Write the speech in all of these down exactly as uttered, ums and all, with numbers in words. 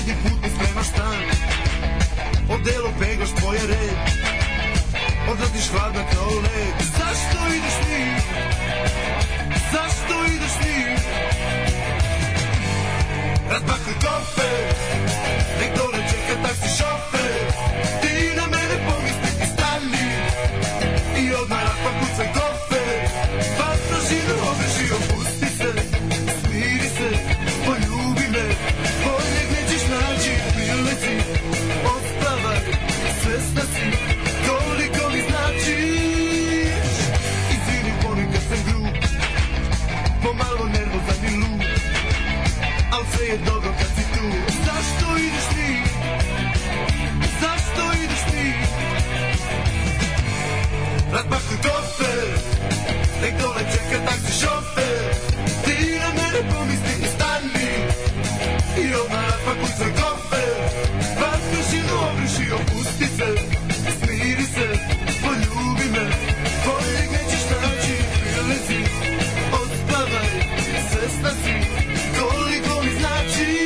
Svaki put mi spremaš stan, odelo peglaš tvoje red, odletiš hladna kao led. Zašto ideš ti? Zašto ideš ti? Razbakli kofer, nek dole čeka taksi šofer. Ti na mene pomisli i stani i odmah razpakucaj kofer. Vatra živu obreži, opusti se, smiri se, poljubi me. Boljeg nećeš naći, prileci, odspavaj, svesna si koliko mi značiš. Izvini, ponekad sam grub, pomalo nervozan i lud, al sve je dobro kad si tu. Zašto ideš ti? Zašto ideš ti? Razbakli kofer, nek dole čeka taksi šofer. Ti na mene pomisli i stani i odmah razpakucaj kofer. Vatru šinu obriši, opusti se, smiri se, poljubi me. Boljeg nećeš naći, prilezi, odspavaj, svesna si koliko mi značiš.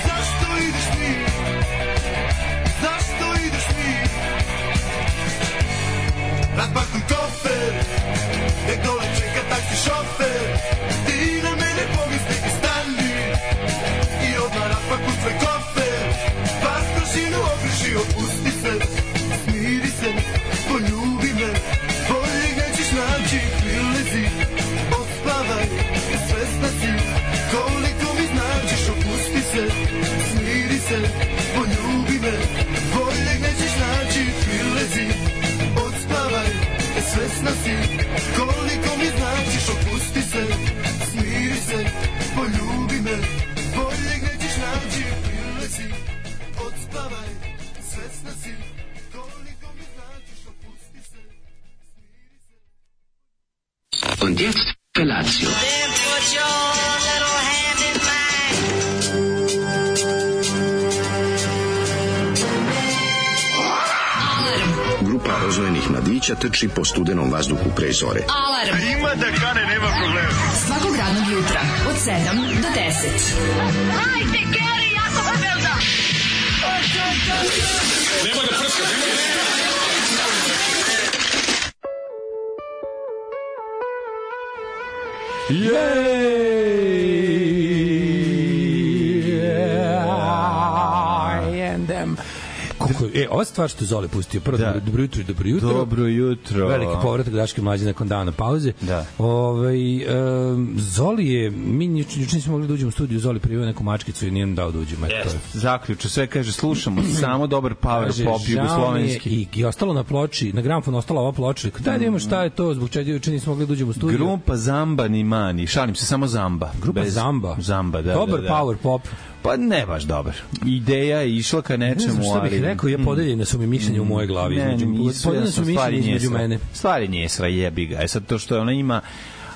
Zašto ideš ti? Zašto ideš ti? Razbakli kofer, nek dole čeka taksi šofer. Ti na mene pomisli i stani i odmah razpakucaj kofer. Vatru šinu obriši, opusti se, smiri se, poljubi me. Boljeg nećeš naći, prilezi, odspavaj, svesna si koliko mi značiš. Opusti se, smiri se, poljubi me. Boljeg nećeš naći, prilezi, odspavaj, svesna si koliko mi značiš. Opusti se, smiri se, poljubi me. Boljeg nećeš naći, prilezi, odspavaj, svesna si koliko mi značiš. Opusti se, smiri se. Und jetzt Felatio. Then put your little hand in mine. Grupa rozvojenih mladića trči po studenom vazduhu pre zore. Alarm. Ima da kane, nema problema. Svakog radnog jutra od sedam do deset. Hajde, Geri, jako se velda. Nema da prska, nema da prska. Yeah, and them. Kako, e, ova stvar što Zoli pustio, prvo da. dobro jutro, dobro jutro. Dobro jutro. Veliki povratak Daške mlađe nakon dana pauze. Da. Ovaj um, Zoli je, mi juče nismo mogli da uđemo u studiju, Zoli prijavio neku mačkicu i nije nam dao da uđemo. Yes. Zaključno, sve kaže, slušamo samo dobar power kaže, pop jugoslovenski. I, I ostalo na ploči, na gramofonu ostala ova ploča. Daj da imamo šta je to, zbog čega juče nismo mogli da uđemo u studiju. Grupa Zamba ni mani, šalim se, samo Zamba. Grupa Bez... Zamba? Zamba, da. Dobar da, da. power pop. Pa ne baš dobar. Ideja je išla ka nečemu, ali... Ne znam šta bih rekao, ja podeljene su mi mišljenje u moje glavi. Ne, nisu, podeljene su mišljenje između mene. Stvari njesra, jebi ga. E sad to što ona ima...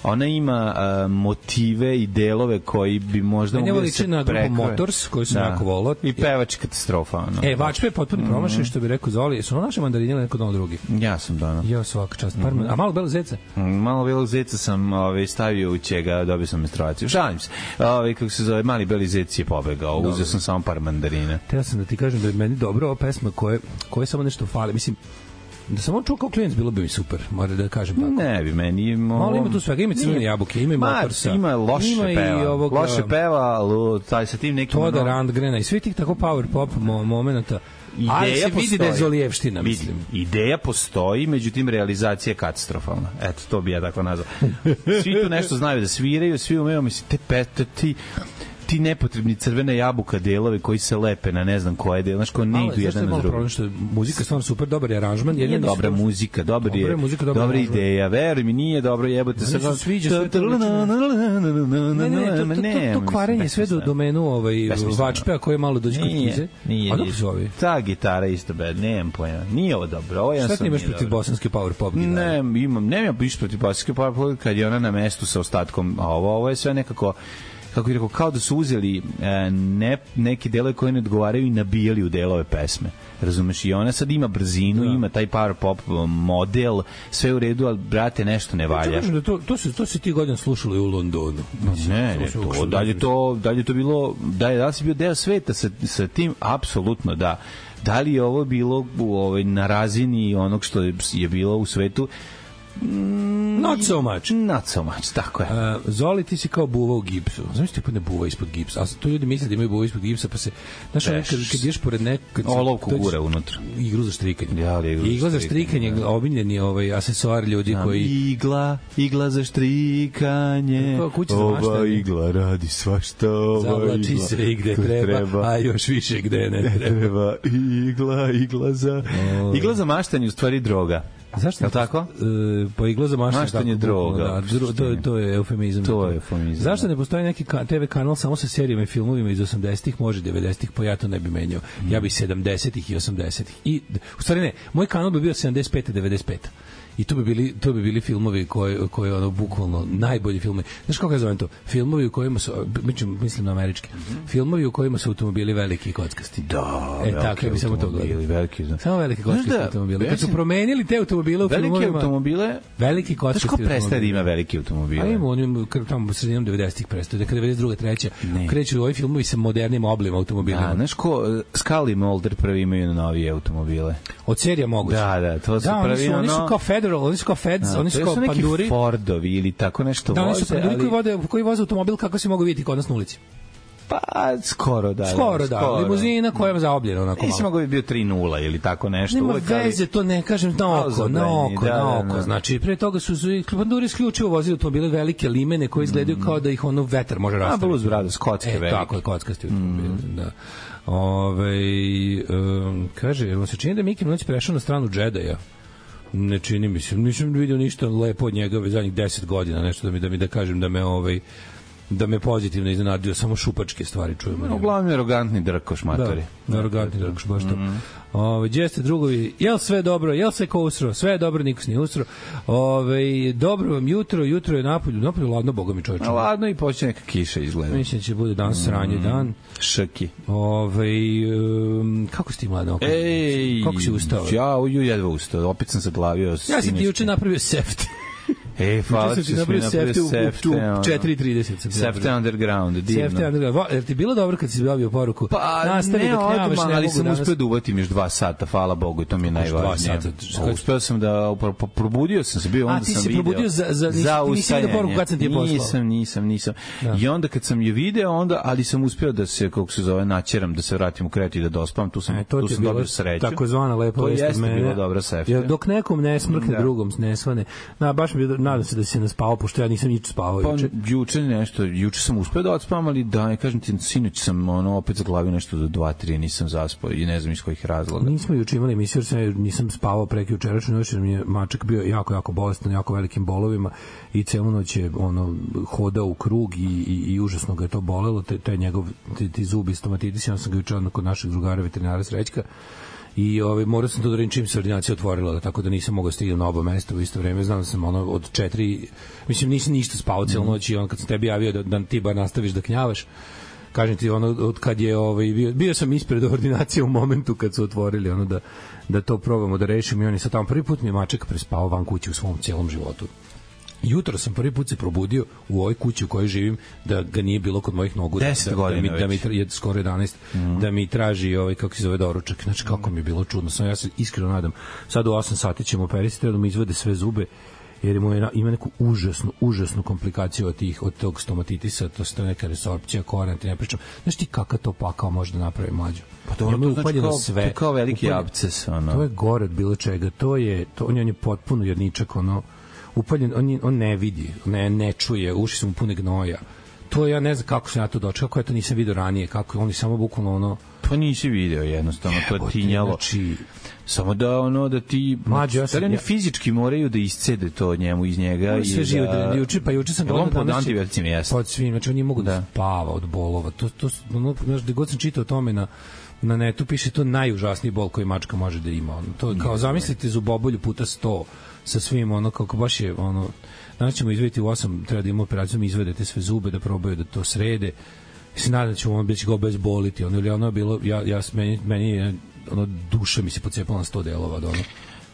Ona ima uh, motive i delove koji bi možda mogli da se na grupu Motors, koji su jako volao. I pevač katastrofa. Ono. E, Vačpe je potpuno promašaj, što bi rekao Zoli. Su ono naše mandarine ili neko dano drugi? Ja sam dano. Ja svaka čast. Par mm-hmm. A malo belog zeca? Mm, malo belog zeca sam ovaj, stavio u čega, dobio sam menstruaciju. Šalim se. Ovaj, kako se zove, mali beli zec je pobegao. Dobro. Uzeo sam samo par mandarina. Teo sam da ti kažem da je meni dobro ova pesma koje, koje samo nešto fali. Mislim, da sam on čuo kao klijent, bilo bi mi super, mora da kažem tako. Ne bi, meni ima... Malo ima tu svega, ima crvene jabuke, ima i Motorsa. Ima loše ima peva, ovoga, loše peva, lo, taj sa tim nekim... Toda Randgrena i svi tih tako power pop mo- momenta. Ideja ali se postoji. Vidi da je Zolijevština, mislim. Ideja postoji, međutim realizacija je katastrofalna. Eto, to bi ja tako nazvao. Svi tu nešto znaju da sviraju, svi umeju, mislim, te pete, ti... ti nepotrebni crvene jabuka delovi koji se lepe na ne znam koje delo, znaš ko ne idu jedan na drugi. Što je muzika stvarno super, dobar je aranžman, je dobra muzika, dobar je, dobra ideja, veruj mi, nije dobro, jebote se. Ne sviđa sve to. Ne, ne, ne, to kvarenje sve do domenu ovaj Vačpea koji je malo dođe kod Kize. Nije, nije. Ta gitara isto bed, nemam pojma. Nije ovo dobro. Ovo ja sam. Šta imaš protiv bosanske power pop gitare? Ne, imam, nemam ništa protiv bosanske power pop kad je ona na mestu sa ostatkom, a ovo ovo je sve nekako kako bih rekao, kao da su uzeli e, ne, neke delove koje ne odgovaraju i nabijali u delove pesme. Razumeš? I ona sad ima brzinu, da. Ima taj power pop model, sve u redu, ali brate, nešto ne valja. Ja, da to, to, se, to se ti godina slušalo i u Londonu. Ne, ne, to, to dalje to, dalje to bilo, da je, da li si bio deo sveta sa, sa tim, apsolutno da. Da li je ovo bilo u, ovaj, na razini onog što je, je bilo u svetu? Not so much. Not so much, tako je. Uh, Zoli, ti si kao buva u gipsu. Znaš ti pa ne buva ispod gipsa? A to ljudi misle da imaju buva ispod gipsa, pa se... Znaš, kad, kad ideš pored nekog... Olovku gure unutra. Iglu za štrikanje. Ja, iglu, igla za štrikanje, da. Omiljeni ovaj asesoar ljudi Znam, koji... Igla, igla za štrikanje. Ova igla radi svašta. Zavlači se i gde treba, treba, a još više gde ne treba. treba. Igla, igla za... Oh. Igla za maštanje u stvari droga. Zašto? Je tako? E, pa igla za maštanje. Maštanje droga. Da, dro, to, to je eufemizam. To je eufemizam. Zašto ne postoji neki ka, te ve kanal samo sa serijama i filmovima iz osamdesetih, može devedesetih, pa ja to ne bi menjao. Mm. Ja bi sedamdesetih i osamdesetih. I, u stvari ne, moj kanal bi bio sedamdeset pete devedeset pete I to bi bili to bi bili filmovi koji koji ono bukvalno najbolji filmovi. Znaš kako ja zovem to? Filmovi u kojima su mislim mislim na američki. Mm-hmm. Filmovi u kojima su automobili veliki i kockasti. Da, e tako bi samo to gledali. Veliki, znači. Samo veliki kockasti da, automobili. Kad su promenili te automobile u veliki filmovima, automobile, veliki kockasti. Znaš ko prestaje da ima veliki automobile? A ima onim tamo sredinom devedesetih prestaje, da kada devedeset druga treća kreću ovi filmovi sa modernim oblicima automobilima. Da, znaš ko Scully Mulder prvi imaju novije automobile. Od serija moguće. Da, da, to su da, prvi oni su, ono... oni su kao Federal, oni su kao Feds, da, oni su kao panduri. To su neki Fordovi ili tako nešto da, voze. Da, oni su panduri ali... koji, vode, koji voze automobil kako se mogu vidjeti kod nas na ulici. Pa, skoro da. Skoro da, skoro. Limuzina koja je zaobljena onako malo. Nisi mogo bi bio tri nula ili tako nešto. Nema uvek, veze, ali... to ne kažem na oko, na oko, da, na oko. Da, da. Znači, pre toga su panduri isključivo vozili automobile velike limene koje izgledaju mm. kao da ih ono vetar može rastaviti. A, Blues Brothers, kocke e, velike. Tako je, kockasti automobile, mm. da. Ove, um, kaže, jel vam se čini da Miki Noć prešao na stranu Džedaja? Ne čini mi se, nisam vidio ništa lepo od njega već zadnjih deset godina, nešto da mi da mi da kažem da me ovaj da me pozitivno iznenadio, samo šupačke stvari čujemo. No, uglavnom je arogantni drkoš, matori. Da, arogantni drkoš, baš to. Mm. Ove, gdje ste drugovi, jel sve dobro, jel se ko usro, sve je dobro, niko se nije usro. Ove, dobro vam jutro, jutro je napolju, napolju ladno, boga mi čovječe. Ladno i počne neka kiša izgleda. Mislim da će bude dan sranje dan. Šaki. Ove, um, kako si ti mlada? Ej, kako si ustao? Ja uju jedva ustao, opet sam zaglavio. Ja sam ti juče napravio seft. E, hvala ti, smo napravili sefte u četiri trideset. Sefte underground, divno. Sefte underground. Jer ti bilo dobro kad si dobio poruku? Pa, nastavi ne odmah, ali sam uspeo da uvatim još dva sata, hvala Bogu, i to mi je najvažnije. Uspeo sam da, probudio sam se, bio onda sam video. A ti si probudio za, za, za nisi vidio poruku kad sam ti je poslao? Nisam, nisam, nisam. I onda kad sam je video, onda, ali sam uspeo da se, kako se zove, načeram, da se vratim u kretu i da dospam, tu sam, tu sam dobio sreću. Takozvana lepa vest od mene. To jeste bilo dobra sefte. Dok nekom ne smrkne, drugom ne svane. Na, baš mi nadam se da se ne spavao, pošto ja nisam nič spavao juče. Pa, juče nešto, juče sam uspeo da odspavam, ali da, ne kažem ti, sinoć sam ono, opet zaglavio nešto do dva tri, nisam zaspao i ne znam iz kojih razloga. Nismo juče imali emisiju, jer nisam spavao preki jučerašnju noć, jer mi je mačak bio jako, jako bolestan, jako velikim bolovima i celu noć je ono, hodao u krug i, i, i užasno ga je to bolelo, te, te njegov, te, ti zubi stomatitis, ja sam ga juče kod našeg drugara veterinara Srećka i ovaj morao sam to da radim čim se ordinacija otvorila, tako da nisam mogao stignem na oba mesta u isto vreme. Znam da sam ono od četiri, mislim nisam ništa spavao celu noć i on kad sam tebi javio da, da ti bar nastaviš da knjavaš, kažem ti ono od kad je ovaj bio, bio sam ispred ordinacije u momentu kad su otvorili ono da da to probamo da rešimo i on je sad tamo prvi put mi je mačak prespao van kuće u svom celom životu. Jutro sam prvi put se probudio u ovoj kući u kojoj živim da ga nije bilo kod mojih nogu, da, da, da mi da mi je skoro jedanaest mm. da mi traži ovaj kako se zove doručak. Znači kako mi je bilo čudno. Sam ja se iskreno nadam. Sad u osam sati ćemo operisati da mi izvade sve zube jer mu je, ima neku užasnu, užasnu komplikaciju od tih od tog stomatitisa, to je neka resorpcija korena, ti ne pričam. Znaš ti kakav to pakao može da napravi mlađu? Pa to, to znači kao, sve. To kao veliki absces. Ono. To je gore od bilo čega. To je, to, on je potpuno jedničak, ono, upaljen, on, on ne vidi, ne, ne čuje, uši su mu pune gnoja. To ja ne znam kako se na to dočekao, kako ja to nisam vidio ranije, kako oni samo bukvalno ono... Pa nisi video jednostavno, to je tinjalo. Znači, samo da ono da ti mlađe, ja sam, ja, fizički moraju da iscede to od njemu iz njega i sve živo da juče pa juče sam gledao pod antibijoticima jeste. Pod svim, znači on nije mogu da, da spava od bolova. To to ono, znaš, da god sam čitao o tome na na netu piše to najužasniji bol koji mačka može da ima. To kao zamislite zubobolju puta sto sa svim, ono, kako baš je, ono, danas ćemo izvediti u osam, treba da imamo operaciju, mi izvedete sve zube, da probaju da to srede, i se nadam da ćemo ono biti go bezboliti, ono, ili ono je bilo, ja, ja, meni, meni je, ono, duša mi se pocepala na sto delova, da, ono,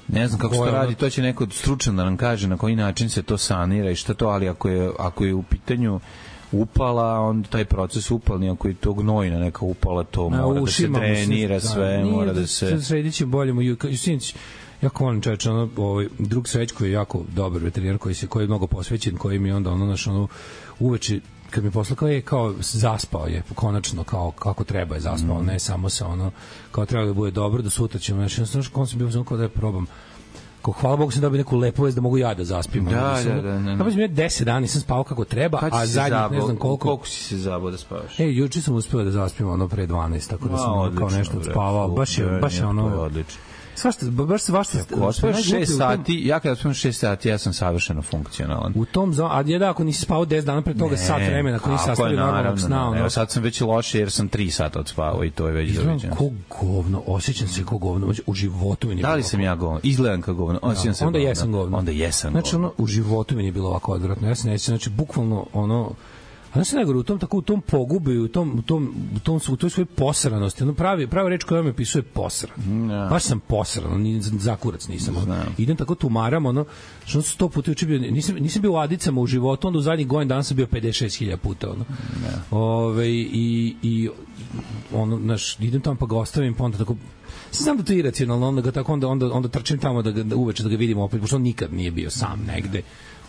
ne znam kako se to radi, to će neko stručan da nam kaže na koji način se to sanira i šta to, ali ako je, ako je u pitanju upala, onda taj proces upalni, ako je to gnojna neka upala, to mora da se trenira sve, mora da se... Sredit će bolje mu, sinić, jako volim čoveč, ono, ovaj, drug Srećko je jako dobar veterinar koji, se, koji je mnogo posvećen, koji mi onda, ono, naš, ono, uveče, kad mi posla kao je, kao zaspao je, konačno, kao kako treba je zaspao, mm. ne samo sa ono, kao treba da bude dobro, da sutra ćemo, znači, znaš, kao sam bio znam kao da je probam, kao hvala Bogu sam dobio neku lepu vest da mogu ja da zaspim. Da, da, da, da, da. Pa mislim, ja deset dana nisam spavao kako treba, a zadnjih ne znam koliko. Koliko si se zabao da spavaš? Ej, juče sam uspeo da zaspim ono pre dvanaest, tako da sam ono, kao nešto spavao, baš je, baš je ono... Odlično. Svašta, baš se vašta... Ako ospijem šest sati, ja kada ospijem šest sati, ja sam savršeno funkcionalan. U tom zonu, a je da ako nisi spavao deset dana pre toga, ne, sat vremena, ako nisi sastavio normalnog sna. Evo sad sam već loše jer sam tri sata odspavao i to je već zaviđeno. Ko govno, osjećam se ko govno, u životu mi nije bilo. Da li sam ja govno? Izgledam kao govno, osjećam se onda jesam govno. Onda jesam govno. Znači, ono, u životu mi nije bilo ovako odvratno. Ja se nećem, znači, bukvalno, ono, a znači najgore u tom tako u tom pogubi, u tom u tom u tom u toj svojoj posranosti, ono pravi prava reč koja me opisuje posran. Ja. Baš sam posran, ni zakurac nisam. Znam. Idem tako tumaram, ono što sto puta juče bio, nisam nisam bio u Adicama u životu, onda u zadnjih godina danas sam bio pedeset šest hiljada puta, ono. Ja. Ove i i ono naš idem tamo pa ga ostavim, pa onda tako znam da to je iracionalno, onda ga tako onda onda onda trčim tamo da ga da uveče da ga vidimo opet, pošto on nikad nije bio sam negde.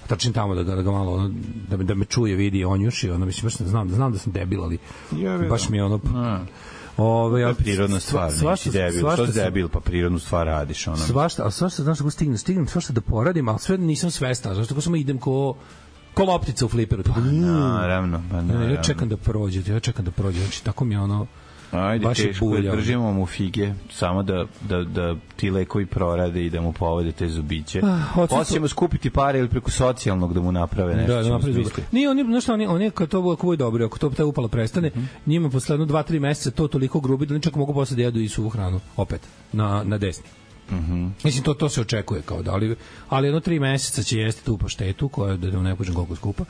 Trčim tamo da ga, da ga malo ono, da me da me čuje, vidi, on juši, ono mislim baš ne znam, znam da sam debil, ali baš mi je ono Ove, ja, prirodna stvar, nisi debil, što si debil, pa prirodnu stvar radiš. Ono. Svašta, ali svašta, znaš kako stignem, stignem svašta da poradim, ali sve nisam svestan, znaš tako samo idem ko ko loptica u fliperu. Pa naravno, pa naravno. Ja čekam da prođe, ja čekam da prođe, znači tako mi je ono, ajde, baš teško je, držimo mu fige, samo da, da, da ti lekovi prorade i da mu povode te zubiće. Ah, Hoćemo skupiti pare ili preko socijalnog da mu naprave nešto. Da, da napravi zubiće. Nije, oni, znaš šta, oni, oni kad to bude dobro, ako to ta upala prestane, mm -hmm. njima posle jedno dva tri meseca to toliko grubi da oni čak mogu posle da jedu i suvu hranu, opet, na, na desni. Mm-hmm. Mislim, to, to se očekuje kao da, ali, ali jedno tri meseca će jesti tu paštetu, koja da ne počnem koliko skupa.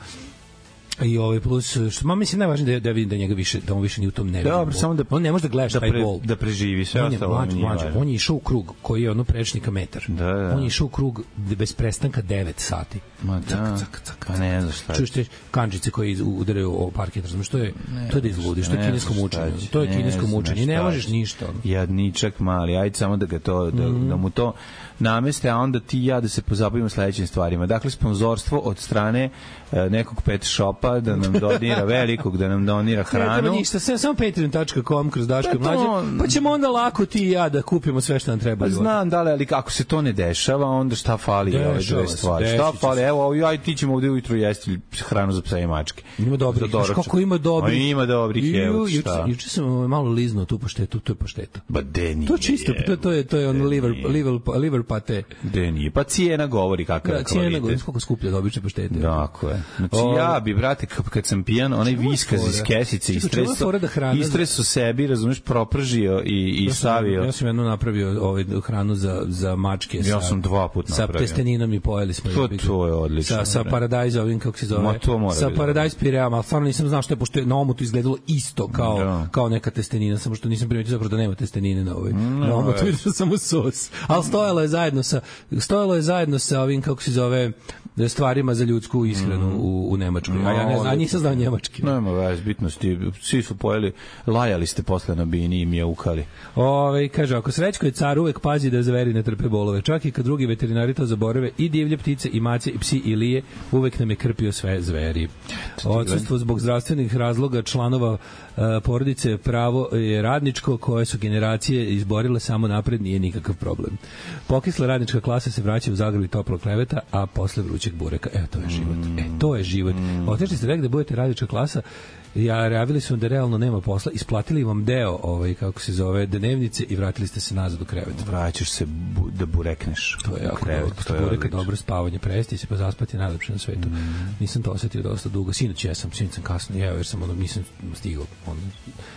I ovaj plus što ma mislim najvažnije da da vidim da njega više da on više ni u tom ne vidi. Dobro, samo da on ne može da gleda da, taj pre, bol. Da preživi sve on ostalo. On je mlađ, on je išao u krug koji je ono prečnika metar. Da, da. On je išao u krug bez prestanka devet sati. Ma da. Cak, cak, cak, pa ne znaš šta. Čuješ te kančice koje udaraju o parket, razumeš, što je ne, to je da izludiš, to je kinesko mučenje. To je kinesko mučenje. Ne možeš ništa. Jadničak mali, ajde samo da ga to da, mm. da mu to nameste, a onda ti ja da se pozabavimo sledećim stvarima. Dakle, sponzorstvo od strane e, nekog pet shopa da nam donira velikog, da nam donira hranu. Ne treba ništa, samo patreon tačka com kroz Daško i Mlađe, pa ćemo onda lako ti i ja da kupimo sve što nam treba. Pa znam, da li, ali kako se to ne dešava, onda šta fali ove dve stvari? Šta fali? Evo, ja i ti ćemo ovde ujutru jesti hranu za psa i mačke. Ima dobrih, znaš kako ima dobrih. Ima dobrih, evo šta. Juče sam malo liznuo tu paštetu, to je pašteta. Ba de nije. To čisto, to, to je, to je on liver, liver, liver pate. De nije, pa cijena govori kakav je kvalitet. Cijena govori koliko skuplja da obične paštete. Tako je. Znači ja bi, brate, kad sam pijan, onaj viskaz iz kesice istreso, istreso sebi, razumeš, propržio i, i stavio. Ja sam jedno napravio ovaj, hranu za, za mačke. Ja sam dva put napravio. Sa testeninom i pojeli smo. To, to je odlično. Sa, sa Paradise, ovim, kako se zove. Ma to mora sa Paradise pireama, ali stvarno nisam znao što je, pošto je na omotu izgledalo isto kao, da. Kao neka testenina, samo što nisam primetio zapravo da nema testenine na ovoj. No, na omotu vidio samo sos. Ali stojalo je zajedno sa, stojalo je zajedno sa ovim, kako se zove, stvarima za ljudsku ishranu mm. u, u Nemačkoj. A ja ne znam, nisam znao njemački. Nema vez, bitnosti. Svi su pojeli, lajali ste posle na bini i mjaukali. Ove, kaže, ako Srećko je car, uvek pazi da zveri ne trpe bolove. Čak i kad drugi veterinari to zaborave, i divlje ptice, i mace, i psi, i lije, uvek nam je krpio sve zveri. Odsustvo zbog zdravstvenih razloga članova uh, porodice pravo je radničko, koje su generacije izborile samo napred, nije nikakav problem. Pokisla radnička klasa se vraća u zagradi toplog kreveta, a posle vrućeg bureka. Evo, to je život. E, to je život. Otešli ste rekli da budete radnička klasa ja javili su da realno nema posla, isplatili vam deo, ovaj, kako se zove, dnevnice i vratili ste se nazad u krevet. Vraćaš se bu, da burekneš. To je jako krevet, dobro. to je Bureka, odlično. dobro spavanje, presti se pa zaspati je najlepše na svetu. Mm. Nisam to osetio dosta dugo. Sinoć ja sam, sinoć sam kasno jeo jer sam ono, nisam stigao. Ono.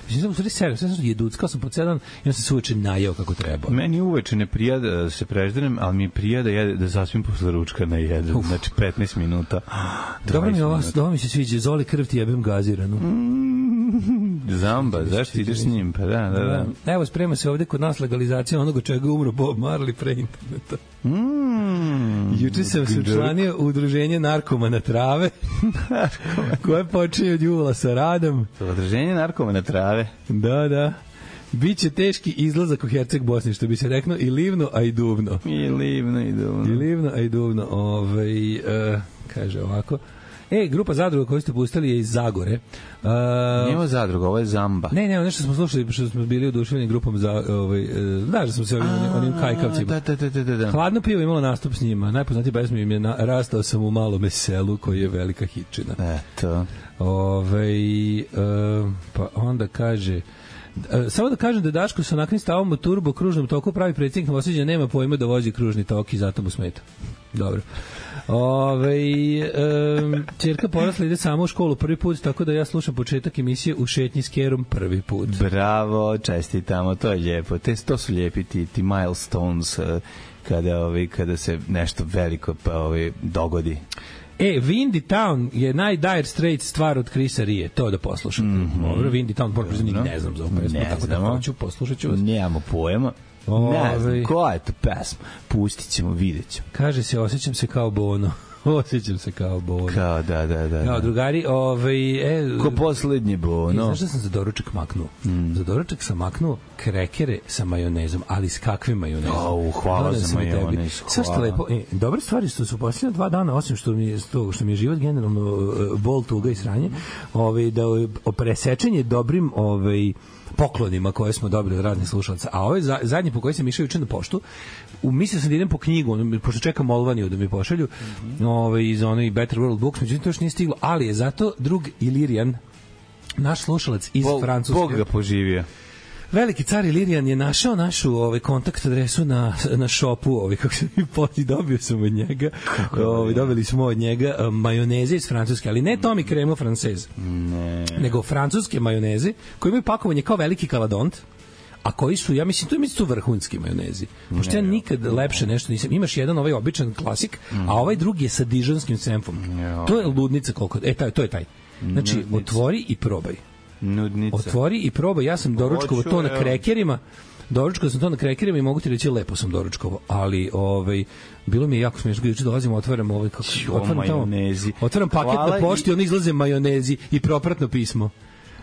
Mislim sam u stvari serio, sve sam jeduckao sam po cedan i on se suveče najeo kako treba. Meni uveče ne prija da se preždenem, ali mi prija da, jede, da zaspim posle ručka na jedan. Uf. Znači petnaest minuta. Dobro mi ovo, dobro mi se sviđa. Zoli krv ti jebem gaziranu. Mm, zamba, zašto ideš s njim? Pa da, da, da. Evo, sprema se ovde kod nas legalizacija onoga čega umro Bob Marley pre interneta. Mm, Juče sam se učlanio u udruženje narkomana trave koje počinje od jula sa radom. Udruženje narkomana trave? Da, da. Biće teški izlazak u Herceg Bosni, što bi se reklo i livno, a i duvno. I livno, i duvno. I livno, a i duvno. Ove, uh, kaže ovako. E, grupa zadruga koju ste pustili je iz Zagore. Uh, Nijemo zadruga, ovo je Zamba. Ne, ne, nešto smo slušali, što smo bili oduševljeni grupom za, ovaj, da, da smo se ovim, onim kajkavcima. Da, da, da, da, da. Hladno pivo imalo nastup s njima. Najpoznatiji pesma im je na, Rastao sam u malome selu, koji je velika hitčina. Eto. Ove, uh, pa onda kaže... Samo da kažem da Daško sa onakvim stavom u turbo kružnom toku pravi predsjednik Novosađa, nema pojma da vozi kružni tok i zato mu smeta. Dobro. Ove, um, čerka porasla ide samo u školu prvi put, tako da ja slušam početak emisije u šetnji s Kerom prvi put. Bravo, čestitamo, to je lijepo. Te, to su lijepi ti, ti milestones kada, ovi, kada se nešto veliko pa, ovi, dogodi. E, Windy Town je najdire straight stvar od Chrisa Rije, to da poslušate. Mm -hmm. Dobro, Windy Town, moram priznati, ne znam za ovu pesmu, ne tako znamo. da hoću, poslušat ću vas. Nemamo pojema. Ne znam, koja je to pesma? Pustit ćemo, vidjet ćemo. Kaže se, osjećam se kao Bono. Osjećam se kao Bono. Kao, da, da, da. Kao drugari, ovaj... E, ko poslednji Bono. Znaš da sam za doručak maknuo? Mm. Za doručak sam maknuo krekere sa majonezom, ali s kakvim majonezom? O, hvala Dodam za majonez, hvala. Sve što lepo. E, dobre stvari što su posljednje dva dana, osim što mi je, što, što mi je život generalno uh, bol, tuga i sranje, ovaj, da presečenje dobrim ovaj, poklonima koje smo dobili od raznih slušalaca. A ovaj za, zadnji po koji sam išao juče na poštu, u, mislio sam da idem po knjigu, pošto čekam Molvaniju da mi pošalju, mm -hmm. ovaj, iz onoj Better World Books, međutim to još nije stiglo, ali je zato drug Ilirijan, naš slušalac iz Bog, Francuske. Bog ga poživio. Veliki car Ilirijan je našao našu ovaj kontakt adresu na na shopu, ovaj kako se mi poti dobio sam od njega. Ovaj dobili smo od njega uh, majoneze iz Francuske, ali ne Tommy Cremo francez. Ne. Nego francuske majoneze koje imaju pakovanje kao veliki kaladont. A koji su, ja mislim, to je su vrhunski majonezi. Pošto ja nikad lepše nešto nisam. Imaš jedan ovaj običan klasik, mm. a ovaj drugi je sa dižonskim senfom. Ja. To je ludnica koliko. E, taj, to je taj. Znači, Nudnica. Otvori i probaj. Nudnica. Otvori i probaj. Ja sam doručkovao to na krekerima. Doručkovao sam to na krekerima i mogu ti reći lepo sam doručkovao. Ali, ovaj, bilo mi je jako smiješno. Juče dolazimo, otvaram ovaj, kako, otvaram tamo, otvaram paket Hvala na pošti, i... on izlaze majonezi i propratno pismo.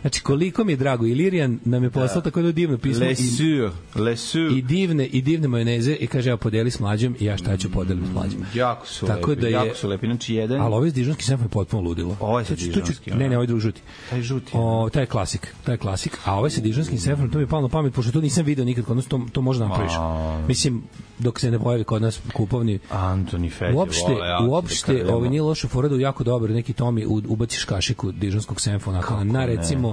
Znači, koliko mi je drago, Ilirijan nam je poslao da. Tako da divno pismo. Le sur, le sur. I divne, i divne majoneze i kaže, ja podeli s mlađom i ja šta ću podelim s mlađom. Jako su tako lepi, da je, jako su lepi. Znači, jedan... Ali ovaj s dižonski senfom je potpuno ludilo. Ovaj sa dižonski. Ne, ne, ovaj drugi žuti. Taj žuti. O, taj je klasik, taj je klasik. A ovaj sa dižonskim senfom, to mi je palo na pamet, pošto to nisam video nikad kod nas, to, to možda napraviš. A... Mislim, dok se ne pojavi kod nas kupovni. Antoni Fedje, uopšte, uopšte, ovaj nije loše fora da jako dobro neki Tomi ubaciš kašiku dižonskog senfa, onako, na recimo...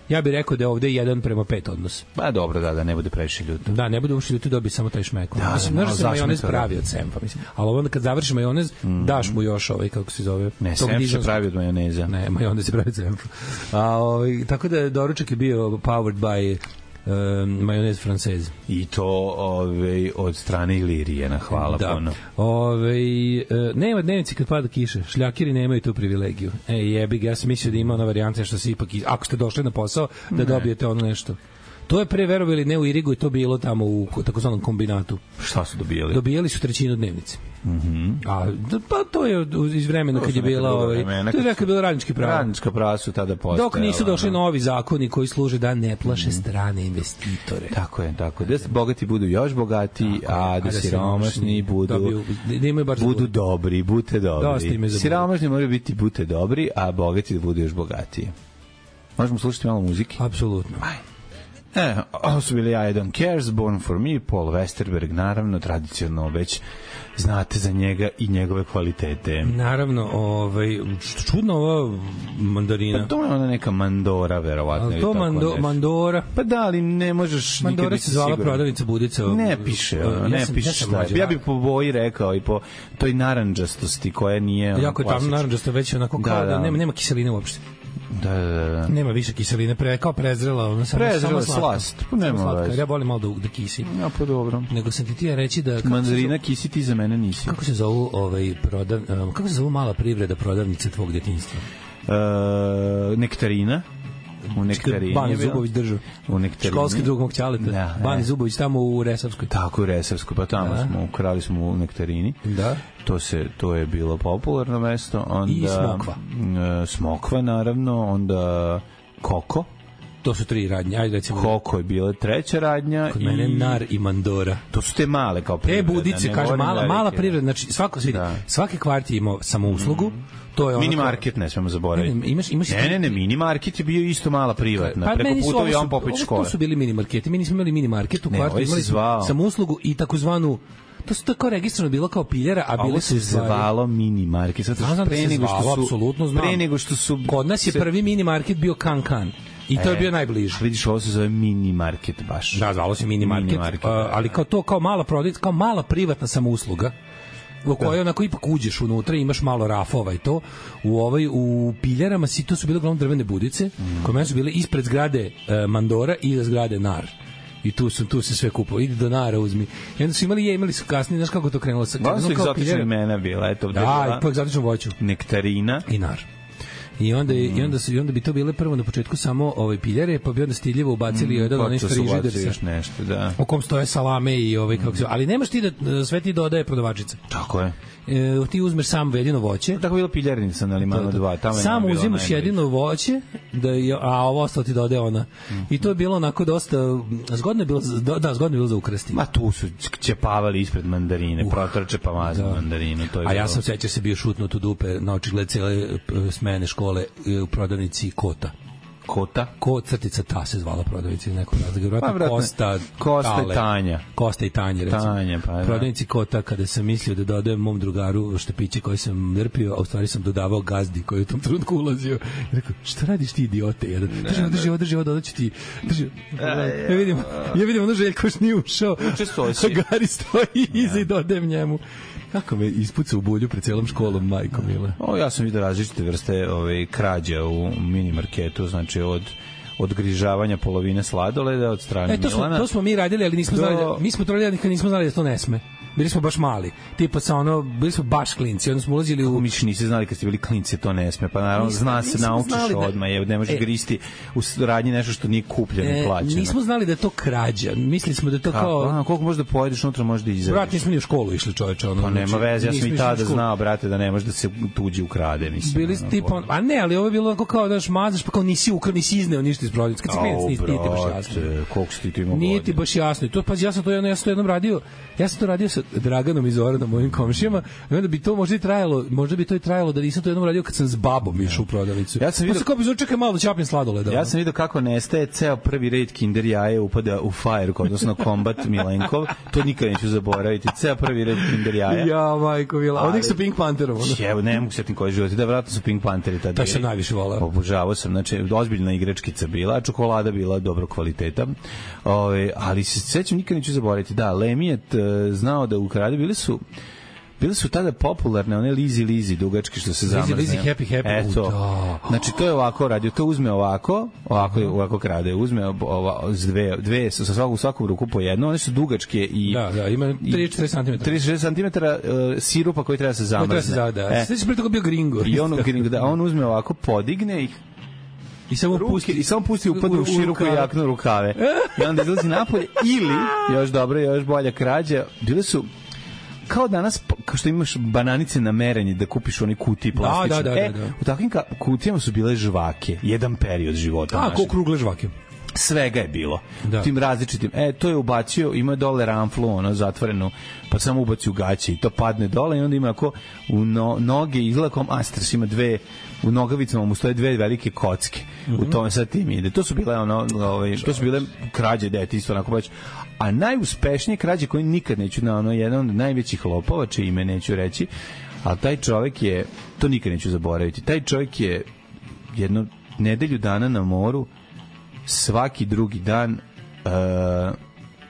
Ja bih rekao da je ovde jedan prema pet odnos. Pa dobro, da, da ne bude previše ljuto. Da, ne bude uopšte ljuto, dobije samo taj šmek. Da, mislim, znaš da se majonez pravi od senfa, mislim. Ali onda kad završiš majonez, mm. daš mu još ovaj, kako se zove... Ne, senf se pravi od majoneza. Ne, majonez se pravi od senfa. A, ovaj, tako da doručak je bio powered by... Um, majonez francez. I to ove, od strane Ilirijena, hvala da. puno. Ove, uh, nema dnevnici kad pada kiša, šljakiri nemaju tu privilegiju. E, jebi ga, ja sam mislio da ima ona varijanta što se ipak, ako ste došli na posao, da ne. Dobijete ono nešto. To je pre, verovali, ne u Irigu, i to bilo tamo u takozvanom kombinatu. Šta su dobijali? Dobijali su trećinu dnevnice. Mhm. Mm A pa to je iz vremena kad je bila ovaj to je kad je bilo radnički pravo. Radnička prava su tada postojala. Dok nisu došli novi zakoni koji služe da ne plaše strane investitore. Tako je, tako je. Da se bogati budu još bogatiji, a da siromašni budu dobiju, da imaju baš budu dobri, budete dobri. Siromašni moraju biti budete dobri, a bogati da budu još bogatiji. Možemo slušati malo muzike? Apsolutno. Aj. E, ovo su bili I Don't Cares, Born for Me, Paul Westerberg, naravno, tradicionalno već znate za njega i njegove kvalitete. Naravno, ovaj, čudno ova mandarina. Pa to je ona neka mandora, verovatno. Ali to mando, mandora. Pa da, ali ne možeš mandora nikad biti se zvala siguran. prodavnica Budica. Ne piše, ono, ne ja sam, piše ja sam šta je. mlađa. Ja bih po boji rekao i po toj narandžastosti koja nije... Ono, jako je tamno narandžasto, već onako kao da, da, da nema, nema kiseline uopšte. Da, da, da. Nema više kiseline, pre, kao prezrela, ona samo, prezrela samo slast. Pa nema slatka, veze. ja volim malo da, da kisi. Ja, pa dobro. Nego sam ti ti reći da... Mandarina kisi, ti za mene nisi. Kako se zovu, ovaj, prodav, um, kako se zovu mala privreda prodavnice tvog djetinjstva? Uh, nektarina. U nektarini. Bani Zubović držao. U nektarini. Školski drug mog ćaleta. Da, Bani Zubović tamo u Resavskoj. Tako u Resavskoj, pa tamo da. smo, ukrali smo u nektarini. Da. To se to je bilo popularno mesto, onda i Smokva. Uh, Smokva naravno, onda Koko. To su tri radnje. Ajde recimo. Koko je bila treća radnja. Kod mene i... Nar i Mandora. To su te male kao privreda. E, Budice, kaže, mala, velike. mala privreda. Znači, svako, da. svaki kvart je imao samouslugu. To je mini market ne smemo zaboraviti. Ne, ne, imaš, imaš ne, ne, ne, mini market je bio isto mala privatna. Pa, preko puta Jovan Popović škole. To su bili mini marketi. Mi nismo imali mini market u kvartu, imali smo samouslugu i takozvanu to su tako registrovano bilo kao piljera, a bile su se zvalo mini market. Sad znam pre nego što su apsolutno znam. Pre nego što su kod nas je se... prvi mini market bio Kan Kan. I to e, je bio najbliži. Vidiš, ovo se zove mini market baš. Da, zvalo se mini market, mini market uh, ali kao to kao mala prodavnica, kao mala privatna samousluga. U kojoj onako ipak uđeš unutra, imaš malo rafova i to. U ovoj u piljarama si to su bile uglavnom drvene budice, mm. koje su bile ispred zgrade uh, Mandora i iza zgrade Nar. I tu su tu se sve kupovalo. Idi do Nara, uzmi. I onda su imali je, imali su kasnije, znaš kako to krenulo sa kako su egzotične imena bila, eto. Da, i po egzotičnom voću. Nektarina i Nar. I onda mm. i onda su i onda bi to bile prvo na početku samo ovaj piljare, pa bi onda stiljivo ubacili mm, jedan onaj frižider sa nešto, da. U kom stoje salame i ovaj kako se, ali nemaš ti da sve ti dodaje prodavačica. Tako je. E, ti uzmeš samo jedino voće. Tako bilo piljarnica na Limanu dva, tamo je. Samo uzimaš jedino voće, da je, a ovo ostalo ti dodaje ona. Mm. I to je bilo onako dosta zgodno je bilo, da, zgodno je bilo za ukrsti. Ma tu su ćepavali ispred mandarine, uh, protrče pa mazu da. mandarinu, to je. A bilo. ja sam sećam se bio šutnut u dupe na očigled cele smene škole u prodavnici Kota. Kota? Ko crtica ta se zvala prodavnici iz nekog razloga. Vjerojatno pa, Kosta, Kosta i Tanja. Kosta i Tanja, recimo. Tanja, pa, da. Prodavnici Kota, kada sam mislio da dodajem mom drugaru štepiće koje sam drpio, a u stvari sam dodavao gazdi koji je u tom trenutku ulazio. I rekao, šta radiš ti, idiote? Jedan, drži ovo, drži ovo, drži ovo, dodaću ti. Drži. Ja vidim, ja vidim ono Željko još nije ušao. Učestosi. Gari stoji iza i dodajem njemu. Kako me ispuca u bulju pred celom školom, majko mila. O, ja sam vidio različite vrste ove, krađa u mini marketu, znači od od grižavanja polovine sladoleda od strane e, to smo, Milana. To smo mi radili, ali nismo do... znali da, mi smo to radili, ali nismo znali da to ne sme. Bili smo baš mali. Tipa sa ono, bili smo baš klinci, onda smo ulazili u... Kako mi niste znali kad ste bili klinci, to ne sme, pa naravno nismo, zna se, naučiš da... odmah, je, ne možeš e, gristi u radnji nešto što nije kupljeno i e, plaćeno. Nismo znali da je to krađa, mislili smo da je to Kako? kao... A, koliko možeš da pojedeš unutra, možeš da izađeš. Brat, nismo ni u školu išli, čoveče. Ono, pa nema znači, veze, ja sam i tada znao, brate, da ne može da se tuđi ukrade. Mislim, bili ono, tipa, a ne, ali ovo je bilo kao daš mazaš, pa kao nisi ukrao, nisi izneo ništa iz prodavnice. Kad si klinac, nisi ti baš jasno. Koliko si ti imao? Nije ti baš jasno. To, pa ja sam to jedno, ja sam to jednom radio, ja sam to radio sa Draganom iz Zoranom, mojim komšijama, i onda bi to možda i trajalo, možda bi to i trajalo da nisam to jednom radio kad sam s babom išao u prodavnicu. Ja sam vidio, pa se kao bi čekaj malo da ćapnem sladoleda. Ja sam vidio kako nestaje ceo prvi red Kinder jaje upada u Fire, odnosno Combat Milenkov. To nikad neću zaboraviti. Ceo prvi red Kinder jaja. Ja, majko mila. Onih sa Pink Pantherom. Evo, ne mogu setim koji život. Da, vratno su Pink Pantheri tada. To sam najviše voleo. Obožavao sam. Znači, ozbiljna igračkica bila, a čokolada bila dobro kvaliteta. Ove, ali se sećam, nikad neću zaboraviti. Da, Lemi je znao da ukrade, bili su bile su tada popularne one Lizi Lizi dugački što se zamrzne. Lizi Lizi Happy Happy. Eto. Znači to je ovako radio, to uzme ovako, ovako ovako krade, uzme ova s dve dve sa svaku u svaku ruku po jedno, one su dugačke i da, da, ima trideset četiri centimetra. trideset četiri centimetra uh, sirupa koji treba se zamrzne. Treba se da. E. Sveći pre toga bio gringo. I on gringo, da, on uzme ovako, podigne ih i samo ruke, pusti i samo pusti upadne u, u široku jaknu rukave. I onda izlazi napolje ili još dobro, još bolja krađa, bile su kao danas, kao što imaš bananice na merenje da kupiš oni kutiji plastične. Da, da, da, e, da, da. U takvim kutijama su bile žvake, jedan period života. A, ko krugle žvake. svega je bilo. Da. Tim različitim. E, to je ubacio, ima dole ramflu, ono, zatvorenu, pa samo ubaci u gaće i to padne dole i onda ima ako u no, noge izlakom Astras ima dve, u nogavicama mu stoje dve velike kocke. Mm-hmm. U tome sad tim ide. To su bile ono, ovaj, to su bile krađe detinjstva, onako baš. A najuspešnije krađe koje nikad neću na ono, jedan od najvećih lopova, čije ime neću reći, ali taj čovjek je, to nikad neću zaboraviti, taj čovjek je jednu nedelju dana na moru, svaki drugi dan uh,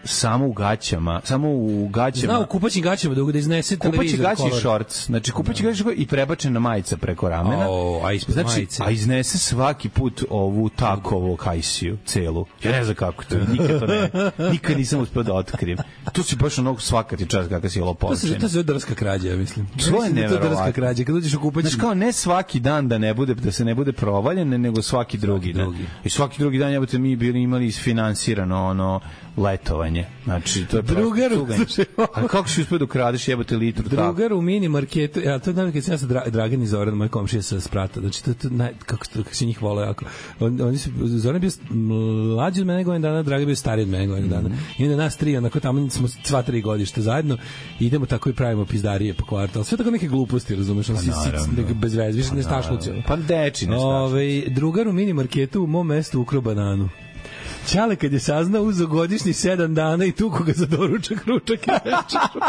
samo u gaćama, samo u gaćama. Zna u kupaćim gaćama da da iznese televizor. Kupaći gaće i šorc. Znači kupaći gaće i prebačena majica preko ramena. O, a ispod znači, majice. A iznese svaki put ovu takovu kajsiju celu. Ja ne znam kako to, nikad to ne. Nikad nisam uspeo da otkrijem. To si baš onog svakati čas kakav si lopovčina. To se to se drska krađa, ja mislim. To je neverovatno. Drska krađa, kad uđeš u kupaći. Znači kao ne svaki dan da ne bude da se ne bude provaljen, nego svaki drugi dan. I svaki drugi dan jebote mi bili imali isfinansirano ono letovanje. Znači to je drugar. A kako si uspeo da ukradeš jebote litru tako? Drugar u mini marketu. Ja to znam kad sam ja sa Dra, Dragan i Zoran, moj komšija sa Sprata. Znači to to naj, kako kako se njih vole jako. On, oni su Zoran bio mlađi od mene godinu dana, Dragan bio stariji od mene godinu dana. I onda nas tri, onako tamo smo sva tri godište zajedno. Idemo tako i pravimo pizdarije po kvartu. Sve tako neke gluposti, razumeš, on si bez veze, više ne stašluci. Pa deči ne stašluci. Ovaj drugar u mini marketu u mom mestu ukro bananu. Ćale kad je saznao uzo godišnji sedam dana i tuku ga za doručak, ručak i večeru.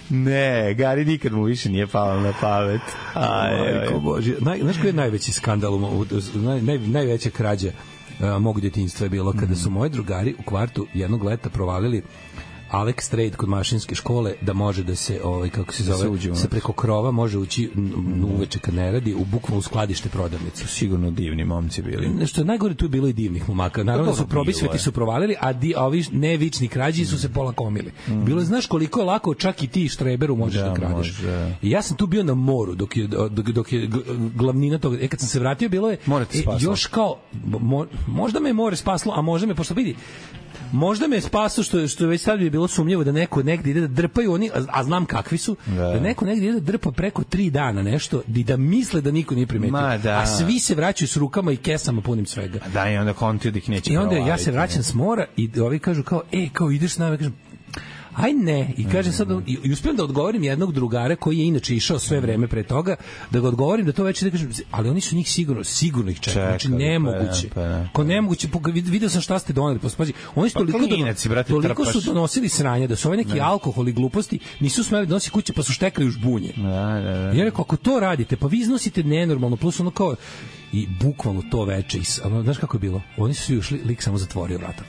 Ne, Gari nikad mu više nije palo na pamet. Aj, Majko Bože. Naj, znaš koji je najveći skandal, u, naj, naj, najveća krađa uh, mog djetinjstva je bilo kada su moji drugari u kvartu jednog leta provalili Alex Trade kod mašinske škole da može da se ovaj kako se zove se, se preko krova može ući uveče kad ne radi u bukvalno skladište prodavnice. Sigurno divni momci bili. Nešto najgore tu je bilo i divnih momaka. Naravno su probisveti su provalili, a di a ovi nevični krađi su se polakomili. Mm. Bilo je znaš koliko je lako čak i ti štreberu možeš da, da kradeš. Može. I ja sam tu bio na moru dok je dok, dok je glavnina toga. E kad sam se vratio bilo je e, još kao mo, možda me more spaslo, a možda me pošto vidi možda me spaso što što već sad bi bilo sumnjivo da neko negde ide da drpaju oni, a, a znam kakvi su, da. da neko negde ide da drpa preko tri dana nešto i da misle da niko nije primetio. Da. A svi se vraćaju s rukama i kesama punim svega. Da, i onda kontio da ih neće. I onda ja se vraćam s mora i ovi kažu kao, ej, kao ideš s nama, kažem, aj ne, i kaže sad i, i uspijem da odgovorim jednog drugara koji je inače išao sve vreme pre toga, da ga odgovorim da to već da kažem, ali oni su njih sigurno, sigurno ih čekaju, znači nemoguće. Pa, pa, ko nemoguće, video sam šta ste doneli, pospazi, oni su toliko, klinaci, brate, toliko su donosili sranje da su ove neki ne. alkohol i gluposti nisu smeli da nosi kuće pa su štekali u žbunje. Da, da, da. Ja rekao, ako to radite, pa vi iznosite nenormalno, plus ono kao i bukvalno to veče, ono, znaš kako je bilo? Oni su ušli, lik samo zatvorio vrata.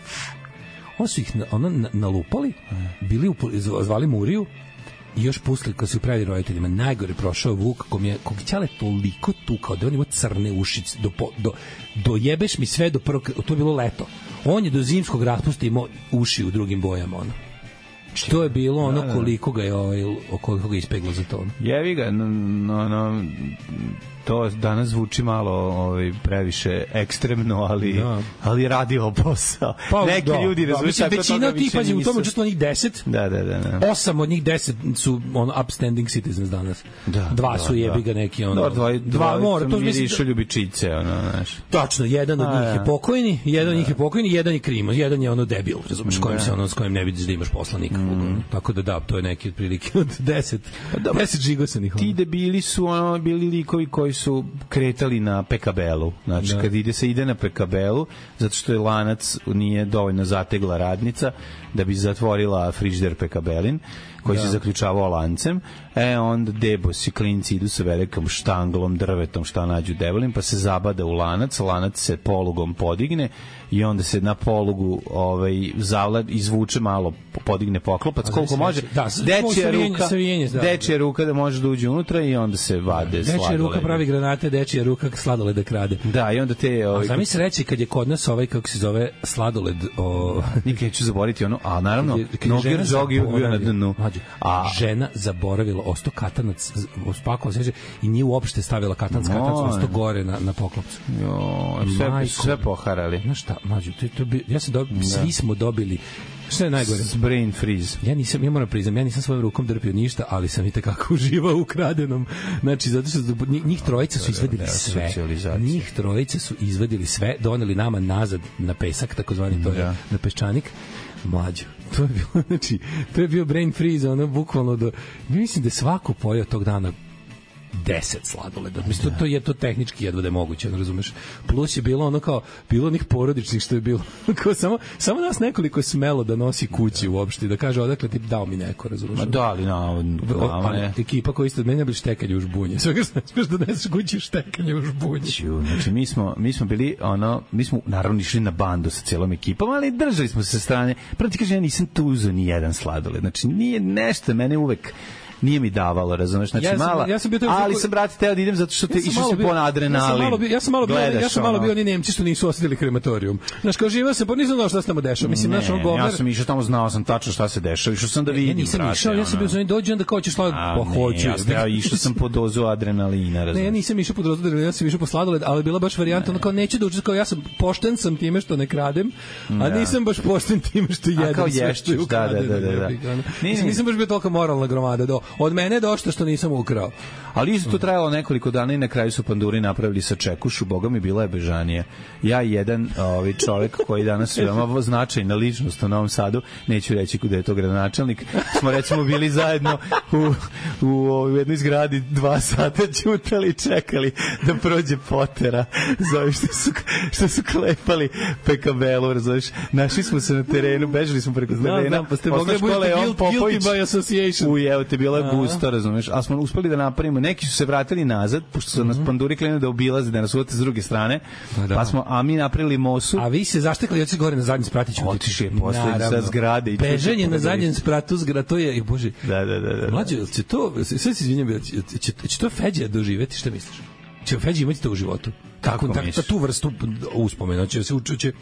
Oni su ih ono nalupali, bili u, zvali Muriju i još pustili kad su upravili roditeljima. Najgore prošao Vuk, kom je kog ćale toliko tukao da on ima crne ušice do, do, do jebeš mi sve do prvog, to je bilo leto. On je do zimskog raspusta imao uši u drugim bojama, ono. Što je bilo ono koliko ga je ovaj, koliko ga ispeglo za to. Jevi ga, no, no, no, to danas zvuči malo ovaj, previše ekstremno, ali, da. ali radi ovo posao. Pa, neki da, ljudi da, razumiju tako većina od tih, pazi, u tome učestvovalo njih deset, da, da, da, da. osam od njih deset su ono, upstanding citizens danas. Da, dva da, su jebi ga neki ono, da, dva, dva, dva mora, to mirišu ljubičice, ono, znaš. Tačno, jedan od njih je pokojni, jedan od njih je pokojni, jedan je krimo, jedan je ono debil, razumeš, kojim se ono, s kojim ne vidiš da imaš poslanika. Mm. Tako da da, to je neki otprilike od deset, deset žigosanih. Ti debili su ono, bili likovi koji su kretali na P K B-u. Znači, da. kad ide se ide na P K B-u, zato što je lanac nije dovoljno zategla radnica da bi zatvorila frižider P K B-lin, koji da. se zaključavao lancem, e onda debosi klinci idu sa velikom štanglom, drvetom, šta nađu debelin, pa se zabada u lanac, lanac se polugom podigne i onda se na polugu ovaj, zavlad, izvuče malo, podigne poklopac, a koliko može, da, dečija ruka, savijenje, da, dečija ruka da može da uđe unutra i onda se vade da, sladoled. Dečija ruka pravi granate, dečija ruka sladoled da krade. Da, i onda te... Ovaj, a zamisli reći kad je kod nas ovaj, kako se zove, sladoled... O... Nikad neću zaboraviti ono, a naravno, Nogir Džogi bio na dnu. A žena zaboravila osto katanac, spakovala se i nije uopšte stavila katanac, no, katanac osto gore na, na poklopcu. Jo, sve, sve poharali. Znaš šta, mlađu, to, to bi, ja sam dobi, svi smo dobili Šta je najgore? Brain freeze. Ja nisam, ja moram priznam, ja nisam svojom rukom drpio ništa, ali sam i tekako uživao u kradenom. Znači, zato što njih trojica su izvadili sve. Njih trojica su izvadili sve, doneli nama nazad na pesak, takozvani to je, da. na peščanik. Mlađo. To je bilo, znači, to je bio brain freeze, ono, bukvalno do... Mislim da je svako pojeo tog dana deset sladoleda. Mislim, to, to je to tehnički jedva da je moguće, ne razumeš. Plus je bilo ono kao, bilo onih porodičnih što je bilo. Kao samo, samo nas nekoliko je smelo da nosi kući uopšte, da kaže odakle ti dao mi neko, razumeš. Ma da li, na, na ekipa koja isto od mene bili štekanje u žbunje. Svega što ne smiješ da neseš kući štekanje u žbunje. Znači, mi smo, mi smo bili, ono, mi smo naravno išli na bandu sa celom ekipom, ali držali smo se sa strane. Prvo ti kaže, ja nisam tu uzeo ni jedan sladoled. Znači, nije nešto, mene uvek nije mi davalo, razumeš, znači ja sam, mala, ja sam bio ali sam, brate, teo da idem zato što te ja išao se po adrenalin. Ja sam malo bio, ja sam malo bio, ja sam malo bio oni Nemci što nisu osetili krematorijum. Znaš, kao živeo sam, pa nisam znao šta se tamo dešava. Mislim, znaš, on govnar. Ja sam išao tamo, znao sam tačno šta se dešava, išao sam da vidim, ja nisam išao, ja sam bio za njim dođe, onda kao ćeš sladoled, pa hoću. Ja sam išao sam po dozu adrenalina, razumeš. Ne, ja nisam išao po dozu adrenalina, ja sam išao po sladoled, ali bila baš varijanta, ono kao neću da učestvujem, kao ja sam pošten sam time što ne kradem, a nisam baš pošten time što jedem sve što je ukradeno. Da, da, da, da. Nisam baš bio toliko moralna gromada, do. Od mene došlo što nisam ukrao. Ali isto to trajalo nekoliko dana i na kraju su panduri napravili sa čekušu, boga mi bila je bežanija. Ja i jedan ovaj čovjek koji danas je veoma značajna ličnost u Novom Sadu, neću reći kuda je to gradonačelnik, smo recimo bili zajedno u, u, u jednoj zgradi dva sata ćutali i čekali da prođe potera za što su, što su klepali pekabelu, razumiješ. Našli smo se na terenu, bežali smo preko terena. Da, pa ste mogli budete guilty by association. U, evo te bila gusto, razumiješ. A smo uspeli da napravimo, neki su se vratili nazad, pošto su nas panduri krenuli da obilaze, da nas uvate s druge strane, da. Pa smo, a mi napravili mosu. A vi se zaštekali, otišli gore na zadnjem spratu. Otišli je posle sa zgrade. Bežanje na zadnjem spratu zgrade, to je, bože. Da, da, da. da. Mlađe, će to, sve se izvinjam, će, će to Feđa doživeti, šta misliš? Će Feđa imati to u životu? Kako, tako, tu vrstu uspomena, će se učuće.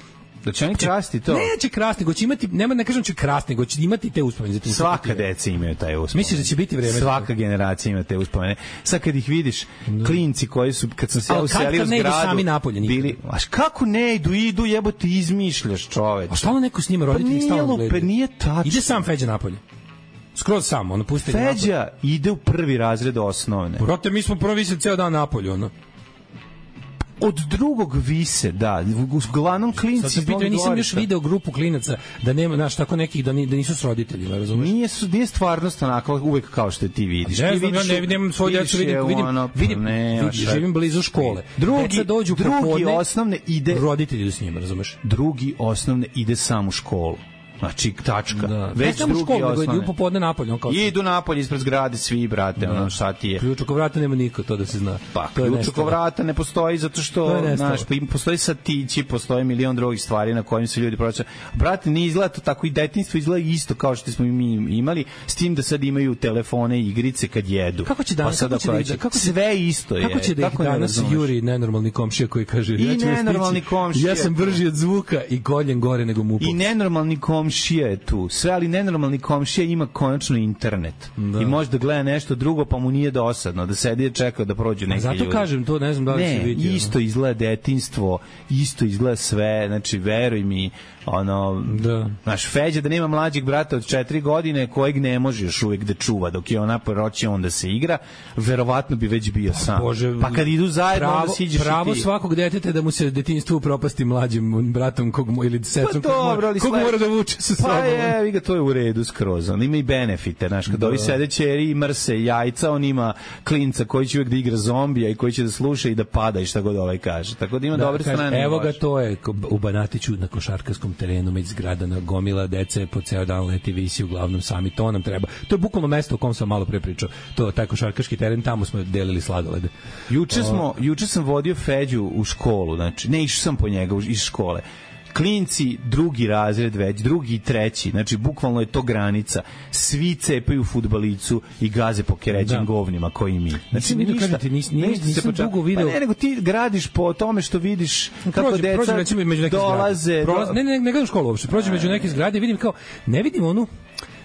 Da će oni krasti to? Neće krasti, go će imati, nema ne kažem će krasti, go će imati te uspomene. Svaka deca imaju taj uspomene. Misliš da će biti vreme? Svaka generacija ima te uspomene. Sad kad ih vidiš, klinci koji su, kad sam se ja uselio u zgradu, sami napolje, bili, a kako ne idu, idu, jebote, izmišljaš, čoveče. A stalno neko s njima roditelji stalno gledaju. Pa nije tačno. Ide sam Feđa napolje. Skroz sam, ono pusti napolje. Feđa ide u prvi razred osnovne. Brate, mi smo prvo vise ceo dan napolje, ono. Od drugog vise, da, uglavnom klinci. Sad se pitao, nisam još video grupu klinaca da nema, znaš, tako nekih da, ni, da nisu s roditeljima, razumeš? Nije, su, nije stvarnost onako uvek kao što ti vidiš. Ne ti znam, vidiš, ja ne vidim svoju djecu, vidim, vidim, ono, vidim, ne, vidim živim blizu škole. Drugi, Deca dođu drugi popodne, osnovne ide, roditelji idu s njima, razumeš? Drugi osnovne ide sam u školu. Znači, tačka. Da. Već ne drugi školu, osnovne. Idu popodne napolje. Kao idu napolje ispred zgrade svi, brate, da. Ono šta ti je. Ključ oko vrata nema niko, to da se zna. Pa, ključ oko vrata ne postoji zato što, znaš, postoji satići, postoji milion drugih stvari na kojim se ljudi prođe. Brate, ne izgleda to tako, i detinjstvo izgleda isto kao što smo mi imali, s tim da sad imaju telefone i igrice kad jedu. Kako će danas, pa kako će da ide, kako sve isto je. Kako će da ih danas juri nenormalni komšija koji kaže, I ja ću nenormalni komšija. Ja sam brži od zvuka i koljem gore nego mupo. I nenormalni komšija je tu. Sve, ali nenormalni komšija ima konačno internet. Da. I može da gleda nešto drugo, pa mu nije dosadno, da sedi i čeka da prođu neki ljudi. Zato kažem, to ne znam da li ne, se vidi. Ne, isto izgleda detinjstvo, isto izgleda sve, znači, veruj mi, ono, da. Naš Feđa da nema mlađeg brata od četiri godine kojeg ne može još uvijek da čuva dok je ona poroći on da se igra, verovatno bi već bio sam. Bože, pa kad idu zajedno pravo, onda siđeš pravo i ti. Svakog deteta da mu se detinjstvo upropasti mlađim bratom kog mu, ili sestrom pa dobro, kog, mora, kog mora da vuče sa sobom. Pa je, vi ga, to je u redu skroz. On ima i benefite, znaš, kad da. Ovi sede ćeri i mrse jajca, on ima klinca koji će uvijek da igra zombija i koji će da sluša i da pada i šta god ovaj kaže. Tako da ima da, dobre strane. Evo ga, to je u Banatiću na košarkaškom terenu među zgradana gomila dece po ceo dan leti visi, uglavnom sami, to nam treba. To je bukvalno mesto o kom sam malo pre pričao. To taj košarkaški teren, tamo smo delili sladolede. Juče smo, juče sam vodio Feđu u školu, znači ne išao sam po njega iz škole. Klinci drugi razred već, drugi i treći, znači bukvalno je to granica. Svi cepaju fudbalicu i gaze po keređim govnima koji mi. Znači ništa, ništa, nis, nis, nisam nisam dugo video. Pa ne, nego ti gradiš po tome što vidiš kako prođe, deca prođe, recimo, među neke dolaze. Prolaze, ne, ne, ne gledam školu uopšte. Prođem među neke zgrade i vidim kao, ne vidim onu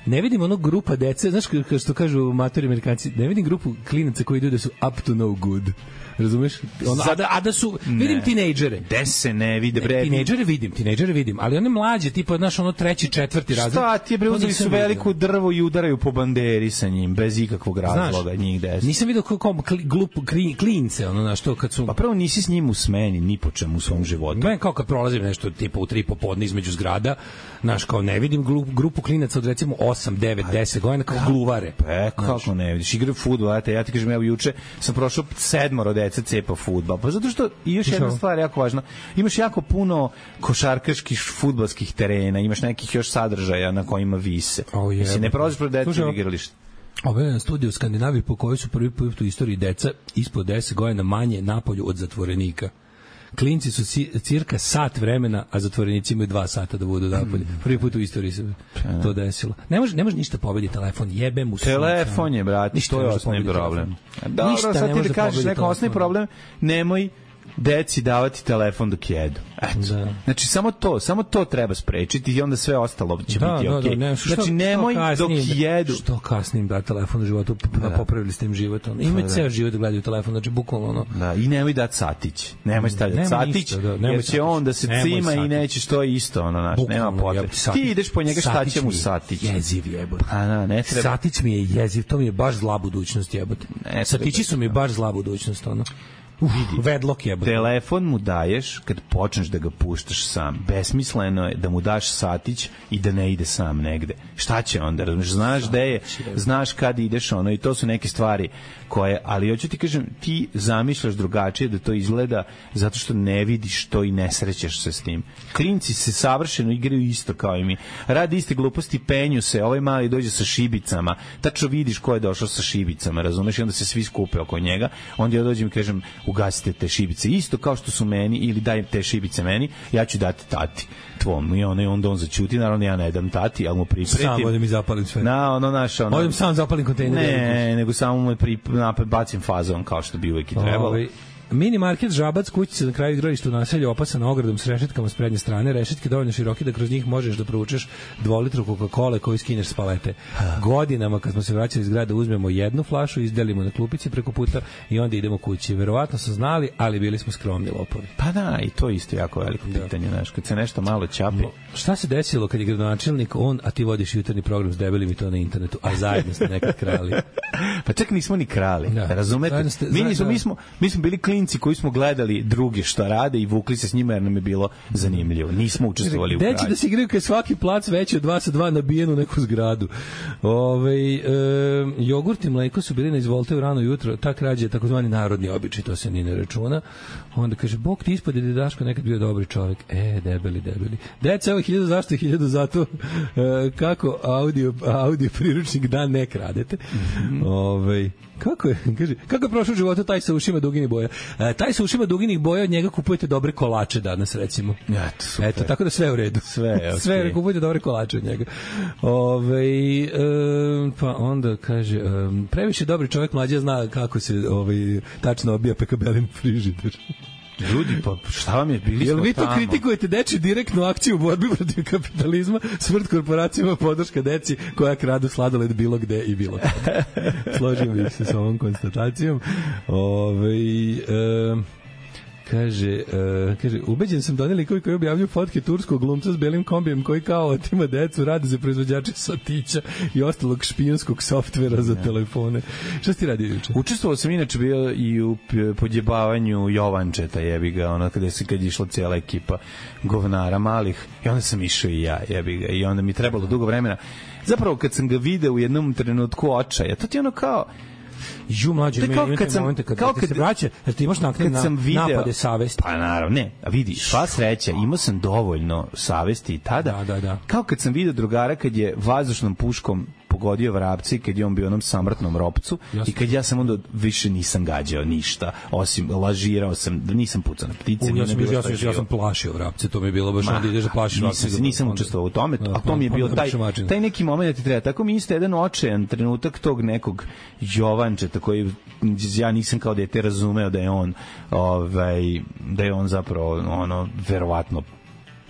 ne vidim ono grupa dece, znaš kao što kažu matori Amerikanci, ne vidim grupu klinaca koji idu da su up to no good. Razumeš? Ono, a, da, a da su, vidim tinejdžere. Gde se ne vide, bre? Tinejdžere vidim, tinejdžere vidim, ali one mlađe, tipa, znaš, ono treći, četvrti razred. Šta ti je, bre, uzeli su veliko drvo i udaraju po banderi sa njim, bez ikakvog razloga, znaš, njih deset. Nisam vidio kako glupu klince, ono, znaš, to kad su... Pa prvo nisi s njim u smeni, ni po čemu u svom životu. Ben, kao kad prolazim nešto, tipa, u tri popodne između zgrada, znaš, kao ne vidim grupu klinaca od, recimo, osam, devet, deset godina, kao gluvare. Pa, kako ne vidiš, igraju fudbal, ja ti kažem, evo, juče sam prošao sedmoro dece cepa fudbal. Pa zato što i još jedna stvar jako važna. Imaš jako puno košarkaških fudbalskih terena, imaš nekih još sadržaja na kojima vise. Oh, Mislim, ne prolaziš pred decu u igralište. Ovo je studij u Skandinaviji po kojoj su prvi put u istoriji deca ispod deset godina manje napolju od zatvorenika. Klinci su cirka sat vremena, a zatvorenici imaju dva sata da budu napolje. Prvi put u istoriji se to desilo. Ne može, ne može ništa pobediti telefon, jebe mu sunca. Telefon je, brate, to je osnovni problem. Dobro, sad ti da kažeš neko osnovni problem, nemoj deci davati telefon dok jedu. Eto. Da. Znači, samo to, samo to treba sprečiti i onda sve ostalo će da, biti okej. Okay. Da, ne, što, znači, nemoj dok jedu. Što kasnim da telefon u životu, da. Popravili ste im život. Ono. Imaju ceo život da gledaju telefon, znači bukvalno ono. Da, i nemoj dati satić. Nemoj stavljati nemoj satić, ništa, da, nemoj jer će satić. On da se nemoj cima satić. I neće što je isto, ono, naš, nema potrebe. Ti ideš po njega, šta će mu satić? Jeziv jebote. A da, ne treba. Satić mi je jeziv, to mi je baš zla budućnost jebote. Satići su mi baš zla budućnost, ono. Uf, vedlok je. Telefon mu daješ kad počneš da ga puštaš sam. Besmisleno je da mu daš satić i da ne ide sam negde. Šta će onda? Razumiješ, znaš gde je, znaš kad ideš ono i to su neke stvari koje, ali hoću ti kažem, ti zamišljaš drugačije da to izgleda zato što ne vidiš to i ne srećeš se s tim. Klinci se savršeno igraju isto kao i mi. Radi iste gluposti, penju se, ovaj mali dođe sa šibicama, tačno vidiš ko je došao sa šibicama, razumeš, i onda se svi skupe oko njega, onda ja dođem i kažem, ugasite te šibice, isto kao što su meni, ili daj te šibice meni, ja ću dati tati tvom, i on, onda on začuti, naravno ja ne dam tati, ali mu pripretim. Sam odem i zapalim sve. Na, ono naš, ono... Odem sam zapalim kontejner. Ne, nego samo mu pri, napad bacim fazon, kao što bi uvijek i trebalo. Ove, mini market Žabac, kućica na kraju igrališta u naselju opasana ogradom s rešetkama s prednje strane, rešetke dovoljno široke da kroz njih možeš da provučeš dvolitru Coca-Cola koju skineš s palete. Godinama kad smo se vraćali iz grada uzmemo jednu flašu, izdelimo na klupici preko puta i onda idemo kući. Verovatno su znali, ali bili smo skromni lopovi. Pa da, i to isto jako veliko pitanje, znaš, kad se nešto malo ćapi. Šta se desilo kad je gradonačelnik on, a ti vodiš jutarnji program s debelim i to na internetu, a zajedno ste nekad krali? Pa čak nismo ni krali, da. Razumete? Ste, mi, nismo, mi, smo, mi smo bili klinci koji smo gledali druge šta rade i vukli se s njima jer nam je bilo zanimljivo. Nismo učestvovali u kralju. Deći da se igraju kad svaki plac veći od dva sa dva nabijen u neku zgradu. Ove, e, jogurt i mleko su bili na izvolte u rano jutro, ta krađa je takozvani narodni običaj, to se ni ne računa. Onda kaže, Bog ti ispod je Daško nekad bio dobri čovjek. E, debeli, debeli. Deca, evo hiljadu zašto i hiljadu zato e, kako audio, audio priručnik da ne kradete. Mm-hmm. Ove, kako je, kaže, kako je prošao u životu taj sa ušima duginih boja? E, taj sa ušima duginih boja, od njega kupujete dobre kolače danas, recimo. Eto, super. Eto, tako da sve u redu. Sve, okay. Sve, kupujete dobre kolače od njega. Ove, e, pa onda kaže, e, previše dobri čovjek mlađa zna kako se ovaj, tačno obija pekabelin frižider. Ljudi, pa šta vam je, bili Jel smo vi to tamo? kritikujete dečju direktnu akciju u borbi protiv kapitalizma, smrt korporacijama, podrška deci koja kradu sladoled bilo gde i bilo kada. Složim bih se sa ovom konstatacijom. Ove, e, kaže, uh, kaže, ubeđen sam da oni likovi koji objavljuju fotke turskog glumca s belim kombijem koji kao otima decu, radi za proizvođače satića i ostalog špijunskog softvera za telefone. Šta si ti radi juče? Učestvovao sam inače bio i u podjebavanju Jovančeta, jebi ga, ono kada se kad je išla cijela ekipa govnara malih i onda sam išao i ja, jebi ga, i onda mi trebalo dugo vremena. Zapravo kad sam ga video u jednom trenutku očaja, to ti ono kao ju mlađe mi imate momente kad, kad, kad se vraća, da ti imaš nakon na, napade savesti. Pa naravno, ne, a vidi, sva sreća, imao sam dovoljno savesti i tada, da, da, da. Kao kad sam video drugara kad je vazdušnom puškom pogodio vrapci, kad je on bio onom samrtnom ropcu Jasne. I kad ja sam onda više nisam gađao ništa, osim lažirao sam, nisam pucao na ptice. U, ja, sam, ja, sam, ja sam plašio vrapce, to mi je bilo baš onda ideš da plašiš vrapce. Nisam, nisam učestvovao u tome, a to mi je bio taj, taj neki moment da ti treba. Tako mi isto jedan očajan trenutak tog nekog Jovančeta koji ja nisam kao dete razumeo da je on ovaj, da je on zapravo ono, verovatno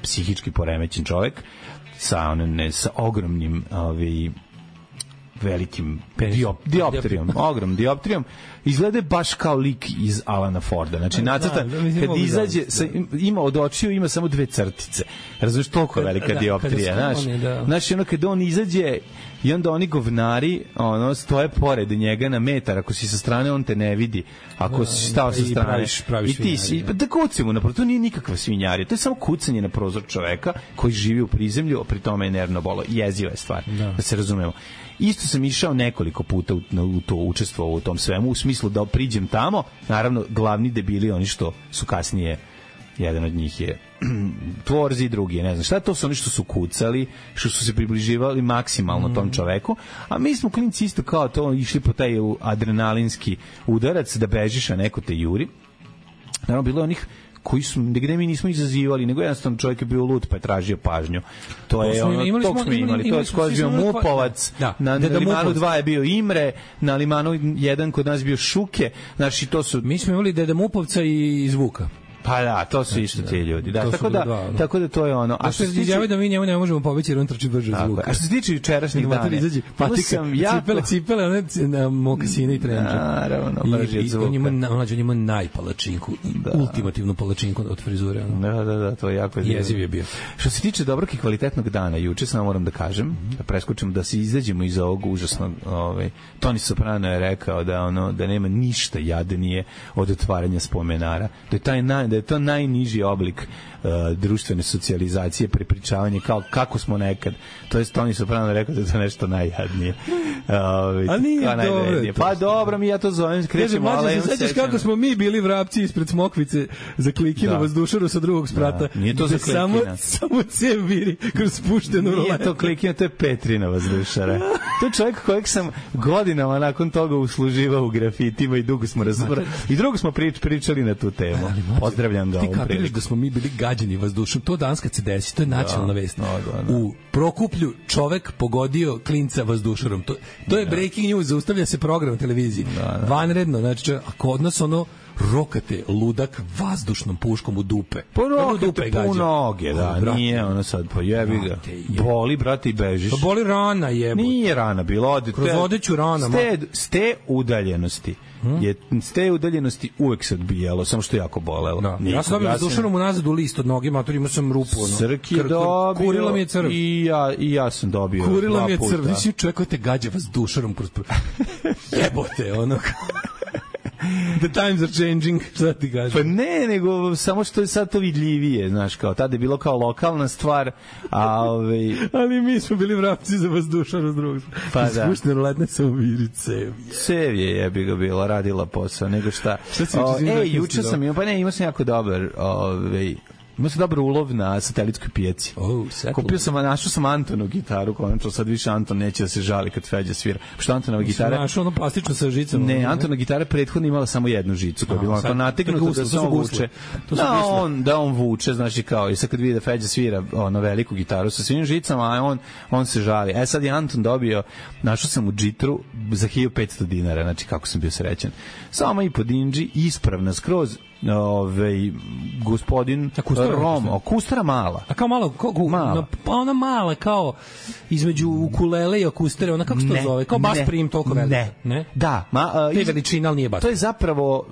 psihički poremećen čovjek sa, ne, sa ogromnim ovaj, velikim diop, dioptrijom, ogrom dioptrijom, izgleda baš kao lik iz Alana Forda. Znači, nacrtan, kad izađe, sa, ima od očiju, ima samo dve crtice. Razumiješ, toliko velika da, dioptrija. Znaš, da. Znači, ono, kad on izađe i onda oni govnari ono, stoje pored njega na metar, ako si sa strane, on te ne vidi. Ako da, si stao sa strane, praviš, praviš i ti si, da kuci mu napravo, to nije nikakva svinjarija, to je samo kucanje na prozor čoveka koji živi u prizemlju, a pri tome je nervno bolo. Jeziva je stvar, da, da se razumemo. Isto sam išao nekoliko puta u, u to učestvovao u tom svemu, u smislu da priđem tamo, naravno glavni debili oni što su kasnije, jedan od njih je Tvorzi, drugi je, ne znam šta, to su oni što su kucali, što su se približivali maksimalno tom čoveku, a mi smo klinci isto kao to išli po taj adrenalinski udarac da bežiš, a neko te juri. Naravno, bilo je onih koji su, gde mi nismo izazivali, nego jednostavno čovjek je bio lud pa je tražio pažnju. To je ono, tog smo imali, to je skoro bio Mupovac, da, na, na Limanu dva je bio Imre, na Limanu jedan kod nas bio Šuke, znači to su... Mi smo imali Deda Mupovca i Zvuka. Pa da, to su isto ti ljudi. Da, tako da, dva, no. tako da to je ono. A što se tiče da mi njemu ne možemo pobeći jer on trči brže od Zvuka. A što se tiče jučerašnjih dana, patika, cipele, cipele, one na mokasine i trenče. Naravno, brže od Zvuka. On ima, on ima najpalačinku, da. ultimativnu palačinku od frizure. Ono. Da, da, da, to je jako jeziv je bio. Što se tiče dobrog i kvalitetnog dana, juče samo moram da kažem, mm-hmm. da preskočim da se izađemo iz ovog užasnog, ovaj, Toni Soprano je rekao da ono da nema ništa jadnije od otvaranja spomenara. Da je taj naj da je to najniži oblik uh, društvene socijalizacije, prepričavanje kao kako smo nekad. To jest Toni Soprano rekao da je to nešto najjadnije. Uh, A nije dobro. Pa dobro, mi ja to zovem, krećemo, ali se sećaš kako smo mi bili vrapci ispred Smokvice za Klikinu da. Vazdušaru sa drugog sprata. Da. Nije to za Klikina. Samo, samo cev viri kroz spuštenu ruletu. Nije to Klikina, to je Petrina Vazdušara. To je čovjek kojeg sam godinama nakon toga usluživao u grafitima i dugo smo razbrali. I drugo smo prič, pričali na tu temu. Pozdravljam ga ovom priliku. Ti kapiraš da smo mi bili gađani vazdušom. To danas kad se desi, to je nacionalna da, vest. Da, da, da. U Prokuplju čovek pogodio klinca vazdušarom. To, to je da. breaking news, zaustavlja se program na televiziji. Da, da. Vanredno, znači, a kod nas ono rokate ludak vazdušnom puškom u dupe. Po rokate, po noge, da, brate, nije ono sad, po jebi ga. Boli, brate, i bežiš. Pa boli rana, jebote. Nije rana bila, ode. Kroz odeću rana. Ste, ste udaljenosti. Hmm? Je, s te udaljenosti uvek se odbijalo, samo što je jako bolelo. Da. Ja sam dobio vazdušanom unazad u list od noge, mater, imao sam rupu. Ono. Srk je dobio. Kurila mi je crv. I ja, i ja sam dobio. Kurila mi je crv. Nisi čovjek koji te gađa vazdušanom kroz... Jebote, ono... The times are changing, šta ti kažeš? Pa ne, nego samo što je sad to vidljivije, znaš, kao tada je bilo kao lokalna stvar, a ovaj... Ali mi smo bili vrapci za vazdušar uz drugog. Pa da. Spuštene ruletne sam uviri cev. Cev je jebi ga bila, radila posao, nego šta. Šta si o, ej, juče sam imao, pa ne, imao sam jako dobar, ovaj... Imao sam dobar ulov na satelitskoj pijaci. Oh, Kupio sam, našao sam Antonov gitaru, konačno sad više Anton neće da se žali kad Feđa svira. Što Antonova gitara... Našao ono plastično sa žicama. Ne, Antonova gitara prethodno imala samo jednu žicu, koja je bila nategnuta da se on vuče. Da on, da on vuče, znači kao, i sad kad vidi da Feđa svira ono veliku gitaru sa svim žicama, a on, on se žali. E sad je Anton dobio, našao sam u džitru za hiljadu petsto dinara, znači kako sam bio srećan. Samo i po dinđi, ispravna skroz, ovaj gospodin Rom, akustara mala. A kao malo, kao mala. Pa ona mala kao između ukulele i akustere, ona kako se to zove? Kao bas prim toliko velika. Ne. ne. Da, ma uh, iz... veličina, ali nije bas. To je zapravo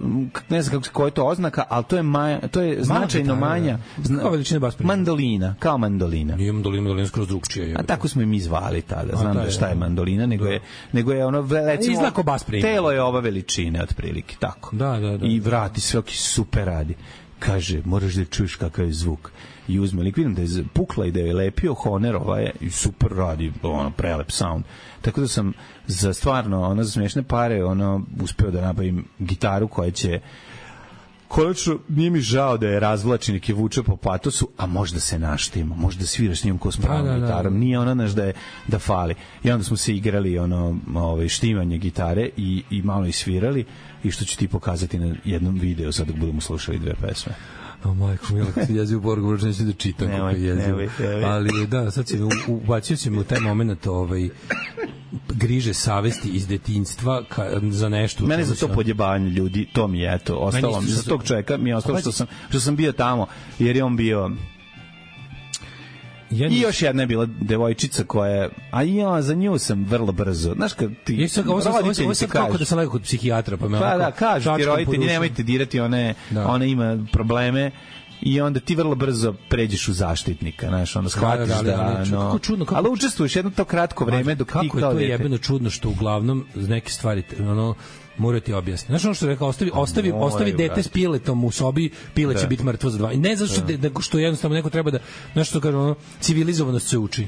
ne znam kako koja je to oznaka, al to je ma, to je značajno manja. Zna... Kao veličina bas prim. Mandolina, kao mandolina. Nije mandolina, mandolina skroz drugčije. A tako smo i mi zvali tada. Znam da šta je mandolina, nego je nego je ono recimo izlako bas prim. Telo je ova veličine otprilike, tako. Da, da, da. I vrati svaki super radi. Kaže, moraš da čuješ kakav je zvuk. I uzme lik, vidim da je pukla i da je lepio Honer, ovaj, i super radi, ono, prelep sound. Tako da sam za stvarno, ono, za smiješne pare, ono, uspeo da nabavim gitaru koja će konačno, nije mi žao da je razvlačen i vuče po patosu, a možda se naštima, možda sviraš s njim ko s pravom da, da, gitarom, nije ona naš da je da fali. I onda smo se igrali ono, ovaj, štimanje gitare i, i malo isvirali, i što ću ti pokazati na jednom videu sad dok budemo slušali dve pesme. O majko, mila, kad se jezi u Borgu, bročno neću da čitam kako je jezio. Ali da, sad si ubacio si mi u taj moment ovaj, griže savesti iz detinjstva ka, za nešto. Mene za to podjebanje ljudi, to mi je eto, ostalo mi, za tog čovjeka mi je ostalo što sam, što sam bio tamo, jer je on bio... Ja I još jedna je bila devojčica koja je, a ja za nju sam vrlo brzo. Znaš kad ti Ja sam ovo sam ovo roditelji sam ti kako kažu- da sam legao kod psihijatra pa me Pa onako da, kažu ti čačkam po roditelji, duši. nemojte dirati, one, Da. ona ima probleme i onda ti vrlo brzo pređeš u zaštitnika, znaš, onda shvatiš da, da, da, ali, ali, no, kako čudno, kako- ali učestvuješ jedno to kratko vreme dok ti kako je kao to dete. jebeno čudno što uglavnom neke stvari ono mora ti objasniti. Znaš ono što je rekao, ostavi, ostavi, moraju, ostavi dete brate. s piletom u sobi, pile će Da. biti mrtvo za dva. I ne zato što, de, nego što jednostavno neko treba da, znaš što kaže, ono, civilizovanost se uči.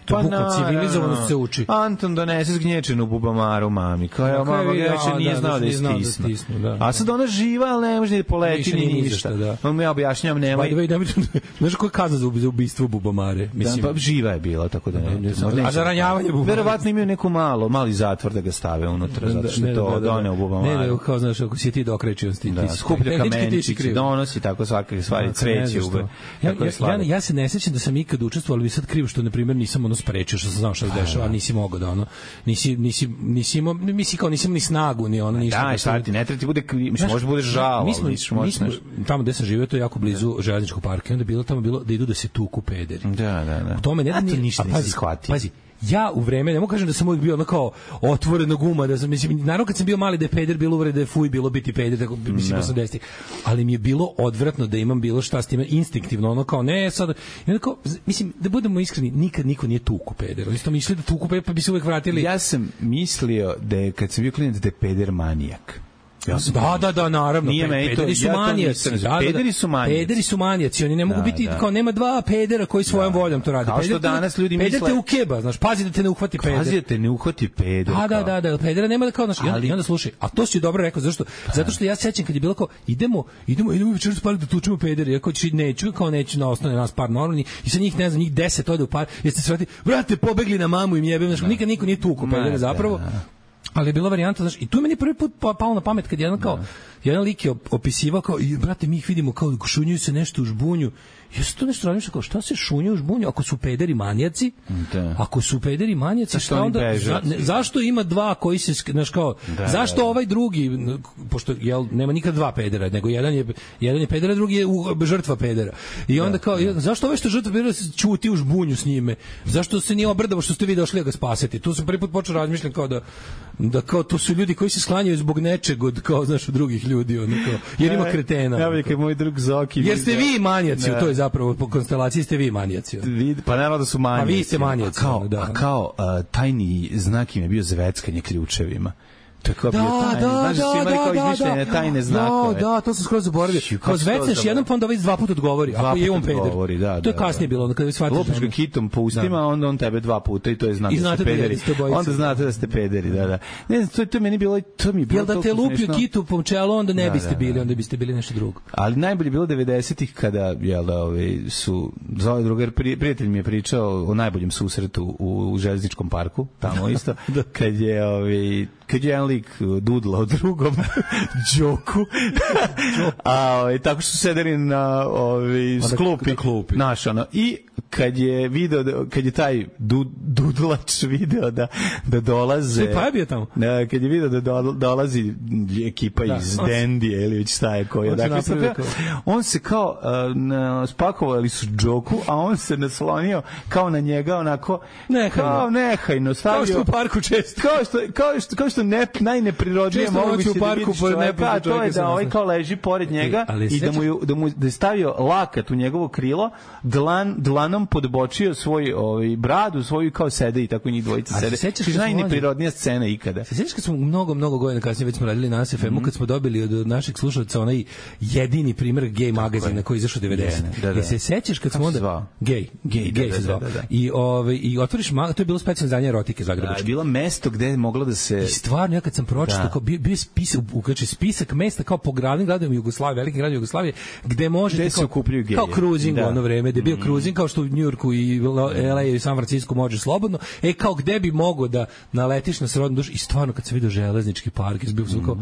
To Pa bukvalno naravno. civilizovanost se uči. Anton donese zgnječenu bubamaru mami. Kao je, Na kraju mama vidi, greće a, nije da, znao da je nije znao da stisnu. stisnu, da. A sad ona živa, ali ne može ni poleti Više ni ni ništa. ništa, da. On ja objašnjavam, By nemoj. the way, nemoj- znaš koja je kazna za ub- za ubistvo bubamare? Da, Mislim, pa živa je bila, tako da ne. Ne znam. možda A neće za da- ranjavanje bubamare? Verovatno imaju neku malo, mali zatvor da ga stave unutra, zato što je to doneo bubamaru. Ne, ne, kao znaš, ako si ti dokrećio, ti, Da, ti si- skuplja tehnički ti si kamenčići, kriv. donosi tako svake stvari, Da, ne cveće znam ube. što. Ja, Tako je ja, ja, slatko. ja se ne sećam da sam ikad učestvovao, ali mi je sad krivo što, na primjer, nisam ono sprečio, što sam znao šta se dešava, a nisi mogao da ono, nisi, nisi, nisi imao, misli kao nisam ni snagu, ni ono, ništa. Daj, šta ti, ne treba ti bude, kri- mislim, može bude žao, mi smo, ali misliš, mi možeš smo, nešto. tamo gde sam živio, to je jako blizu železničkog parka, i onda je bilo tamo bilo da idu da se tuku pederi. Da, da, da. U tome ne A da to ni- ništa a nisam pazi, shvatio. Pazi, ja u vreme, ne mogu kažem da sam uvijek bio ono kao otvorena guma, da sam, mislim, naravno kad sam bio mali da je peder, bilo uvrede, da je fuj, bilo biti peder, tako, mislim, osamdesetih, ali mi je bilo odvratno da imam bilo šta s time, instinktivno, ono kao, ne, sad, i onda kao, z- mislim, da budemo iskreni, nikad niko nije tuku peder, oni su mislili da tuku peder, pa bi se uvijek vratili. Ja sam mislio da je, kad sam bio klinac, da je peder manijak. Ja sam Da, da, da, naravno. Nije pe- meni to- pederi su ja to manijaci. nisam- Da, da, da. pederi su manijaci. Pederi su manijaci, oni ne mogu Da, biti, da. kao nema dva pedera koji svojom voljom to rade. Kao što Peder te- danas ljudi peder misle- te ukeba, znaš, pazi da te ne uhvati peder. Pazi da te ne uhvati peder. A, da, kao. da, da, pedera nema da kao, znaš, i onda, Ali- i onda slušaj, a to si dobro rekao, zašto? Zato što ja se sećam kad je bilo kao, idemo, idemo, idemo večeras u park da tučemo pedere, ja kao ću, neću, kao neću na osnovne nas par normalni, i sa njih, ne znam, njih deset ode u par, jeste se vrati, brate, pobegli na mamu im jebem, znaš, nikad niko nije tuko Ma, pedere zapravo. da. Ali je bila varijanta, znaš, i tu je meni prvi put pa- palo na pamet kad jedan kao, jedan lik je op- opisivao kao, i, brate, mi ih vidimo kao šunjuju se nešto u žbunju. Ja sam to nešto razmišljao, kao, šta se šunju u žbunju ako su pederi manijaci? Da. Ako su pederi manijaci, Zašto šta oni onda, beže za, od ne, svih? zašto ima dva koji se, sk- znaš, kao, Da, zašto da, da. ovaj drugi, n- pošto, jel, nema nikad dva pedera, nego jedan je, jedan je pedera, drugi je u, žrtva pedera. I onda kao, zašto ovaj što je žrtva pedera se ćuti u žbunju s njime? Zašto se nije obrdavo što ste vi došli da ga spasete? Tu sam prvi put počeo razmišljati kao da, da kao to su ljudi koji se sklanjaju zbog nečeg od, kao, znaš, od drugih ljudi, ono, kao, jer ima kretena. Ja ono, bih kao. kao moj drug Zoki. Jer ste vidio- vi manijaci, Da. to je zapravo po konstelaciji ste vi manijaci. ono. Vid- Pa naravno da su manijaci. Pa vi ste manijaci, A kao, ono, da. a kao a, tajni znak im je bio zveckanje ključevima. To je kao bio Da, tajni. da, Znaš da su da, imali kao da, izmišljene da, tajne da, znakove. da, to sam skroz zaboravio. Šu, kako Kao se to zvecneš zaboravio? jednom, pa onda ovaj dva puta odgovori. Dva Ako je puta on peder. odgovori, da, To je da, kasnije da. bilo, onda kada shvatiš. Lopiš da ga ono- kitom po ustima, Da. onda on tebe dva puta i to je znak I da ste znate da pederi. jeste obojica. Onda znate da ste pederi, da, da. Ne znam, to, to je meni bilo, to mi je bilo Jel da te toliko lupio smešno. kitu po čelu, onda ne Da, biste da, bili, da. onda biste bili nešto drugo. Ali najbolje je bilo devedesetih kada jel da ovi su zove drugar pri, prijatelj mi je pričao o najboljem susretu u, u železničkom parku, tamo isto, kad je ovi kad je jedan lik dudlao drugom Đoku. A ovaj tako što su sedeli na ovaj sklupi, na klupi. naš ono i kad je video da, kad je taj du, dudlač video da da dolaze Sve, pa je bio tamo? Da, kad je video da do- dolazi ekipa Da, iz on se- Dendije ili već šta je koja on se dakle napravio sad- kao- on se kao uh, na, spakovali su Đoku, a on se naslonio kao na njega onako Nehajno. kao nehajno stavio Kao što u parku često. kao što kao što kao što ne najneprirodnije Često moguće noću u da parku vidiš pored čoveka, nepoznatog a to je čoveka se da ovaj nasloni. kao leži pored njega ali i da sećam- mu je, da mu da je stavio lakat u njegovo krilo, dlan dlanom podbočio svoj ovaj bradu, svoju kao sede i tako njih dvojica A se sede. sećaš To kad je smo najneprirodnija scena ikada. Se sjećaš kad smo mnogo, mnogo godina kasnije već smo radili na S F M-u, kad smo dobili od naših slušalaca onaj jedini primer gej magazina koji je izašao devedeset. Da, da. Jel se sećaš kad smo Kako se onda... zvao? Gej. Gej, Gej da, se da, zvao. da, da. I, ove, I otvoriš mag... To je bilo specijalno izdanje erotike Da, je zagrebačke. bilo mesto gde je moglo da se I stvarno, ja kad sam pročitao, Da. kao bio, bio je spisak, ukače spisak mesta kao po gradnim gradovima Jugoslavije, velikim gradovima Jugoslavije, gde možete Gde se kao, okupljaju geji. kao cruising Da. u ono vreme, gde je bio cruising kao što u Njujorku i L A i San Francisco može slobodno, e kao gde bi mogo da naletiš na srodnu dušu i stvarno kad se vidio železnički park, je bio sam kao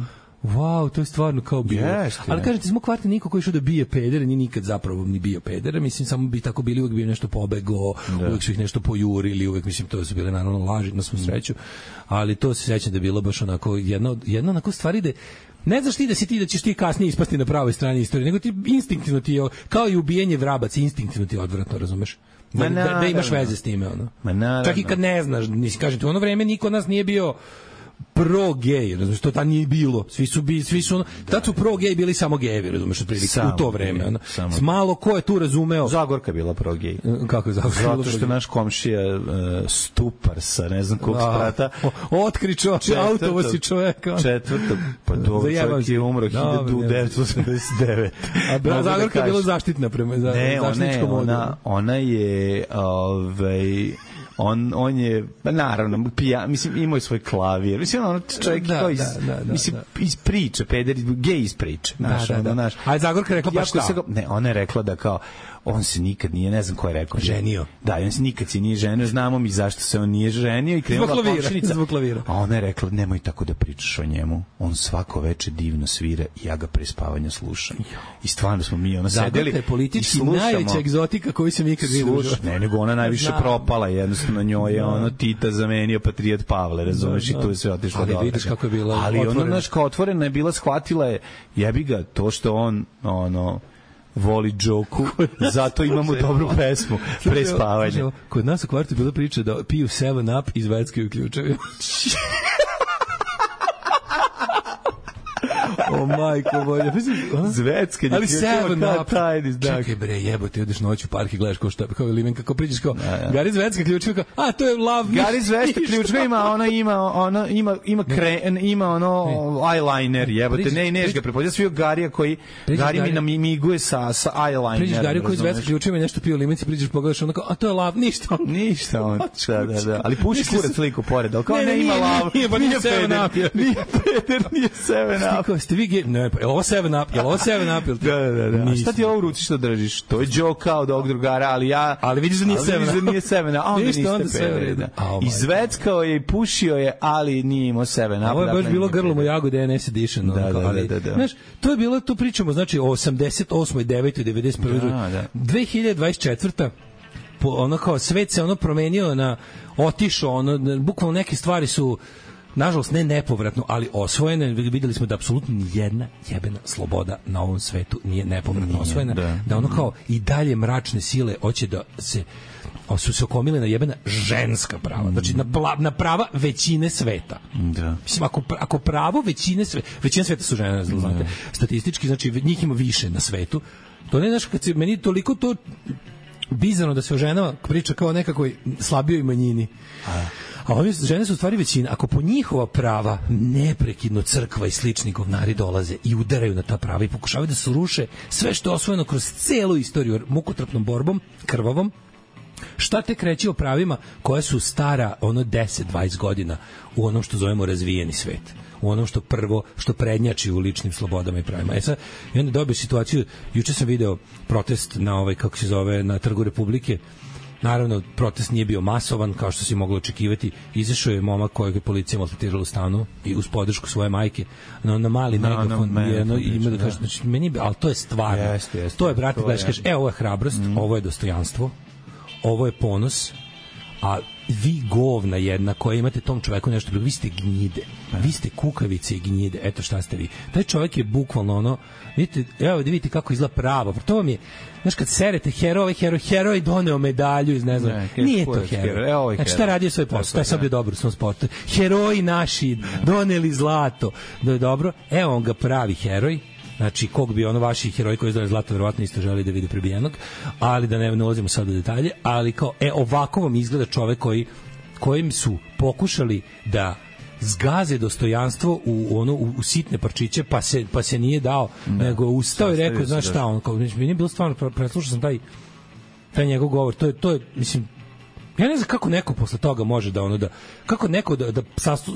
wow, to je stvarno kao bilo. Jeste, Ali jeste. kažete, iz mog kvarta niko koji išao da bije pedere, ni nikad zapravo ni bio pedere, mislim, samo bi tako bili, uvek bi im nešto pobego, uvek su ih nešto pojurili, uvek, mislim, to su bile naravno laži, na svu sreću, ali to se sećam da je bilo baš onako, jedna, od- jedna onako stvari da ne znaš ti da si ti da ćeš ti kasnije ispasti na pravoj strani istorije, nego ti instinktivno ti je, kao i ubijanje vrabaca, instinktivno ti je odvratno, razumeš? Da, da, da imaš naravno. veze s time, ono. Ma naravno. Čak i kad ne znaš, nisi, kažem ti, u ono vreme niko od nas nije bio pro-gej, razumiješ, to tad nije bilo. Svi su, bi, svi su ono, tad su pro-gej bili samo gejevi, razumiješ, otprilike, Samo u to vreme. Ono. samo. Malo ko je tu razumeo... Zagorka je bila pro-gej. Kako je Zagorka? Zato što naš komšija uh, Stupar sa ne znam kog sprata. Otkri čovječ, autovo si čoveka. Četvrto, pa dobro, čovjek je umro hiljadu devetsto osamdeset devete. A bra, Zagorka je bila zaštitna prema za, ne, zaštitničkom ona, odjelu. ona, ona je ovaj on on je pa naravno pija, mislim imao je svoj klavir. Mislim on čovjek da, kao iz da, da, da, mislim da. iz priče, peder gej iz priče, znaš, da, da, da. naš. A Zagorka rekla pa šta? Se ga, ne, ona je rekla da kao on se nikad nije, ne znam ko je rekao, ženio. Da, on se nikad se nije ženio, znamo mi zašto se on nije ženio i krenula komšinica. Zbog klavira. A ona je rekla, nemoj tako da pričaš o njemu. On svako veče divno svira i ja ga pre spavanja slušam. I stvarno smo mi ono sedeli. Zagorka je politički najveća egzotika koju sam ikad vidio. Ne, nego ona najviše Znam. propala, jednostavno njoj je ono Tita zamenio Patrijat Pavle, razumeš, i tu je sve otišlo ali dobro. vidiš kako je bila ali otvorena. ono, znaš, kao otvorena je bila, shvatila je, jebi ga, to što on, ono, voli džoku, zato imamo dobru pesmu pre spavanja. Kod nas u kvartu je bila priča da piju seven up i zveckaju ključevi. O majko moja, Zvecka, ali seven up. Tajni znak. Čekaj bre, jebote, odeš noć u park i gledaš kao šta, kao limen, kako priđeš kao, Gari Zvecka ključevi, kao, a to je love. Gari Zvecka ključevi ima, ono ima, ono ima, ima kren, ima ono eyeliner, jebote, ne, neš ga prepođa svio Garija koji, Gari mi namiguje sa, sa eyelinerom. Priđeš Gariju koji Zvecka ključevi, nešto pio limenci, priđeš pogledaš, ono kao, a to je love, ništa. Ništa on, da, da, da, ali puši kurac sliku pored, ali kao ne ima love, nije seven up, nije peder, nije seven up. Ste vi ge... Ne, pa je ovo seven up? Je ovo seven up? Da, da, da. A šta ti ovo u ruci što držiš? To je Joe kao od ovog drugara, ali ja... Ali vidiš da nije seven up. Ali vidiš da nije seven up, a onda Ništa, onda niste sve peveri. vreda. I zveckao je i pušio je, ali nije imao seven up. Ovo je baš bilo grlom u jagode N S Edition. Da, da, da, da, da. Znaš, to je bilo, to pričamo, znači, o osamdeset osmoj, devetoj, devedeset prvoj Da, da. dve hiljade dvadeset četvrta po, ono kao, svet se ono promenio na, otišao, ono, bukvalno neke stvari su nažalost ne nepovratno, ali osvojene. Videli smo da apsolutno jedna jebena sloboda na ovom svetu nije nepovratno nije, osvojena. Da. da ono kao i dalje mračne sile hoće da se su se okomile na jebena ženska prava. Znači na, pla, na prava većine sveta. Da. Mislim, ako, ako pravo većine sveta, većina sveta su žene, znate, statistički, znači njih ima više na svetu. To ne znaš, kad se, meni toliko to bizarno da se o ženama priča kao nekakvoj slabijoj manjini. A A ove žene su u stvari većina. Ako po njihova prava neprekidno crkva i slični govnari dolaze i udaraju na ta prava i pokušavaju da se ruše sve što je osvojeno kroz celu istoriju mukotrpnom borbom, krvavom, šta te kreće o pravima koja su stara ono deset dvadeset godina u onom što zovemo razvijeni svet, u onom što prvo, što prednjači u ličnim slobodama i pravima. E sad, i onda dobio situaciju, juče sam video protest na ovaj, kako se zove, na Trgu Republike. Naravno, protest nije bio masovan, kao što se moglo očekivati. Izašao je momak kojeg je policija maltretirala u stanu i uz podršku svoje majke na, na mali no, megafon. No, jedno, priča, ima da kaže, znači, meni, ali to je stvarno. Jest, jest, to je, brate, gledaš, kaže, e, ovo je hrabrost, mm. ovo je dostojanstvo, ovo je ponos, a vi govna jedna koja imate tom čoveku nešto, vi ste gnjide, vi ste kukavice i gnjide, eto šta ste vi. Taj čovek je bukvalno ono, vidite, evo da vidite kako izgleda pravo, to vam je, znaš, kad serete heroj, heroj, heroj doneo medalju iz ne znam, ne, nije to heroj. heroj. Znači, šta radio svoj posao, taj sad je dobro u svom sportu. Heroji naši doneli zlato, da je dobro, evo on ga pravi heroj. Znači, kog bi ono vaši heroji koji izdali zlato verovatno isto želi da vidi prebijenog, ali da ne, ne ulazimo sad u detalje, ali kao, e, ovako vam izgleda čovek koji, kojim su pokušali da zgaze dostojanstvo u ono u, u sitne parčiće, pa se pa se nije dao, ne, nego ustao i rekao, znaš šta, on kao, mi nije bilo stvarno, preslušao sam taj taj njegov govor, to je to je mislim, ja ne znam kako neko posle toga može da ono da kako neko da da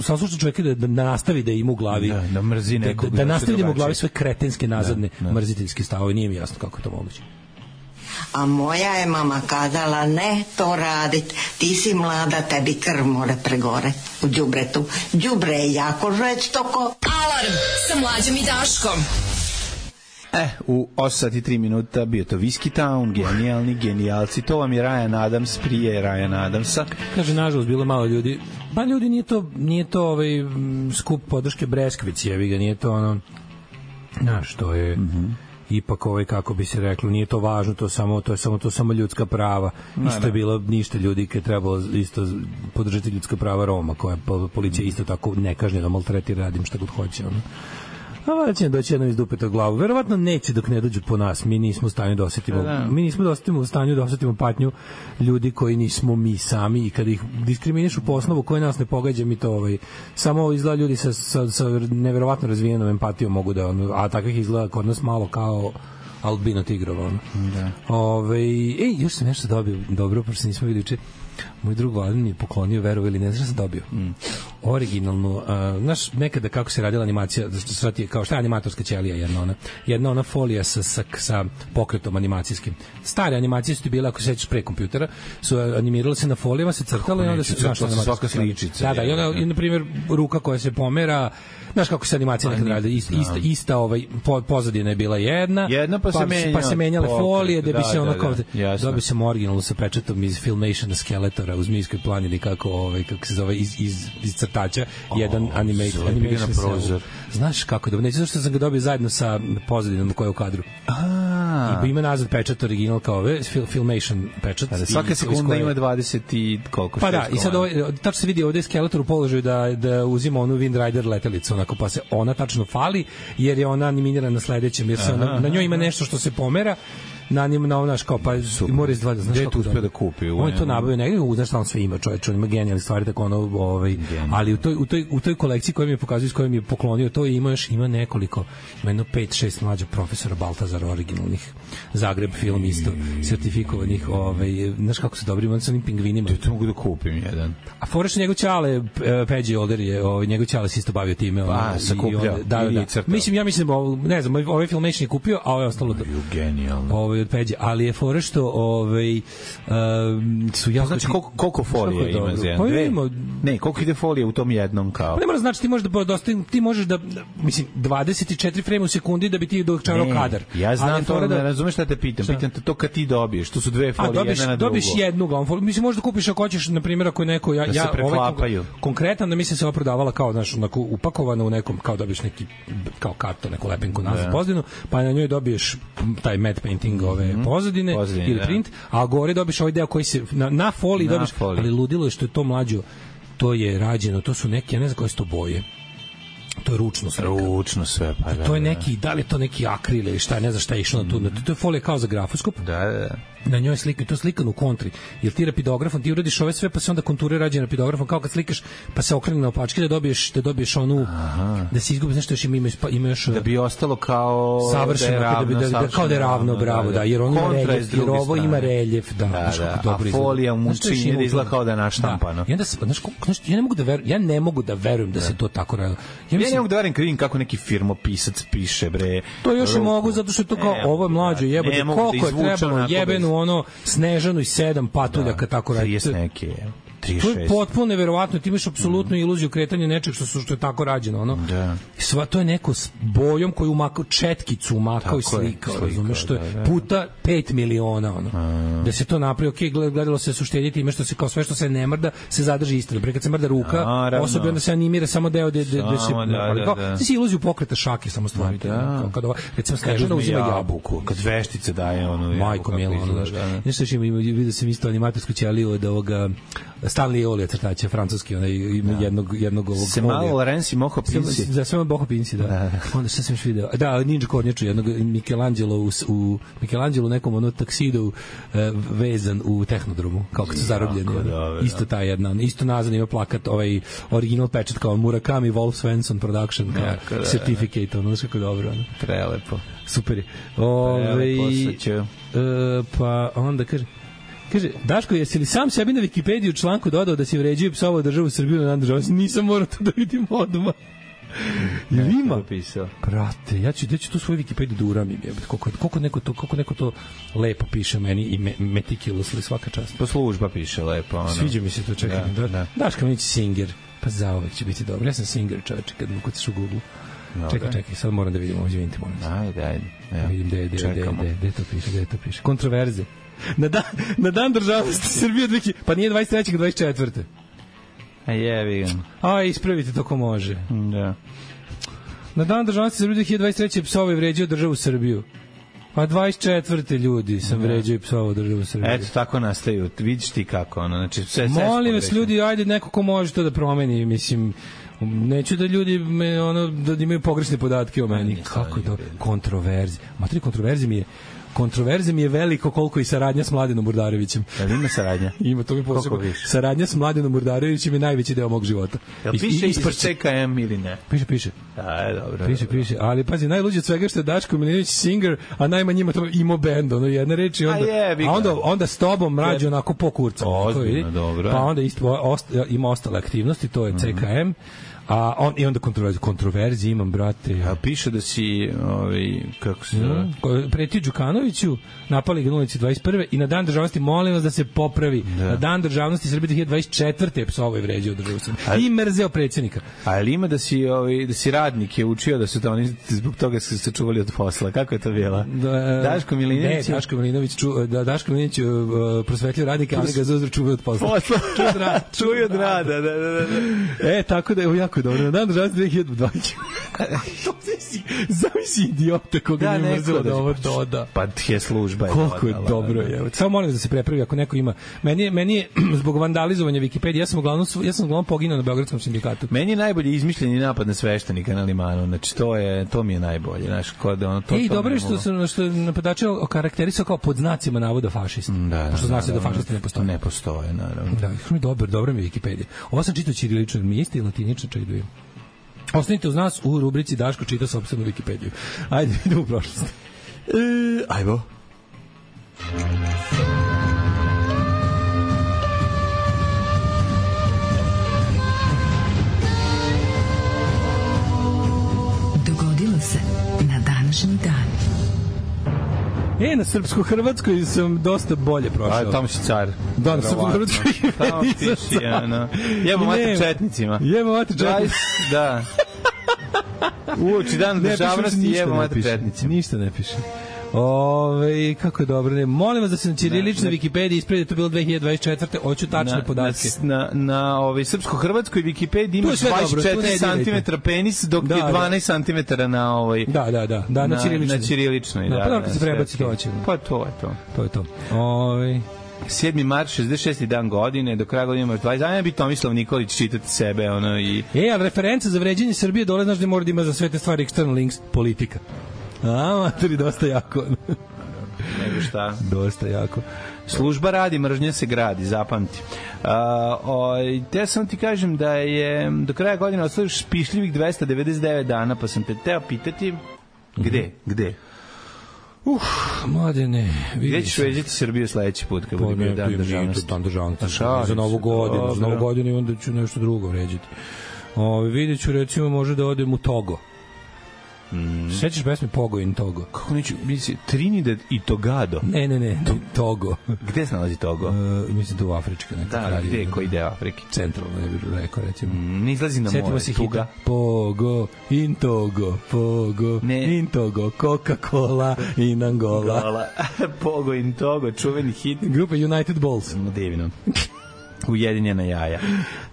sasluša čovjeka da, da nastavi da ima u glavi da, da mrzi nekog, da, da, da nastavi da ima u glavi sve kretenske nazadne da, da. mrziteljske stavove, nije mi jasno kako je to moguće. A moja je mama kazala, ne to radit, ti si mlada, tebi krv more pregore u đubretu. Đubre je jako žestoko. Alarm sa Mlađom i Daškom. E, u osam sati i tri minuta bio to Whiskey Town, genijalni, genijalci. To vam je Ryan Adams, prije Ryan Adamsa. Kaže, nažalost, bilo malo ljudi. Ba, ljudi, nije to, nije to ovaj skup podrške Breskvić, jevi ga, nije to ono, znaš, to je... Mm-hmm. ipak ovaj kako bi se reklo, nije to važno, to samo to je samo to samo ljudska prava. Ne, isto ne. je bilo ništa ljudi kad je trebalo isto podržati ljudska prava Roma, koja po- policija isto tako nekažnjeno maltretira, radim šta god hoće, ono. A valjda će doći jednom iz dupeta glavu. Verovatno neće dok ne dođu po nas. Mi nismo u stanju da osetimo, Da. mi nismo da osetimo u stanju da osetimo patnju ljudi koji nismo mi sami i kada ih diskriminišu po osnovu koje nas ne pogađa, mi to ovaj, samo izgleda ljudi sa, sa, sa neverovatno razvijenom empatijom mogu da, ono, a takvih izgleda kod nas malo kao albino tigrova. Ono. Da. Ove, ej, još sam nešto dobio dobro, pošto nismo vidjeli juče. Moj drug Vladin mi je poklonio, verovo ili ne, znaš šta sam dobio? Mm. Originalnu, uh, znaš, nekada kako se radila animacija, sad je, kao šta je animatorska ćelija, jedna ona, jedna ona folija sa, sa, sa pokretom animacijskim. Stare animacije su ti bile, ako se sećaš pre kompjutera, su animirale se na folijama, se crtalo i onda se, znaš, to se svaka sličica. Da, da, i onda, i, na primjer, ruka koja se pomera, znaš kako se animacija nekad radi, ista, ista, ista ovaj, po, pozadina je bila jedna, jedna pa, se menja, pa se menjale pokret, folije, da bi da, se ono da, kao, da, dobio sam originalno sa pečatom iz Filmationa Skeletora u Zmijskoj planini, kako, ovaj, kako se zove, iz, iz, iz crtača, oh, jedan animation, animation na prozor. Znaš kako da, neće zašto sam ga dobio zajedno sa pozadinom koja je u kadru. A, I ima nazad pečat original kao ove, fil, Filmation pečat. da, svaka sekunda ima dvadeset i koliko pa da, i sad ovaj, tačno se vidi ovde je Skeletor u položaju da, da uzima onu Wind Rider letelicu, onako, pa se ona tačno fali, jer je ona animirana na sledećem, jer se ona, na njoj ima nešto što se pomera, na njim na onaš kao pa mora izdvaja, znaš kako kako uspeo da kupi. On je to nabavio negde, znaš šta on sve ima, čovjek, on ima genijalne stvari, tako ono, ovaj, ali u toj, u toj, u toj kolekciji koju mi je pokazao, s kojom mi je poklonio, to ima još, ima nekoliko, ima jedno pet šest mlađih profesora Baltazara originalnih, Zagreb film isto, sertifikovanih, ovaj, znaš kako su dobri, on sa onim pingvinima. To mogu da kupim jedan. A foreš njegov ćale, Peđi Older je, ovaj, njegov ćale se isto bavio time. Pa, sa kupljao, da, da, da. Mislim, ja mislim, ne znam, ovaj Filmation je kupio, a ovaj ostalo da... Genijalno. Ovaj od Peđe, ali je fora što ovaj um, su jako znači koliko koliko folije ima za pa jedan ima, ne koliko ide folije u tom jednom kao pa ne mora znači ti možeš da dosta, ti možeš da mislim dvadeset i četiri frame u sekundi da bi ti dočarao kadar. Ja znam to, da, ne razumeš šta te pitam, šta? pitam te to kad ti dobiješ, to su dve folije dobiš, jedna na drugu. dobiš jednu glavnu foliju, mislim možeš da kupiš ako hoćeš, na primjer ako je neko ja da ja ovaj konkretan da mislim se ova prodavala kao znaš onako upakovana u nekom kao dobiš neki kao karton, neku lepenku nazad pozadinu, pa na njoj dobiješ taj matte painting ove mm-hmm. pozadine, pozadine ili print, a gore dobiš ovaj deo koji se na, na foliji na dobiš, foliji. Ali ludilo je što je to mlađo, to je rađeno, to su neke, ja ne znam koje su to boje. To je ručno sve. Ručno sve, pa da. To je neki, da li je to neki akril ili šta, ne znam šta je išlo na tu. Mm. To je folija kao za grafoskop. Da, da. Na njoj slika, to je slikan u kontri. Jer ti rapidografom, ti uradiš ove sve, pa se onda konture rađene rapidografom, kao kad slikaš, pa se okrene na opačke da dobiješ, da dobiješ onu, aha, da se izgubi, nešto još ima, ima još... Da bi ostalo kao... Savršeno, da ravno, da bi, da, da, kao da je ravno, bravo, da, da, jer, on ima reljef, jer ovo ima reljef, da, da, da, da. A folija u mučinje da izgleda kao da je naštampano. I onda, znaš, ja ne mogu da verujem, ja ne mogu da verujem da se to tako radi. Ja ne mogu da verujem kad vidim kako neki firmopisac piše, bre. To još i mogu, zato što je to kao, ovo je mlađo, jebote, koliko je trebalo jebenu, ono, Snežanu i sedam patuljaka, tako radi. trideset neke, trideset šest. To je potpuno neverovatno, ti imaš apsolutnu mm. iluziju kretanja nečeg što, su, što je tako rađeno. Ono. Da. Sva, to je neko s bojom koju umakao, četkicu umakao i slikao, razumeš, što je da, da. puta pet miliona. Ono. Mm. Da se to napravi, ok, gledalo se su štediti ime što se kao sve što se ne mrda, se zadrži isto. Pre kad se mrda ruka, osobi onda se animira samo deo gde, gde, gde se... Da, da, kao, da. Ti si iluziju pokreta šake samo stvariti. Da. Kad ova, recimo, Snežana uzima jabuku. Kad veštica daje ono... Majko milo, ono, nešto što ima, vidio sam isto animatorsku ćeliju od ovoga Stanley Olija crtaća, francuski, onaj ima da. jednog jednog ovog se malo Lorenzi Moho Pinci. Za sve Moho Pinci, da. da. Onda šta sam još video? Da, Ninja Kornjaču, jednog Michelangelo u, u Michelangelo nekom ono taksidu uh, vezan u Tehnodromu, kao kad su zarobljeni. Dobre, isto ta jedna, isto nazad ima plakat, ovaj original pečat kao Murakami Wolf Svensson Production, kao jako, da, certificate, ono kako dobro. Ono. Prelepo. Super je. Ove, uh, pa onda kaže Kaže, Daško, jesi li sam sebi na Wikipediju u članku dodao da si vređio i psovao državu Srbiju na dan državnosti? Nisam morao to da vidim odmah. Jel ima? Prate, ja ću, ja ću tu svoju Wikipediju da uramim. Koliko, koliko, neko to, koliko neko to lepo piše meni i me, meticulously svaka čast. Po služba piše lepo. Ono. Sviđa mi se to, čekaj. Da, da. Daško Milić Singer. Pa zaovek će biti dobro. Ja sam Singer, čoveče, kad mu kucaš u Google. Dobre. Čekaj, čekaj, sad moram da vidim ovo, izvinite, moram se. Ajde, ajde. Ja. Vidim gde, gde, gde, gde, gde to piše, gde to piše. Kontroverze. Na dan, na dan državnosti Srbije dvije pa nije dvadeset treće dvadeset četvrte A jebi ga. A ispravite to ko može. Da. Na dan državnosti Srbije dvije hiljade dvadeset treće psovao i vređao državu Srbiju. Pa dvadeset četvrte ljudi sam vređao i psovao državu Srbije. Eto, tako nastaju. Vidiš ti kako, ono, znači, sve, sve molim vas, ljudi, ajde, neko ko može to da promeni, mislim, neću da ljudi me, ono, da imaju pogrešne podatke o meni. Kako je to? Kontroverzija. Matri, kontroverzija mi je Kontroverze mi je veliko koliko i saradnja s Mladenom Murdarevićem. Da li ima saradnja? Ima, to mi posebno. Saradnja s Mladenom Murdarevićem je najveći deo mog života. Jel piše iz C K M ili ne? Piše, piše. Da, je dobro. Piše, dobro. piše. Ali pazi, najluđe od svega što je Daško Milinović singer, a najmanje ima to imo band, ono jedna reč i onda, a, je, a onda, onda s tobom rađe onako po kurcu. Ozbiljno, dobro. Pa onda isto, ost, ima ostale aktivnosti, to je C K M. Mm-hmm. A on i onda kontroverzije, kontroverzije imam, brate. A piše da si, ovaj, kako se zove? Mm, pretio Đukanoviću, napali ga na ulici dvadeset prve i na dan državnosti molim vas da se popravi. Da. Na dan državnosti Srbije dve hiljade dvadeset četvrte psovao i vređao državu Srbije. I mrzeo predsjednika. A je li ima da si, ovaj, da si radnik je učio da su to oni zbog toga su se čuvali od posla? Kako je to bilo? Da, Daško Milinović. Ne, Daško Milinović, ču, da, Daško Milinović uh, prosvetljio radnika, ali ga za uzor čuvaju od posla. Posla. Čuju od rada, da, da, da. E, tako da je jako dobro. Na dan državnosti dve hiljade dvadeset Zamisli idiota koga da, ne mrzeo da ovo doda. Pa je služba. Koliko je dobro. Je. Samo molim da se prepravi ako neko ima. Meni je, meni je zbog vandalizovanja Wikipedije, ja sam uglavnom, ja sam uglavnom poginuo na Beogradskom sindikatu. Meni je najbolje izmišljeni napad na sveštenika na Limanu. Znači, to, je, to mi je najbolje. Znaš, kod ono, to, Ej, to dobro je što, što, što napadače okarakterisao kao pod znacima navoda fašist. Da, pošto zna se da, da fašisti ne postoje. Ne postoje, naravno. Da, mi dobro, dobro mi je Wikipedija. Ovo sam čitao ćirilično, mi je isti i latinično, čak da ostanite uz nas u rubrici Daško čita sopstvenu Wikipediju. Ajde, idemo u prošlost. E, ajmo. Dogodilo se na današnji dan. E, na srpsko-hrvatskoj sam dosta bolje prošao. A, tamo si car. Da, na srpsko-hrvatskoj tamo ti si, ano. Jebo mater četnicima. Jebo mater četnicima. Da. Uoči dan državnosti jebo mater četnicima. Ništa ne piše. Ove, kako je dobro. Ne, molim vas da se na ćiriličnoj Wikipediji ispredi, to bilo dve hiljade dvadeset četvrte Hoću tačne na, podatke. Na, na, na ovaj, srpsko-hrvatskoj Wikipediji ima dvadeset četiri centimetra penis, dok da, je dvanaest centimetara na ovaj... Da, da, da. da na, na ćiriličnoj. Na ćiriličnoj, da. Da, pa da, kad se prebaci to hoće. Pa to je to. To je to. Ove... sedmi mart šezdeset šesti dan godine, do kraja godine imaš dvadeset dana, bi Tomislav Nikolić čitati sebe, ono i... E, ali referenca za vređenje Srbije dole, znaš da mora da ima za sve te stvari external links, politika. A, materi, dosta jako. Nego šta? Dosta jako. Služba radi, mržnja se gradi, zapamti. Uh, o, te sam ti kažem da je do kraja godine ostalo špišljivih dvesta devedeset devet dana, pa sam te teo pitati gde, mm-hmm. gde? Uf, mladene, gde ćeš veđati Srbiju sledeći put kad bude bio dan državnosti? Dan državnosti. Za novu godinu, za novu godinu i onda ću nešto drugo vređati. Ove, vidjet ću, recimo, može da odem u Togo. Mm. Sećaš pesme Pogo in Togo? Kako neću, misli, Trinidad i Togado? Ne, ne, ne, to, Togo. Gde se nalazi Togo? Uh, mislim da u Afrička neka. Da, kralje, gde, koji deo Afrike? Centralno, ne bih rekao, recimo. Mm, ne izlazi na Sjetimo more, se Tuga. Pogo in Togo, Pogo ne. in Togo, Coca-Cola in Angola. Pogo in Togo, čuveni hit. Grupa United Balls. No, divno. Ujedinjena jaja.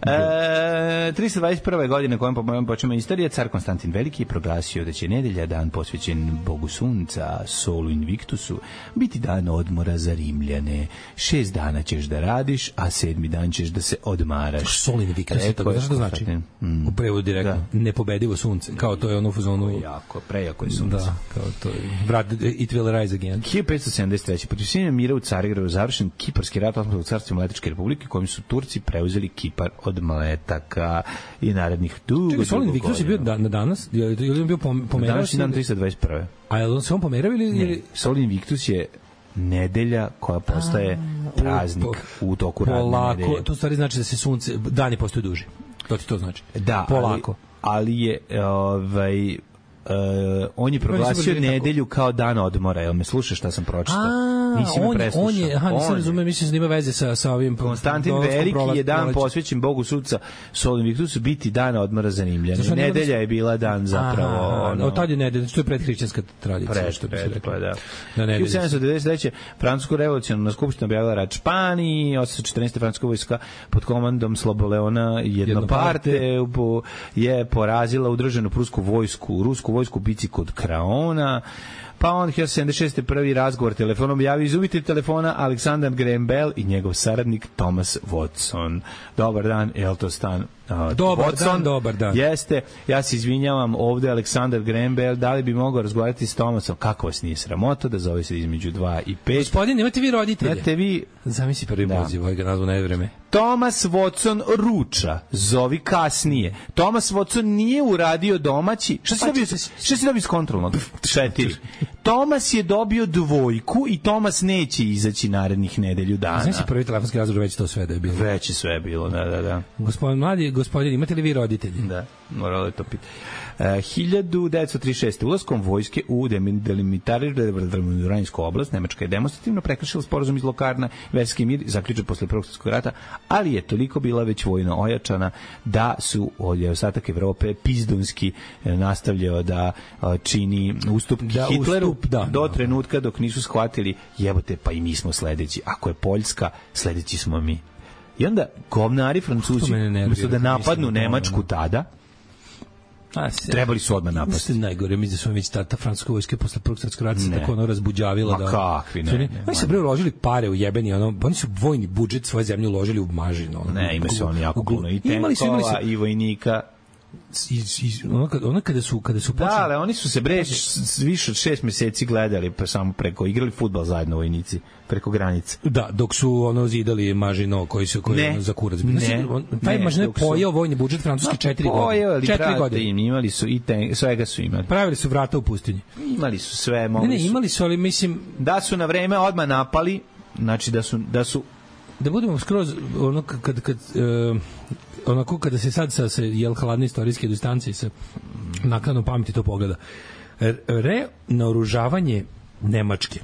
E, trista dvadeset prve godine kojom počnema istorija, car Konstantin Veliki je proglasio da će nedelja, dan posvećen Bogu Sunca, Solu Invictusu, biti dan odmora za Rimljane. Šest dana ćeš da radiš, a sedmi dan ćeš da se odmaraš. Sol Invictus, tako znaš što znači? Mm. U prevodu direktno, da. Nepobedivo sunce, kao to je ono u fazonu... Jako, prejako je sunce. Da, kao to je... Vrat, it will rise again. hiljadu petsto sedamdeset treće Potpisivanjem mira u Carigradu završen Kiparski rat Osmanskog carstva Mletačke republike, kojim su Turci preuzeli Kipar od Mletaka i narednih dugo, Čekaj, Solin Invictus je bio da, na danas? Je li on bio pomerao? Danas je dan trista dvadeset prve A je on se on pomerao ili... Ne, Solin Invictus je nedelja koja postaje a, praznik u, po, u toku radne nedelje. To stvari znači da se sunce, dani postaju duži. To ti to znači? Da, polako. Ali, ali je ovaj... Uh, on je proglasio nedelju kao dan odmora. Jel me slušaš šta sam pročitao? Nisi me on, preslušao. on je, aha, nisam razumeo, mislim da ima veze sa, sa ovim... Konstantin Veliki je dan posvećen Bogu sudca Sol Invictusu, biti dan odmora za Rimljane. Nedelja je bila dan zapravo... Aha, ono, od tad je nedelja, to je predhrišćanska tradicija. Pred, što bi se pred, reklo. pa da. Da hiljadu sedamsto devedeset treće. Francusko revolucionarna skupština objavila rat Španiji, osamsto četrnaeste. francuska vojska pod komandom Sloboleona Jednoparte je porazila udruženu prusku vojsku, rusku vojsku u bici kod Kraona. Pa on hiljadu sedamsto sedamdeset šeste. prvi razgovor telefonom javio izubitelj telefona Aleksandar Graham Bell i njegov saradnik Thomas Watson. Dobar dan, je li to stan? Uh, dobar Watson, dan, dobar dan. Jeste, ja se izvinjavam, ovde Aleksandar Graham Bell, da li bi mogao razgovarati s Thomasom? Kako vas nije sramota da zove se između dva i pet? Gospodin, imate vi roditelje? Imate vi... Zamisli prvi da. poziv, ovaj ga nazvu nevreme. Thomas Watson ruča, zovi kasnije. Thomas Watson nije uradio domaći... Šta si dobio, šta si dobio iz kontrolnog? Četiri. Thomas je dobio dvojku i Thomas neće izaći narednih nedelju dana. Znam si prvi telefonski razgovor, već to sve da je bilo. Već je sve bilo, da, da, da. Gospodin mladi, gospodin, imate li vi roditelji? Da, moralo je to piti. Uh, hiljadu devetsto trideset šeste. Ulaskom vojske u demilitarizovanu oblast, Nemačka je demonstrativno prekršila sporazum iz Lokarna, verski mir zaključen posle Prvog svjetskog rata, ali je toliko bila već vojno ojačana da su od ostatak Evrope pizdunski nastavljao da čini ustupke da, Hitleru ustup, da, do trenutka dok nisu shvatili, jebote, pa i mi smo sledeći. Ako je Poljska, sledeći smo mi. I onda govnari Francuzi, umesto da napadnu Nemačku tada, A, se, trebali su odmah napasti. Mislim najgore, mislim da su već ta, ta francuska vojska posle Prvog svjetskog rata se tako ono razbuđavila. Ma da, kakvi, ne. ne, ne oni su bre uložili pare u jebeni, ono, oni su vojni budžet svoje zemlje uložili u mažinu. Ono, ne, ima se oni jako puno i tenkova i vojnika. I, i, ono, kada, ono kada su kada su počeli... Da, ali oni su se bre više od šest meseci gledali pa samo preko igrali fudbal zajedno vojnici preko granice. Da, dok su ono zidali Mažino koji su koji ne, ono, za kurac. Ne, on, taj ne, Mažino je pojeo vojni budžet francuski četiri godine. četiri godine im imali su i ten, svega su imali. Pravili su vrata u pustinji. Imali su sve, mogli ne, ne, imali su, ali mislim da su na vreme odmah napali, znači da su da su da budemo skroz ono kad kad, kad uh, onako kada se sad sa se jel hladne istorijske distancije sa naknadnom pameti to pogleda. Re naoružavanje Nemačke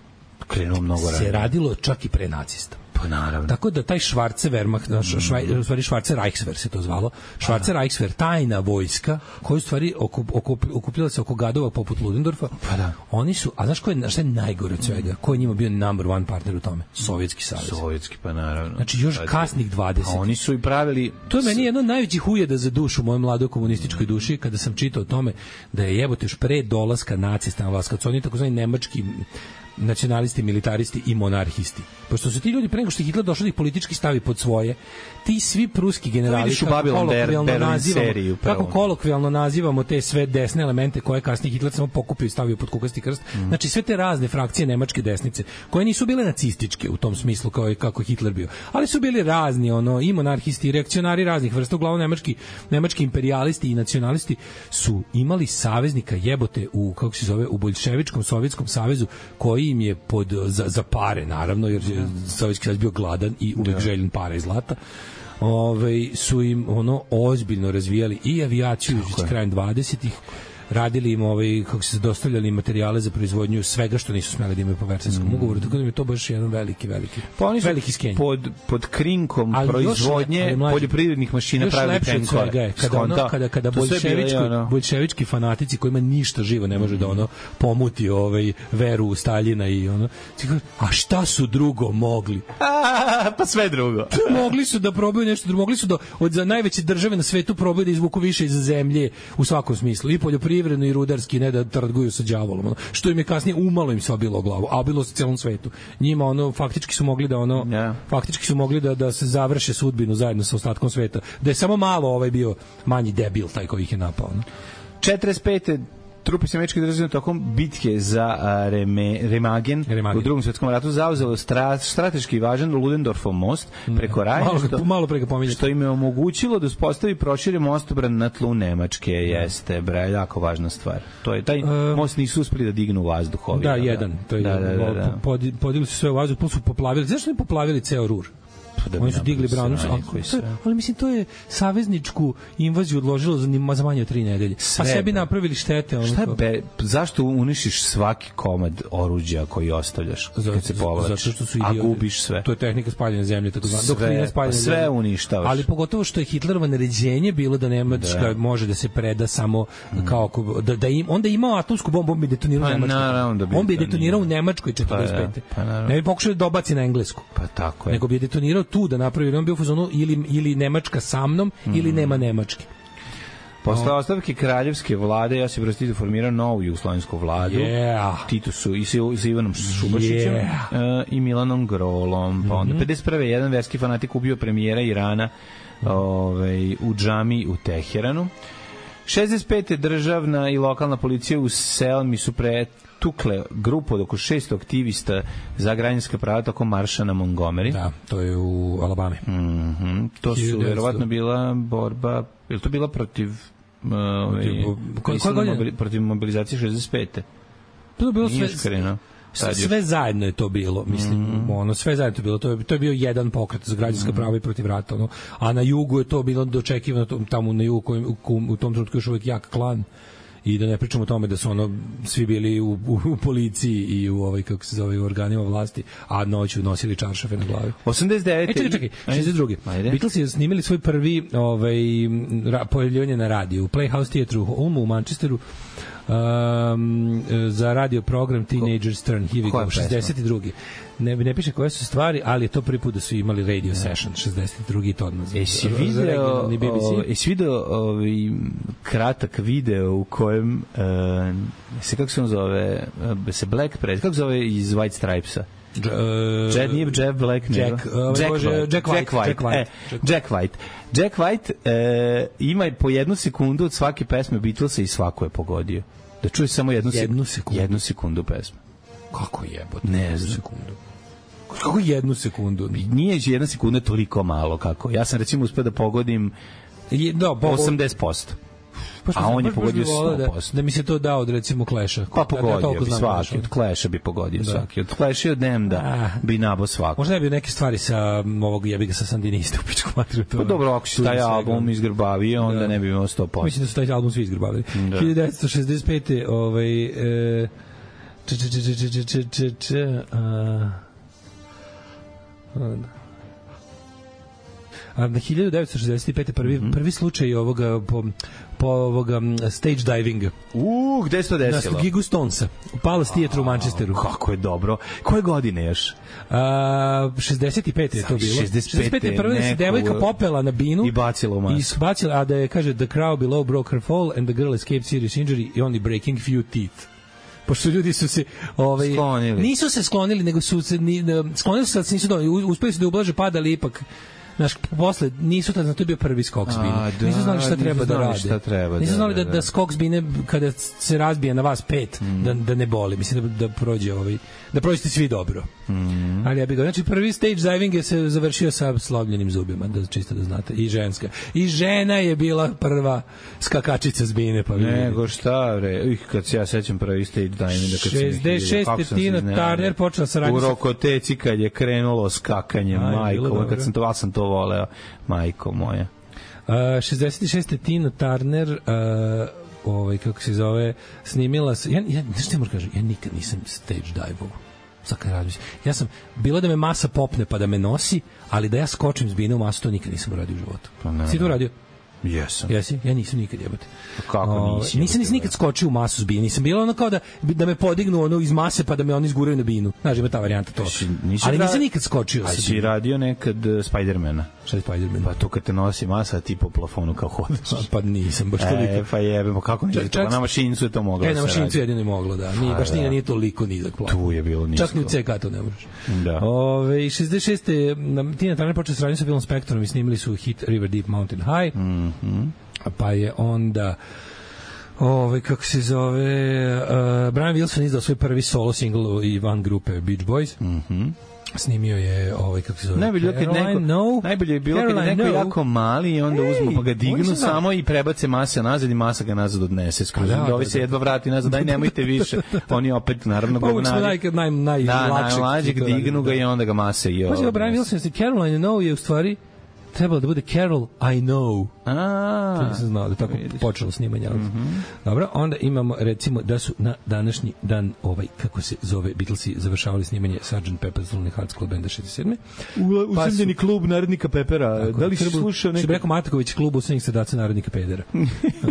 krenulo mnogo ranije. Se radilo čak i pre nacista. Pa naravno. Tako da taj Schwarze Wehrmacht, švaj, u stvari Schwarze Reichswehr se to zvalo, Schwarze Reichswehr, tajna vojska, koju u stvari okup, okup, okupljala se oko gadova poput Ludendorfa, pa da. Oni su, a znaš ko je, šta je najgore od svega? Ko je njima bio number one partner u tome? Sovjetski savez. Sovjetski, pa naravno. Znači još pa, kasnih dvadeset. A oni su i pravili... To je meni jedno od najvećih ujeda za dušu u mojoj mladoj komunističkoj duši, kada sam čitao o tome da je jebote još pre dolaska nacista na vlast, kad su oni takozvani nemački nacionalisti, militaristi i monarhisti. Pošto su ti ljudi pre nego što Hitler došao da ih politički stavi pod svoje, ti svi pruski generali, kako kolokvijalno nazivamo, kako kolokvijalno nazivamo te sve desne elemente koje kasnije Hitler samo pokupio i stavio pod kukasti krst, mm. znači sve te razne frakcije nemačke desnice, koje nisu bile nacističke u tom smislu kao i kako Hitler bio, ali su bili razni, ono, i monarhisti, i reakcionari raznih vrsta, uglavnom nemački, nemački imperialisti i nacionalisti su imali saveznika jebote u, kako se zove, u boljševičkom sovjetskom savezu, koji im je pod, za, za pare, naravno, jer je Sovjetski savez bio gladan i uvek željen para i zlata, ove, su im ono ozbiljno razvijali i avijaciju s krajem dvadesetih, radili im ovaj, kako se dostavljali materijale za proizvodnju svega što nisu smeli da imaju po Versajskom mm. ugovoru, tako da mi je to baš jedan veliki, veliki, pa oni su veliki skenj. Pod, pod krinkom ali proizvodnje još, poljoprivrednih mašina pravili tenkove. Kada, ono, kada, kada boljševički, ono... boljševički fanatici kojima ništa živo ne može mm. da ono pomuti ovaj, veru u Staljina i ono, a šta su drugo mogli? A, pa sve drugo. Mogli su da probaju nešto drugo, mogli su da od za najveće države na svetu probaju da izvuku više iz zemlje u svakom smislu, i poljoprivredno i rudarski, ne da trguju sa đavolom, ono, što im je kasnije umalo im se obilo o glavu, a obilo se celom svetu. Njima ono faktički su mogli da ono yeah. faktički su mogli da da se završe sudbinu zajedno sa ostatkom sveta. Da je samo malo ovaj bio manji debil taj koji ih je napao, no. četrdeset pete trupe američke države tokom bitke za Reme, Remagen, Remagen u Drugom svjetskom ratu zauzelo stra, strateški važan Ludendorfov most preko Rajne, malo, što, malo preko što im je omogućilo da uspostavi prošire mostobran na tlu Nemačke. Jeste, bre, jako važna stvar. To je, taj uh, most nisu uspeli da dignu u vazduh. Da, jedan. To je, da, da, da, da. Podigli su sve u vazduh, plus su poplavili. Zašto ne poplavili ceo Rur? Da Oni su digli Brownu, ali, ali mislim to je savezničku invaziju odložilo za, za manje od tri nedelje. Sve, a sebi napravili štete. Ono šta be, zašto uništiš svaki komad oruđa koji ostavljaš kad se povlačiš? Zato što su idioti. A gubiš sve. To je tehnika spaljene zemlje, tako zvana. Doktrina spaljene sve zemlje. Sve uništavaš. Ali pogotovo što je Hitlerovo naređenje bilo da Nemačka da. može da se preda samo mm. kao da, da im, onda je imao atomsku bombu, on bi detonirao pa, u Nemačkoj. Da bi on bi detonirao u Nemačkoj četrdeset pete. Pa, ja. pa, ne bi pokušao da dobaci na Englesku. Pa tako je. Nego bi detonirao tu da napravi, on bio u fazonu ili, ili Nemačka sa mnom mm. ili nema Nemačke. Posle no. ostavke kraljevske vlade Josip Broz Tito formirao novu jugoslovensku vladu. Yeah. Tito su i sa, i sa Ivanom Šubašićem yeah. uh, i Milanom Grolom. Pa onda mm -hmm. pedeset prve jedan verski fanatik ubio premijera Irana mm. ovaj, u džami u Teheranu. šezdeset pete državna i lokalna policija u Selmi su pretukle grupu od oko šesto aktivista za građanska prava tokom marša na Montgomery. Da, to je u Alabami. Mm -hmm. To su verovatno bila borba, je li to bila protiv uh, protiv, mobili, protiv mobilizacije šezdeset pete? To je bilo sve, sve, sve zajedno je to bilo, mislim, mm. ono, sve zajedno je to bilo, to je, to je bio jedan pokret za građanska mm. prava i protiv rata, ono, a na jugu je to bilo dočekivano, tamo na jugu kojim, u, u tom trenutku još uvijek jak klan, i da ne pričamo o tome da su ono svi bili u, u, u policiji i u ovaj kako se zove organima vlasti, a noću nosili čaršafe na glavi. osamdeset devete. E, čekaj, čekaj, šezdeset druge. Beatlesi snimili svoj prvi ovaj ra, pojavljivanje na radiju u Playhouse Theatre u Ulmu u Manchesteru. Um, za radio program Teenagers Turn Here We Go, šezdeset druge. Ne, ne piše koje su stvari, ali je to prvi put da su imali radio ne. session, šezdeset drugi to odmah. Jesi video, jesi video ovaj kratak video u kojem uh, se, kako se on zove, uh, se Black Pred, kako se zove iz White Stripesa? Uh, Jack, nije Jeff Black, Jack, nego uh, Jack, Bože, White. Jack White. Jack White. Jack White. E, Jack White. Jack White uh, ima po jednu sekundu od svake pesme Beatlesa i svako je pogodio. Da čuješ samo jednu, jednu sekundu. Jednu sekundu pesme. Kako jebote? Ne znam. Sekundu. Kako jednu sekundu? Nije jedna sekunda toliko malo kako. Ja sam recimo uspeo da pogodim je, da, osamdeset posto. Pa a on je pogodio sto posto. Da, da mi se to dao od recimo Clash-a. Pa pogodio da, bi svaki, od Clash-a bi pogodio da. svaki. Od Clash-a od Demda ah. bi nabo svako. Možda bi neke stvari sa ovog jebiga sa Sandinista u pičku materiju. Pa dobro, ako si taj album izgrbavio, onda da. ne bi imao sto posto. Mislim da su taj album svi izgrbavili. Da. hiljadu devetsto šezdeset pete ovaj... E, č, č, č, č, č, č, č, č, a... A na hiljadu devetsto šezdeset pete prvi, mm-hmm. prvi slučaj ovoga po, po ovoga stage divinga. U, gde se to desilo? Na Gigu Stonesa, u Palace Theatre u Manchesteru. Kako je dobro. Koje godine još? A, šezdeset pete je to bilo. šezdeset pete prvo se devojka popela na binu i bacila u masku. I bacila, a da je, kaže, the crowd below broke her fall and the girl escaped serious injury i only breaking few teeth. Pošto ljudi su se ovaj sklonili. Nisu se sklonili, nego su se ni, sklonili su se, nisu do, uspeli su da ublaže pad, ali ipak znaš, posle, nisu tada, to je bio prvi skok s bine. Da, nisu znali šta treba da rade. Šta treba, nisu znali da, da, da, da skok s bine, kada se razbije na vas pet, mm. da, da ne boli. Mislim da, da prođe ovaj, da prođete svi dobro. Mm. Ali ja bih ga, znači prvi stage diving je se završio sa slomljenim zubima, da čisto da znate. I ženska. I žena je bila prva skakačica s bine. Pa nego šta, bre. Ih, kad se ja sećam prvi stage diving, da kad šezdeset šeste Tina Turner počela sa radnjom. U Rokoteci kad je krenulo skakanje, majko, kad sam to, sam to voleo, majko moja. Uh, šezdeset šeste Tina Turner uh, ovaj, kako se zove, snimila se, ja, ja, znaš što moram kažem, ja nikad nisam stage dive-ovo. Ja sam, bilo da me masa popne pa da me nosi, ali da ja skočim s bine u masu, to nikad nisam uradio u životu. Pa ne, si to uradio? Jesam. Jesi? Ja nisam nikad, jebate. Kako nisi? O, nisam nisam nikad skočio u masu s bine. Nisam bilo ono kao da, da me podignu ono iz mase pa da me oni izguraju na binu. Znaš, ima ta varijanta to. Si, ali nisam nikad skočio. A si radio nekad uh, Spidermana? Šta je Spiderman? Pa to kad te nosi masa, ti po plafonu kao hodaš. Pa nisam, baš toliko. E, pa jebemo, kako nisi to? Na mašinicu je to moglo. E, na mašinicu jedino je moglo, da. Nije, baš nije, nije toliko nizak plafon. Tu je bilo nisko. Čak ni u C K to ne možeš. Da. Ove, šezdeset šeste Tina Turner počela sradnju sa Billom Spectorom i snimili su hit River Deep Mountain High. Mhm. Pa je onda ovaj kako se zove uh, Brian Wilson izdao svoj prvi solo single i van grupe Beach Boys. Mhm. snimio je ovaj kako se zove najbolje kad neko no. najbolje je bilo Caroline, kad je neko no. jako mali i onda uzmu pa ga dignu sam samo i prebace masa nazad i masa ga nazad odnese skroz. Da, Da, ovi da, se da. jedva vrati nazad, daj nemojte više. Oni opet naravno Pa uvijek smo govnari. naj, naj, naj, Da, lakšeg najlađeg to radi, dignu ga da. i onda ga mase i Pazi, ovo. Brian Wilson se Caroline No je u stvari trebalo da bude Carol I Know. A, To nisam znao da je tako vidiš. počelo snimanje. Mm-hmm. Dobro, onda imamo recimo da su na današnji dan ovaj, kako se zove, Beatlesi završavali snimanje sergeant Pepper's Lonely Hearts Club Banda šezdeset sedme. Usamljeni klub Narodnika Pepera. Tako, Da li si Krbu- slušao Što bi neka... rekao Marković, klub usamljenih srdaca Narodnika pedera.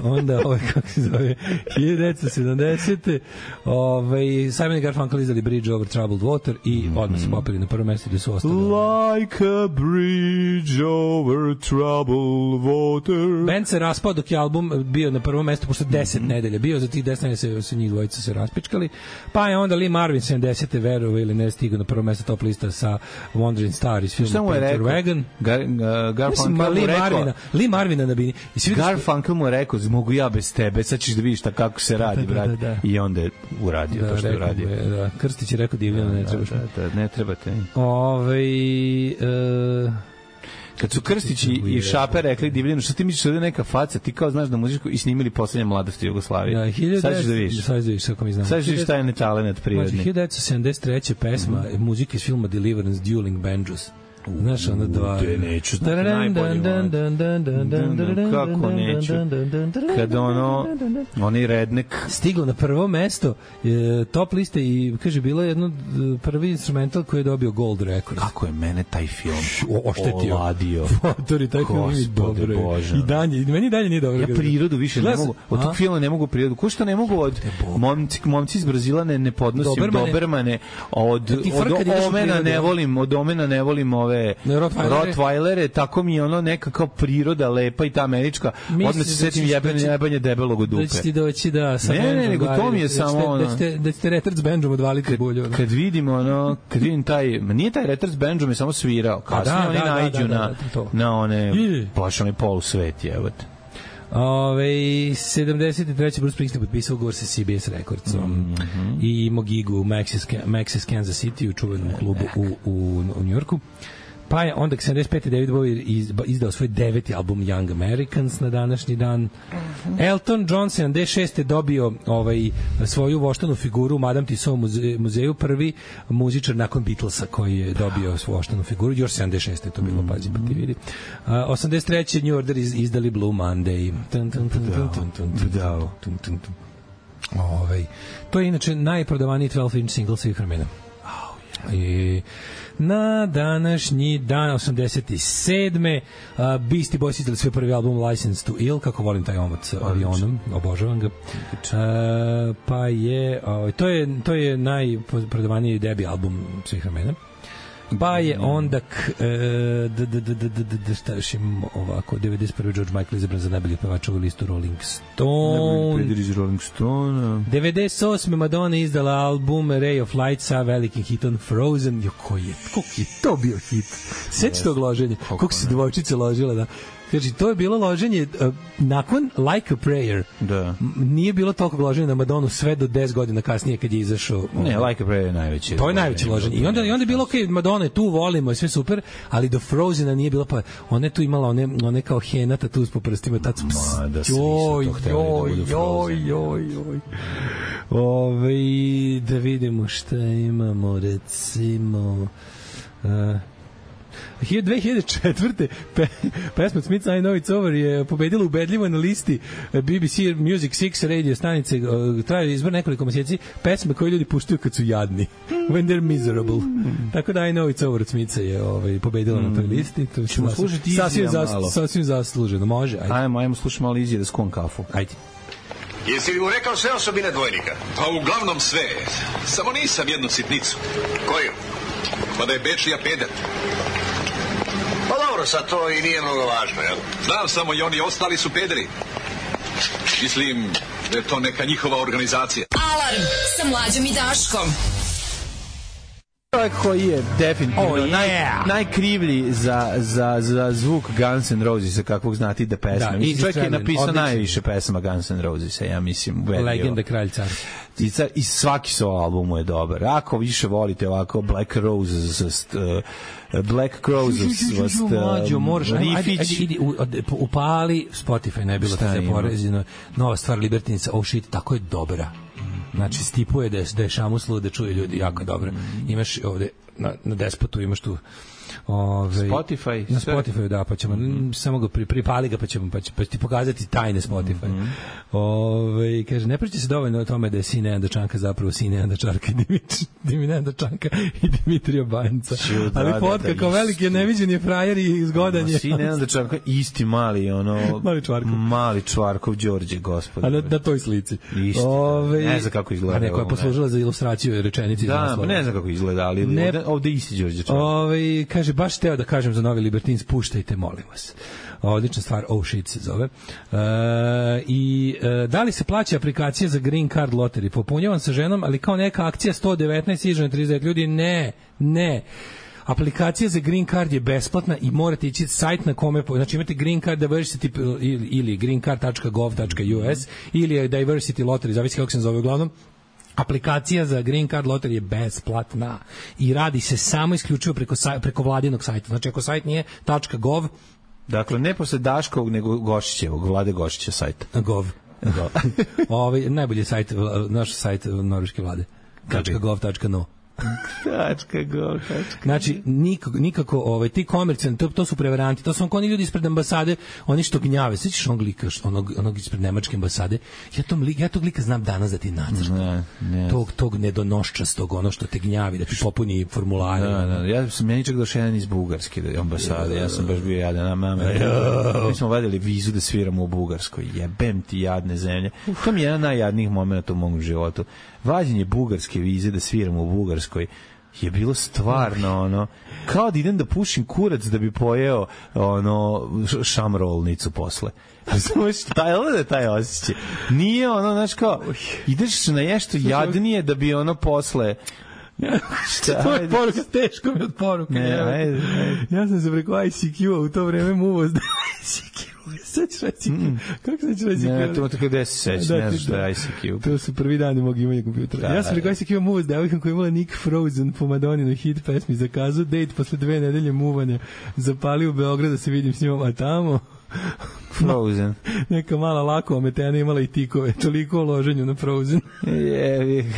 Onda, ovaj, kako se zove, hiljadu devetsto sedamdesete ovaj, Simon and Garfunkel izdali Bridge Over Troubled Water i odmah su popeli na prvo mesto gde su ostali. Like a bridge over troubled water. Band se raspao dok je album bio na prvom mestu, pošto deset mm -hmm. nedelja bio, za tih deset nedelja se, se njih dvojica se raspičkali, pa je onda Lee Marvin sedamdesete verovao ili ne stigao na prvo mesto top lista sa Wandering Star iz Šta filma mu je Painter rekao? Wagon. Gar, uh, Mislim, Garfunkel ma, mu Lee rekao... Marvina, Lee Marvina na bini. I svi vidiš- Garfunkel mu je rekao, mogu ja bez tebe, sad ćeš da vidiš šta kako se radi, Da, da, brat. da, da. I onda je uradio Da, to što je rekao uradio. mu je, da. Krstić je rekao Divljano, ne trebaš. Da, da, ne trebate. Ove, e, Kad su Krstić i, i Šape rekli Divljanu, što ti misliš da je neka faca, ti kao znaš da muziku i snimili poslednje mladosti Jugoslavije. da, hiljadu Sad ćeš da devetsto vidiš. Sad ćeš da vidiš, kako mi znamo. Sad ćeš da vidiš taj netalenat Znači, prirodni. hiljadu devetsto sedamdeset treće pesma, mm -hmm. muzika iz filma Deliverance, Dueling Banjos. Znaš, ona dva... te neću znati, najbolji moment. Kako neću? Kad ono, onaj rednek... Stiglo na prvo mesto e, top liste i, kaže, bilo je jedno e, prvi instrumental koji je dobio Gold Record. Kako je mene taj film O, oštetio. oladio. Motori, taj film je Gospode dobro. Bože. I dalje, meni dalje nije dobro. Ja prirodu više ne Gledam- mogu, od A? tog filma ne mogu prirodu. Ko što ne mogu od momci, momci iz Brazila ne, ne podnosim Dobermane. Dobermane, od, Ti od frka, ideš u Omena prirodu. ne volim, od Omena ne volim ove Ne, Rottweilere. Rottweilere, tako mi je ono neka kao priroda lepa i ta američka. Misliš Odmah se da setim ćeš- jebanje, da će- jebanje debelog od Da dupe. će ti doći da sa Ne, ne, bendom, nego da, to mi je da ćete- samo da ono- ćete, da ćete retard s bendom odvaliti bulju. ono. Kad vidim ono, kad vidim taj, ma nije taj Retards Banjo me samo svirao. Kasnije da, oni da, da, naiđu da, da, na, da, to. na one, Je. baš onaj polusvet, jebote. Ove, sedamdeset treće Bruce Springsteen potpisao ugovor sa C B S Recordsom mm -hmm. i imao gigu u Maxis, Maxis Kansas City u čuvenom klubu u, u, u Njujorku. Pa je onda sedamdeset pete David Bowie iz, izdao svoj deveti album Young Americans na današnji dan. Elton John sedamdeset šeste dobio ovaj, svoju voštanu figuru u Madame Tussauds muze, muzeju, prvi muzičar nakon Beatlesa koji je dobio svoju voštanu figuru, još sedamdeset šeste je to bilo, pazi, pa ti vidi. Uh, osamdeset treće New Order iz, izdali Blue Monday. Tun, tun, tun, tun, tun, tun, tun, tun, tun, tun. Ovaj, to je inače najprodavaniji dvanaest inch single svih vremena. I na današnji dan osamdeset sedme Uh, Beastie Boys izdali svoj prvi album License to Ill, kako volim taj omot sa avionom, obožavam ga. Uh, pa je uh, to je to je najprodavaniji debi album svih vremena. Pa je onda k, e, d, d, d, d, d, d, d, šta još imamo ovako, devedeset prve George Michael izabran za najboljeg pevača u listu Rolling Stone. Najbolji iz Rolling Stone. devedeset osme Madonna izdala album Ray of Light sa velikim hitom Frozen. Jo, koji je, koliko je to bio hit? Sjeći tog loženja, koliko se dvojčice ložila, da. Znači, to je bilo loženje uh, nakon Like a Prayer. Da. M- nije bilo toliko loženja na Madonu sve do deset godina kasnije kad je izašao. Ne, Like a Prayer je najveći. To je najveće loženje. I onda, i onda je bilo, ok, Madonna je tu, volimo, je sve super, ali do Frozena nije bilo, pa ona je tu imala one, one kao henata tu po prstima, tad su... Ma, da se Joj, nisu to hteli da budu joj, Frozen. joj, joj. Ove, da vidimo šta imamo, recimo... Uh, dve hiljade četvrte Pe, pesma Smith's I Know It's Over je pobedila ubedljivo na listi B B C Music šest radio stanice. Traje izbor nekoliko meseci pesme koje ljudi puštaju kad su jadni. When they're miserable. Tako da I Know It's Over od Smitha je ovaj, pobedila mm. na toj listi. To ćemo slušati sasvim, Izija zas, malo. sasvim zasluženo. Može, ajde. Ajmo, ajmo slušati malo Izije da skuvam kafu. Ajde. Jesi li mu rekao sve osobine dvojnika? Pa uglavnom sve. Samo nisam jednu sitnicu. Koju? Pa da je Bečija peder. Pa dobro, sad to i nije mnogo važno, jel? Znam samo i oni ostali su pederi. Mislim da je to neka njihova organizacija. Alarm sa Mlađom i Daškom. Čovjek koji je definitivno Oh, yeah. naj, najkrivlji za, za, za zvuk Guns N' Roses, kakvog znati da pesme. Da, mislim, čovjek je Stradlin, napisao odličan. najviše pesama Guns N' Roses, ja mislim. ubedljivo. Legenda kralj car. I, ca- I svaki solo album mu je dobar. Ako više volite ovako Black Roses, uh, Black Crowes, vas Mlađo, moraš, ajde, ajde, Rifić. ajde, idi, u- od- upali Spotify, ne bilo Šta te ima? porezino. Nova stvar Libertinica, oh shit, tako je dobra. Znači, stipuje da je, da je šamuslo, da čuje ljudi, jako je dobro. Imaš ovde, na, na despotu imaš tu ove, Spotify, na sve. Spotify, da, pa ćemo mm. samo ga pri, pripali ga, pa ćemo pa, će, pa će ti pokazati tajne Spotify. Mm -hmm. Ove, kaže, ne priča se dovoljno o tome da je sin Nenada Čanka zapravo sin Nenada Čarka i Dimit- Dimi Nenada Čanka i Dimitrija Banjca. Ču, da, Ali da, fotka da, kao isti. veliki je neviđen je frajer i zgodan je. Sin Nenada Čanka, isti mali, ono... Mali Čvarkov. Mali Čvarkov, Đorđe, gospod. A na, na toj slici. Isti, Ove, ne znam kako izgleda. A neko je ovo, poslužila za ilustraciju rečenici. iz Da, naslova. pa ne znam kako izgleda, ali Ne- ovde, ovde isti Đorđe Čvarkov. Ove, kaže, baš teo da kažem za novi Libertins, puštajte, molim vas. Odlična stvar, oh shit se zove. E, I e, da li se plaća aplikacija za Green Card Lottery? Popunjavam sa ženom, ali kao neka akcija sto devetnaest ižena trideset devet ljudi, ne, ne. Aplikacija za Green Card je besplatna i morate ići sajt na kome, po- znači imate Green Card Diversity ili, ili green card tačka gov tačka u s ili je Diversity Lottery, zavisi kako se zove uglavnom. Aplikacija za Green Card Lottery je besplatna i radi se samo isključivo preko, saj, preko vladinog sajta. Znači ako sajt nije .gov, Dakle, ne posle Daškovog, nego Gošićevog, Vlade Gošića sajta. gov. gov. Ovaj najbolji sajt, vla- naš sajt norveške vlade. .gov.no. Tačka go, tačka. Znači nikako, nikako ovaj ti komercijalni to, to su prevaranti, to su oni ljudi ispred ambasade, oni što gnjave. Sećaš onog lika, što- onog onog ispred nemačke ambasade? Ja tom lik, ja tog lika znam danas da ti nacrtam. Ne, ne. Tog tog nedonoščastog, ono što te gnjavi da ti popuni formulare. Da, da, ja sam meni čak došao jedan iz Bugarske da, ambasade, ja sam baš bio jadan, a mama, mi smo vadili vizu da sviramo u Bugarskoj, jebem ti jadne zemlje. To mi je jedan najjadnijih momenta u mom životu. Vađenje bugarske vize da sviramo u Bugarskoj je bilo stvarno ono kao da idem da pušim kurac da bi pojeo ono š- šamrolnicu posle. Razumeš, taj, da je taj osjećaj. Nije ono, znaš kao, ideš na nešto jadnije da bi ono posle... Šta, To je ajde. poruka, teško mi od poruka. Ne, jebote. ajde, ajde. Ja sam se preko I C Q-a u to vreme muvao s I C Q. Sad ćeš I C Q. Kako se ćeš I C Q? Ne, to tako gde se sećaš, Da, ne ti- znaš šta je I C Q. To su prvi dani mog imanja kompjutera. Da, Ja sam preko da. I C Q-a muvao s devojkom koja je imala Nick Frozen po Madonninoj hit pesmi Zakazu. Date posle dve nedelje muvanja. Zapali u Beograd da se vidim s njom, a tamo Frozen. neka mala lako ometena imala i tikove. Toliko o loženju na Frozen. Jevi.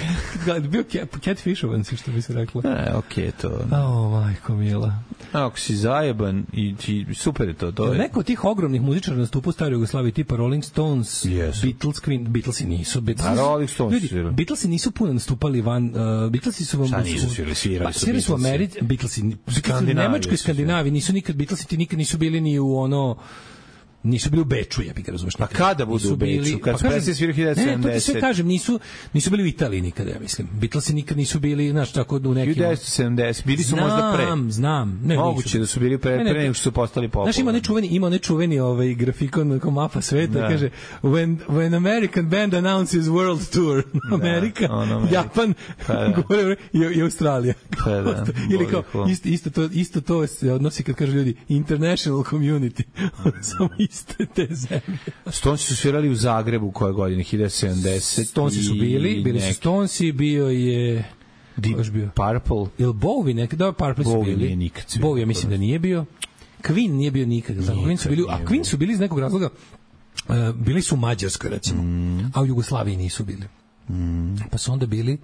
Bio cat- catfishovan si, što bi se reklo. E, okej, to. O, majko mila. Ako si zajeban i ti, super je to, to je. Neko od tih ogromnih muzičara nastupa u staroj Jugoslaviji tipa Rolling Stones, Jesu. Beatles, Queen, Beatlesi nisu. Beatlesi, A Rolling Stones ljudi, su svirali. Beatlesi nisu puno nastupali van, uh, Beatlesi su vam... Šta nisu svirali? Svirali su svirali su u Beatlesi. Americi, Beatlesi, Beatlesi u Skandinaviji Nemačkoj i su Skandinaviji, nisu nikad, Beatlesi ti nikad nisu bili ni u ono... Nisu bili u Beču, ja bih ga razumeš. Pa kada budu Nisu u Beču? bili- Kad pa su kažem- Beatlesi svirali hiljadu Ne, to ti sve sedamdeset. kažem, nisu, nisu bili u Italiji nikada, ja mislim. Beatlesi nikad nisu bili, znaš, tako u nekim... hiljadu devetsto sedamdeset. Bili su možda pre. Znam, znam. Ne, Moguće nisu. da su bili pre, Ne, ne, pre nego što su postali popularni. Znaš, ima onaj čuveni, ima onaj čuveni ovaj grafikon kao mapa sveta, Da. kaže when, when American band announces world tour, Amerika, ono Amerika. Japan, Pa da. gore, i, i Australija. Pa da, Ili kao, boli isto, isto, to, isto to se odnosi kad kažu ljudi international community, samo iste te zemlje. Stonesi su svirali u Zagrebu koje godine, hiljadu sedamdeset. Stonesi su bili, bili su Stonesi, bio je... Deep ko još bio? Purple. Ili Bowie nekada, da, Purple su Bowie bili. nije nikad svirao. Bowie, ja mislim da nije bio. Queen nije bio nikad. Nikad Queen su bili, a nije Queen su bili iz nekog razloga, uh, bili su u Mađarskoj, recimo, Mm. a u Jugoslaviji nisu bili. Pa su onda bili,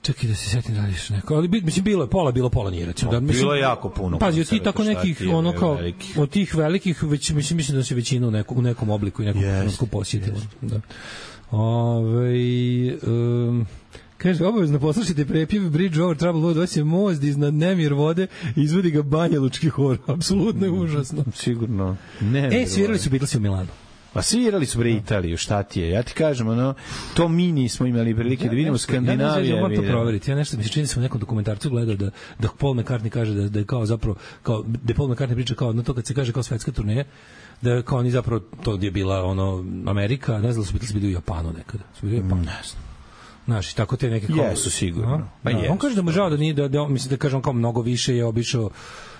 čekaj da se setim da li još neko, ali bi- mislim bilo je pola, bilo pola nije, recimo. Da, mislim, Bilo je jako puno Pazi, od tih koncerata, tako šta nekih, ti je, ono kao, velikih. od tih velikih, već, mislim, mislim da se većina u nekom, u nekom obliku i nekom Jest, trenutku posjetila. Da. Ove, um, kaže, obavezno poslušajte prepjev Bridge over Troubled Water, doći je most iznad nemir vode i izvodi ga Banja Lučki hor. Apsolutno je užasno. Sigurno. Ne, E, svirali su Beatlesi u Milanu. Pa svirali su bre Italiju, šta ti je? Ja ti kažem, ono, to mi nismo imali prilike da vidimo Skandinaviju. Ja ne moram to proveriti. Ja nešto mi se čini da sam u nekom dokumentarcu gledao da da Paul McCartney kaže da da je kao zapravo kao da Paul McCartney priča kao na to kad se kaže kao svetska turneja, da kao oni zapravo to je bila ono Amerika, ne znam da su Beatlesi bili u Japanu nekada. Su bili u Japanu. Ne znam. Znaš, tako te neke... Jesu, sigurno. Pa da, on kaže da mu žao da nije, da, da, mislim da kaže on kao mnogo više je obišao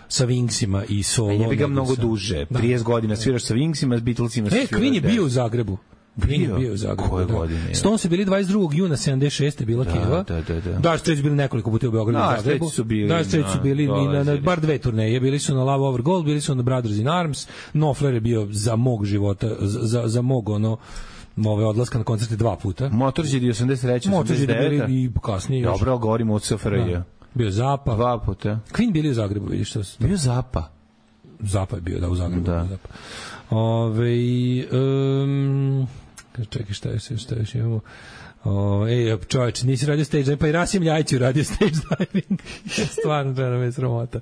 sa Wingsima i solo. A je bi ga mnogo sa... duže. Da. trideset godina sviraš sa Wingsima, s Beatlesima. E, Queen je bio u Zagrebu. Queen je bio u Zagrebu. Koje da. godine? Stones su bili dvadeset drugog juna sedamdeset šeste bila da, Keva. Da, da, da. Da, Straits bili nekoliko puta u Beogradu i Zagrebu. Su bili, da, Straits su bili da, i na, na bar dve turneje. Bili su na Love Over Gold, bili su na Brothers in Arms. Knopfler je bio za mog života, za, za mog ono ove odlaska na koncerte dva puta. Motorhead osamdeset treće Motorhead bili i kasnije. Dobro, govorimo o C F R J. Bio Zapa. Dva puta. Queen bili u Zagrebu, vidiš što se... Bio Zapa. Zapa je bio, da, u Zagrebu. Da. Zapa. Ove, um, čekaj, šta je se, šta još imamo? O, ej, čovječ, nisi radio stage diving, pa i Rasim Ljajić radio stage diving. Stvarno, treba me sramota.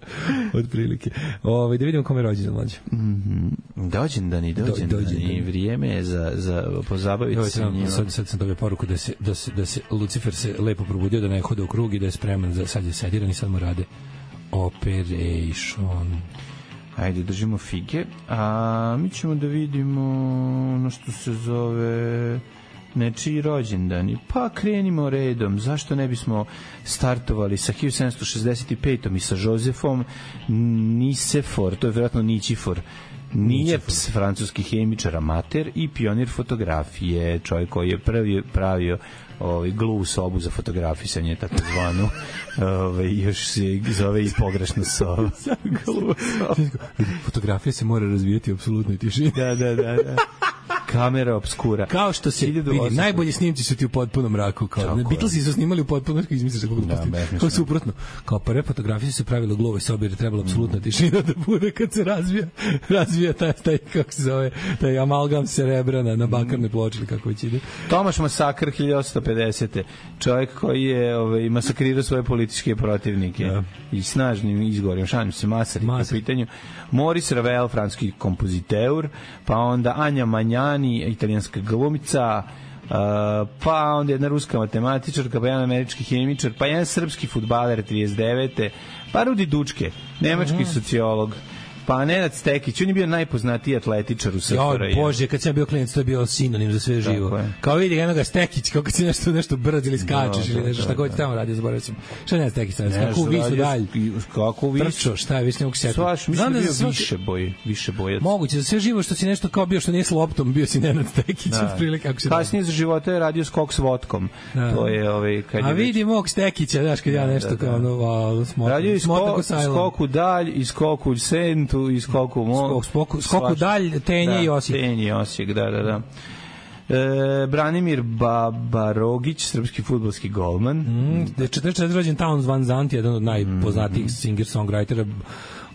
Od prilike. Ove, da vidimo kome je rođendan mlađe. Mm -hmm. Dođendan i dođendan i vrijeme je za, za pozabaviti se njima. Sad, sad sam dobio poruku da se, da, se, da se Lucifer se lepo probudio, da ne hode u krug i da je spreman za, sad je sediran i sad mu rade operation. Ajde, držimo fige. A mi ćemo da vidimo ono što se zove nečiji rođendani. Pa krenimo redom. Zašto ne bismo startovali sa hiljadu sedamsto šezdeset pet. i sa Josefom Nicefor, to je vjerojatno Ničifor. Nije ps, francuski hemičar, amater i pionir fotografije, čovjek koji je prvi pravio ovaj glu sobu za fotografisanje, tako zvanu. Ovaj još se zove i pogrešno soba. Fotografija se mora razvijati u apsolutnoj tišini. Da, da, da, da. Kamera obskura. Kao što se vidi, najbolji snimci su ti u potpunom mraku. Kao, Beatlesi su snimali u potpunom mraku, izmisliš kako da, kao suprotno. Kao prve fotografije su pravile u glovoj sobi jer je trebala apsolutna mm. tišina da bude kad se razvija, razvija taj, taj, kako se zove, taj amalgam cerebra na, na bakarne ploče ili kako već ide. Tomaš Masakr hiljadu osamsto pedesete. Čovjek koji je ovaj, masakrirao svoje političke protivnike da. I snažnim izgovorom. Šalim se, Masar na pitanju. Maurice Ravel, francuski kompoziteur, pa onda Anja Manjani, italijanska glumica, uh, pa onda jedna ruska matematičarka, pa jedan američki hemičar, pa jedan srpski fudbaler trideset devete pa Rudi Dučke, nemački mm. sociolog, pa Nenad Stekić, on je bio najpoznatiji atletičar u S F R J. Jo, Bože, kad sam bio klinac, to je bio sinonim za sve živo. Kao vidi jednoga Stekić, kako si nešto, nešto brz ili skačeš no, ili nešto, šta god ti tamo radio, zaboravio sam. Šta je Nenad Stekić? Kako u visu dalj? Kako u visu? Trčo, šta je, više ne mogu setiti. Svaš, mislim da je bio više boj, više bojac. Moguće, za sve živo što si nešto kao bio, što nije s loptom, bio si Nenad Stekić. Kasnije za života je radio skok s vodkom. To je ovaj... A vidi mog Stekića, znaš, kad ja nešto kao ono, skok u dalj, i skok u sentu, i skok u Skok, skoku, skoku dalj, Tenje da, i Osijek. Tenje i Osijek, da, da, da. E, Branimir Babarogić, srpski fudbalski golman. Mm, četrdeset četvrte rođen Towns Van Zandt, jedan od najpoznatijih mm. singer-songwritera.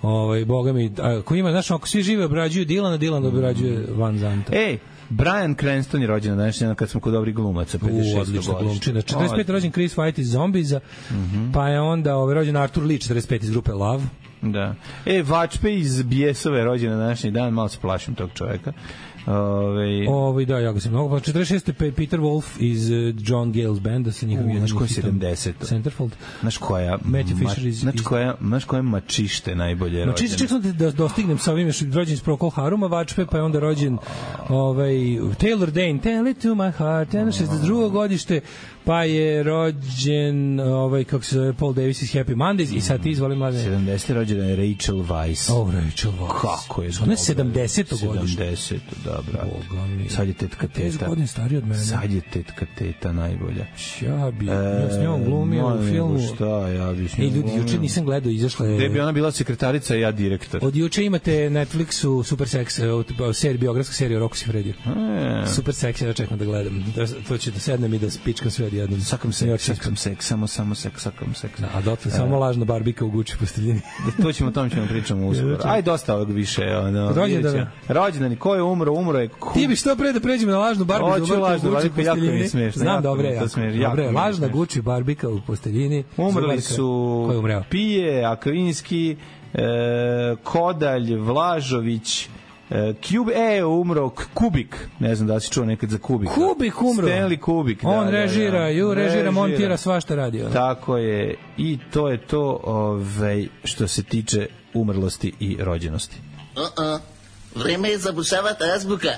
Ovaj, boga mi, ako ima, znaš, ako svi žive obrađuju Dilana, Dilan obrađuje Van Zandta. Ej, Brian Cranston je rođen na današnji dan kad smo kod dobrih glumaca, pedeset šesto odlična glumčina. četrdeset pete rođen Chris White iz Zombiza, mm -hmm. pa je onda ovaj, rođen Arthur Lee, četrdeset pete iz grupe Love. Da. E, Vačpe iz Bijesove rođen na današnji dan, malo se plašim tog čoveka. Ove... Ove, da, ja ga sam mnogo. četrdeset šeste Peter Wolf iz John Gale's banda sa njihovim... Znaš koji je sedamdeset? Centerfold. Znaš koja... Matthew Fisher iz... Znaš koja, znaš koja mačište najbolje rođene? Mačište, ček sam da dostignem sa ovim, rođen iz Procol Haruma, Vačpe, pa je onda rođen ovaj, Taylor Dane, Tell it to my heart, šezdeset drugo godište, pa je rođen ovaj, kako se zove, Paul Davis iz Happy Mondays i sad ti izvoli mladine. sedamdesete rođena je Rachel Weisz. Oh, Rachel Weisz. Kako je? Ona je sedamdeseto godište. sedamdeseto, da, bravo. Sad je tetka teta. deset godina stariji od mene. Sad je tetka teta najbolja. Ja bi, ja s njom glumio u filmu. Šta, ja bi s njom glumio. Ej, ljudi, juče nisam gledao, izašla je... Gde bi ona bila sekretarica, ja direktor. Od juče imate Netflixu Super Sex, serija, biografska serija o Rocco Siffredi. Super Sex, ja čekam da gledam. To će da sednem i da spičkam sve odjednom. Sakam se, sakam se, samo, samo sek, sakam se. A dotle, samo lažna barbika u Gucci posteljini. To ćemo, o tom ćemo pričamo uskoro. Aj, dosta ovog više. Rođendan. Rođendan, ko je umro, umro je... Ti bi što pre da pređemo na lažnu barbiku u Gucci posteljini. Znam, dobre, jako. Dobre, lažna Gucci barbika u posteljini. Umrli su Pije, Akvinski, Kodalj, Vlažović, Cube, e, umro Kubik, ne znam da li si čuo nekad za Kubika. Kubik umro. Stanley Kubik. Da, on režira, da, da. ju režira, režira, montira, svašta radi. Ono. Tako je, i to je to ovaj, što se tiče umrlosti i rođenosti. Uh-uh. Vreme je zabušavati azbuka.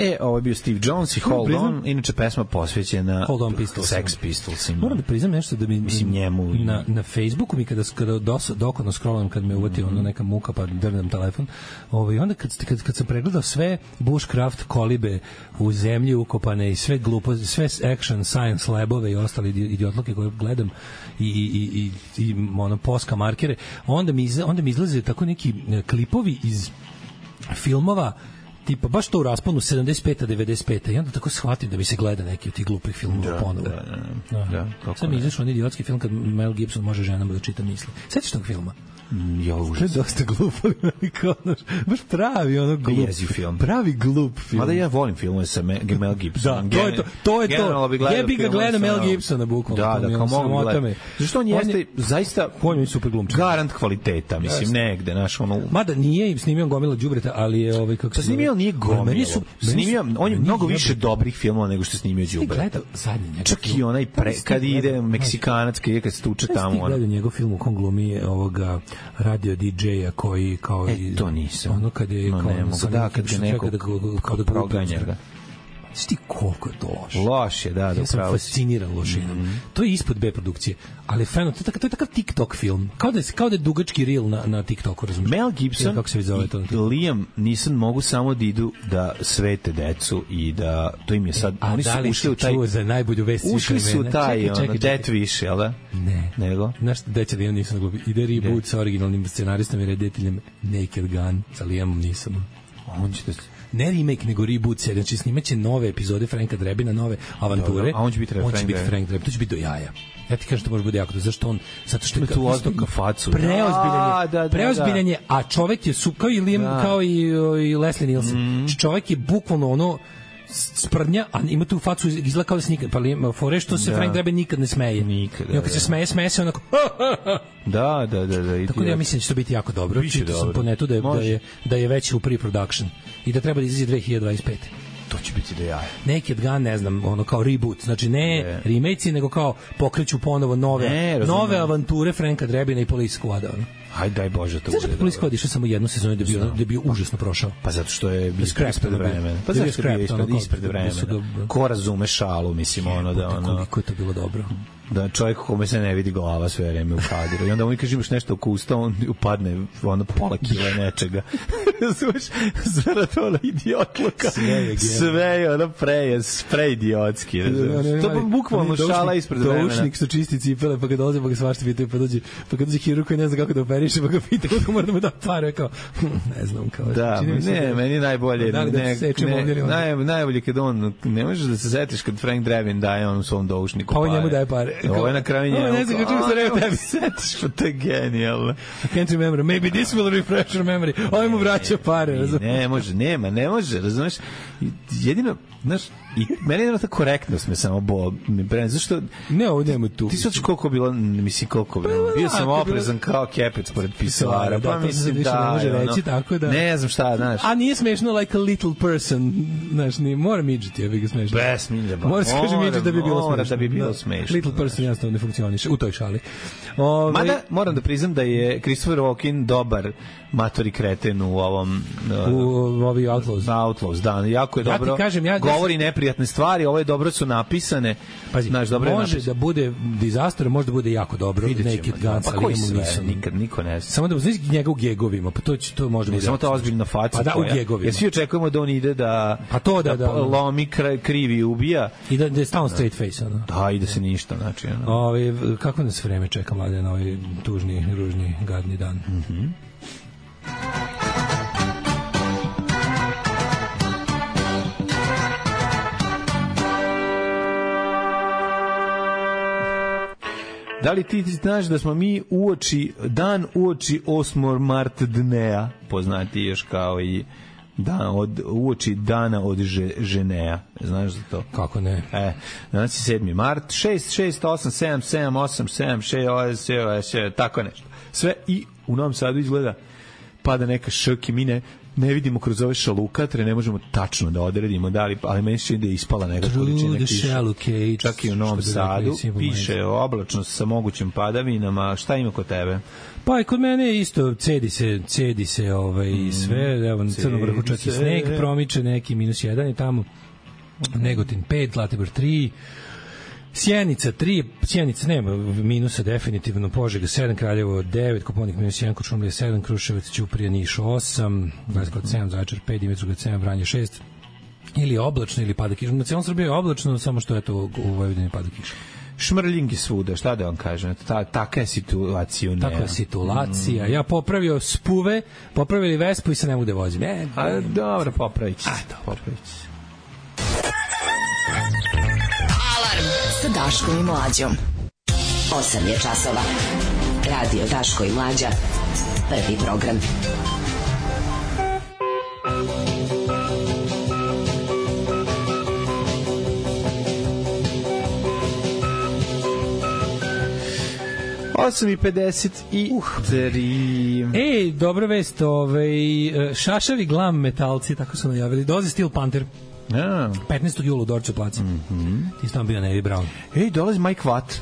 E, ovo je bio Steve Jones i Hold On, inače pesma posvećena Hold On Pistols. Sex Pistolsima. Moram da priznam nešto da mi, mislim njemu na, na Facebooku mi kada, kada dos, dokodno scrollam, kad me uvati mm. ono neka muka pa drnem telefon, ovaj, onda kad, kad, kad sam pregledao sve bushcraft kolibe u zemlji ukopane i sve gluposti, sve action, science labove i ostali idiotluke koje gledam i, i, i, i, i ono, poska markere, onda mi, izla, onda mi izlaze tako neki klipovi iz filmova tipa baš to u rasponu sedamdeset peta devedeset peta i onda tako shvatim da mi se gleda neki od tih glupih filmova da, ponovo. Da, da, da. da sad mi izašao onaj idiotski film kad Mel Gibson može ženama da čita misli. Sećaš tog filma? Ja užas. To je dosta glupo, baš pravi ono glup film. Pravi glup film. Mada ja volim filmove sa Mel Gibsonom. Da, to je to. To je to. Jebi ga gleda Mel Gibsona bukvalno. Da, da, kao mogu gledati. Zašto on jeste zaista on je super glumčar. Garant kvaliteta, mislim, negde, naš ono. Mada nije snimio gomila đubreta, ali je ovaj kako se snimio nije gomila. Snimio, on je mnogo više dobrih filmova nego što je snimio đubreta. Gleda zadnji njegov. Čak i onaj kad ide Meksikanac, kad se tuče tamo. On gleda njegov film u kom glumi ovoga radio didžeja koji kao e, to nisam. Ono kad je no, kao ne mogu, da, kad ga neko kao da proganja ga. Sti koliko je to loše. Loše, da, da, ja sam fasciniran lošinom. Mm -hmm. To je ispod B produkcije, ali feno, to je takav, to je takav TikTok film. Kao da je, kao da je dugački reel na, na TikToku, razumiješ? Mel Gibson kako se zove to i Liam Neeson mogu samo da idu da svete decu i da, to im je sad, a oni su ušli u taj... čuo za najbolju vest ušli su u taj, čekaj, čekaj, det više, jel da? Ne. Nego? Znaš, deća Liam Neeson glupi. Ide reboot sa originalnim scenaristom i rediteljem Naked Gun sa Liamom Neesonom. On će da... ne remake, nego reboot serija, znači snimaće nove epizode Franka Drebina, nove avanture. Dobro, a on će biti on Frank, biti Frank Drebin, to će biti do jaja. Ja ti kažem da može bude jako, zašto on, zato što je tu ozbiljnu facu. Preozbiljan je, da, da, preozbiljan je, a čovek je su, kao i Liam, da. kao i, i Leslie Nielsen. Mm. Čovek je bukvalno ono sprdnja, a ima tu facu izgleda kao da se nikad, pa li, fore što se da. Frank Drebin nikad ne smeje. Nikad, da, I on kad se smeje, smeje se onako da, da, da, da. Tako da ja mislim da će to biti jako dobro. Čitao sam po netu da je, da je, da je već u pre-production i da treba da izađe dve hiljade dvadeset pete. To će biti da jaje. Naked Gun, ne znam, ono kao reboot, znači ne, ne. remake, nego kao pokreću ponovo nove, ne, nove avanture Franka Drebina i Police Squada. Ono. Hajde, daj Bože, to bude. Zašto Police Squad išao samo jednu sezonu da je bio, da je bio užasno prošao? Pa zato što je bio ispred vremena. Pa zato što je bio ispred, ispred vremena. Ko razume šalu, mislim, ono da... ono. Koliko je to bilo dobro. Da čovjek kome se ne vidi glava sve vreme u kadiru. I onda on kaže imaš nešto oko usta, on upadne ono pola kila nečega. Razumeš? Zarad ono idiotluka. Sve je ono pre, pre idiotski. To je bukvalno šala ispred vremena. Doušnik što čisti cipele, pa kad dolaze, pa ga svašta pitaju, pa dođe, pa kad dođe hirurg koji ne zna kako da operiše, pa ga pita kako mora da mu da pare, kao, ne znam, kao. Da, ne, meni najbolje, ne, najbolje kad on, ne možeš da se setiš kad Frank Drebin daje on svom doušniku pare. Pa njemu daje pare. Ovo je na kraju njemu. Ne znam kako se rekao tebi. Setiš, pa to je genijalno. I can't remember. Maybe this will refresh your memory. Ovo mu vraća pare. Razumiješ? Ne može, nema, ne može, razumiješ? Jedino, znaš, i meni je ta korektnost me samo bol. Zašto? Ne, ovo nema tu. Ti sad koliko bilo, mislim koliko bilo. Bio sam oprezan kao kepec pored pisara. Pa mislim da, ne može reći, tako da. Ne znam šta, znaš. A nije smešno like a little person, znaš, ni mora midžiti, ja bih ga smešno. Bez midža, ba. Mora se kaže midžiti da bi bilo smešno. Mora da bi bilo smešno. Little person jasno ne funkcioniše u toj šali. Ove... Mada moram da priznam da je Christopher Walken dobar matori kreten u ovom u ovi Outlaws. Outlaws, da, jako je ja dobro. Kažem, ja govori neprijatne stvari, ovo je dobro su napisane. Pazi, znaš, dobro može je da bude disaster, može da bude jako dobro. Naked Gun, pa koji sve, nikad, niko ne zna. Samo da znaš njega u gegovima, pa to će, to može biti. Samo ta ozbiljna faca. Pa da, u gegovima. Jer svi očekujemo da on ide da, pa to da, da, da lomi, krivi i ubija. I da, da je stalno straight face. Ono. Da, i da se ništa, znači. Ono. Ove, kako nas vreme čeka, mlade, na ovaj tužni, ružni, gadni dan? Mhm. Da li ti znaš da smo mi uoči, dan uoči osmog marta dnea, poznati još kao i dan od, uoči dana od že, ženeja. Znaš za to? Kako ne? E, danas je sedmi mart, šest šest osam sedam sedam osam sedam šest, tako nešto. Sve i u Novom Sadu izgleda pada neka šok i mine ne vidimo kroz ove šalukatre, ne možemo tačno da odredimo da li, ali meni se čini da je ispala neka količina kiše. Čak i u Novom Sadu piše oblačnost sa mogućim padavinama. Šta ima kod tebe? Pa i kod mene je isto, cedi se, cedi se ovaj, mm, sve, evo na Crnom Vrhu čak i sneg promiče, neki minus jedan je tamo, Negotin pet, Zlatibor tri, Sjenica tri, Sjenica nema minusa definitivno, Požega sedam, Kraljevo devet, Koponik minus jedan, Kočumlija sedam, Kruševac, Ćuprija, Niš osam, Leskovac sedam, Zaječar pet, Dimitrovgrad sedam, Vranje šest, ili oblačno ili pada kiša. Na celom Srbiji je oblačno, samo što eto u Vojvodini pada kiša. Šmrljingi svuda, šta da vam kažem, ta, taka je situacija. Takva je situacija. Mm. Ja popravio spuve, popravili Vespu i se ne mogu da vozim. E, A, dobro, popravit će. A, to popravit će. Alarm sa Daškom i Mlađom. osam je časova. Radio Daško i Mlađa. Prvi program. osam i pedeset tri. Ej, dobra vest, ovaj, šašavi glam metalci, tako su najavili. Dolazi Steel Panther. Ja. petnaestog jula u Dorču placu. Mm-hmm. Ti si tamo bio Nevi Brown. Ej, dolazi Mike Watt.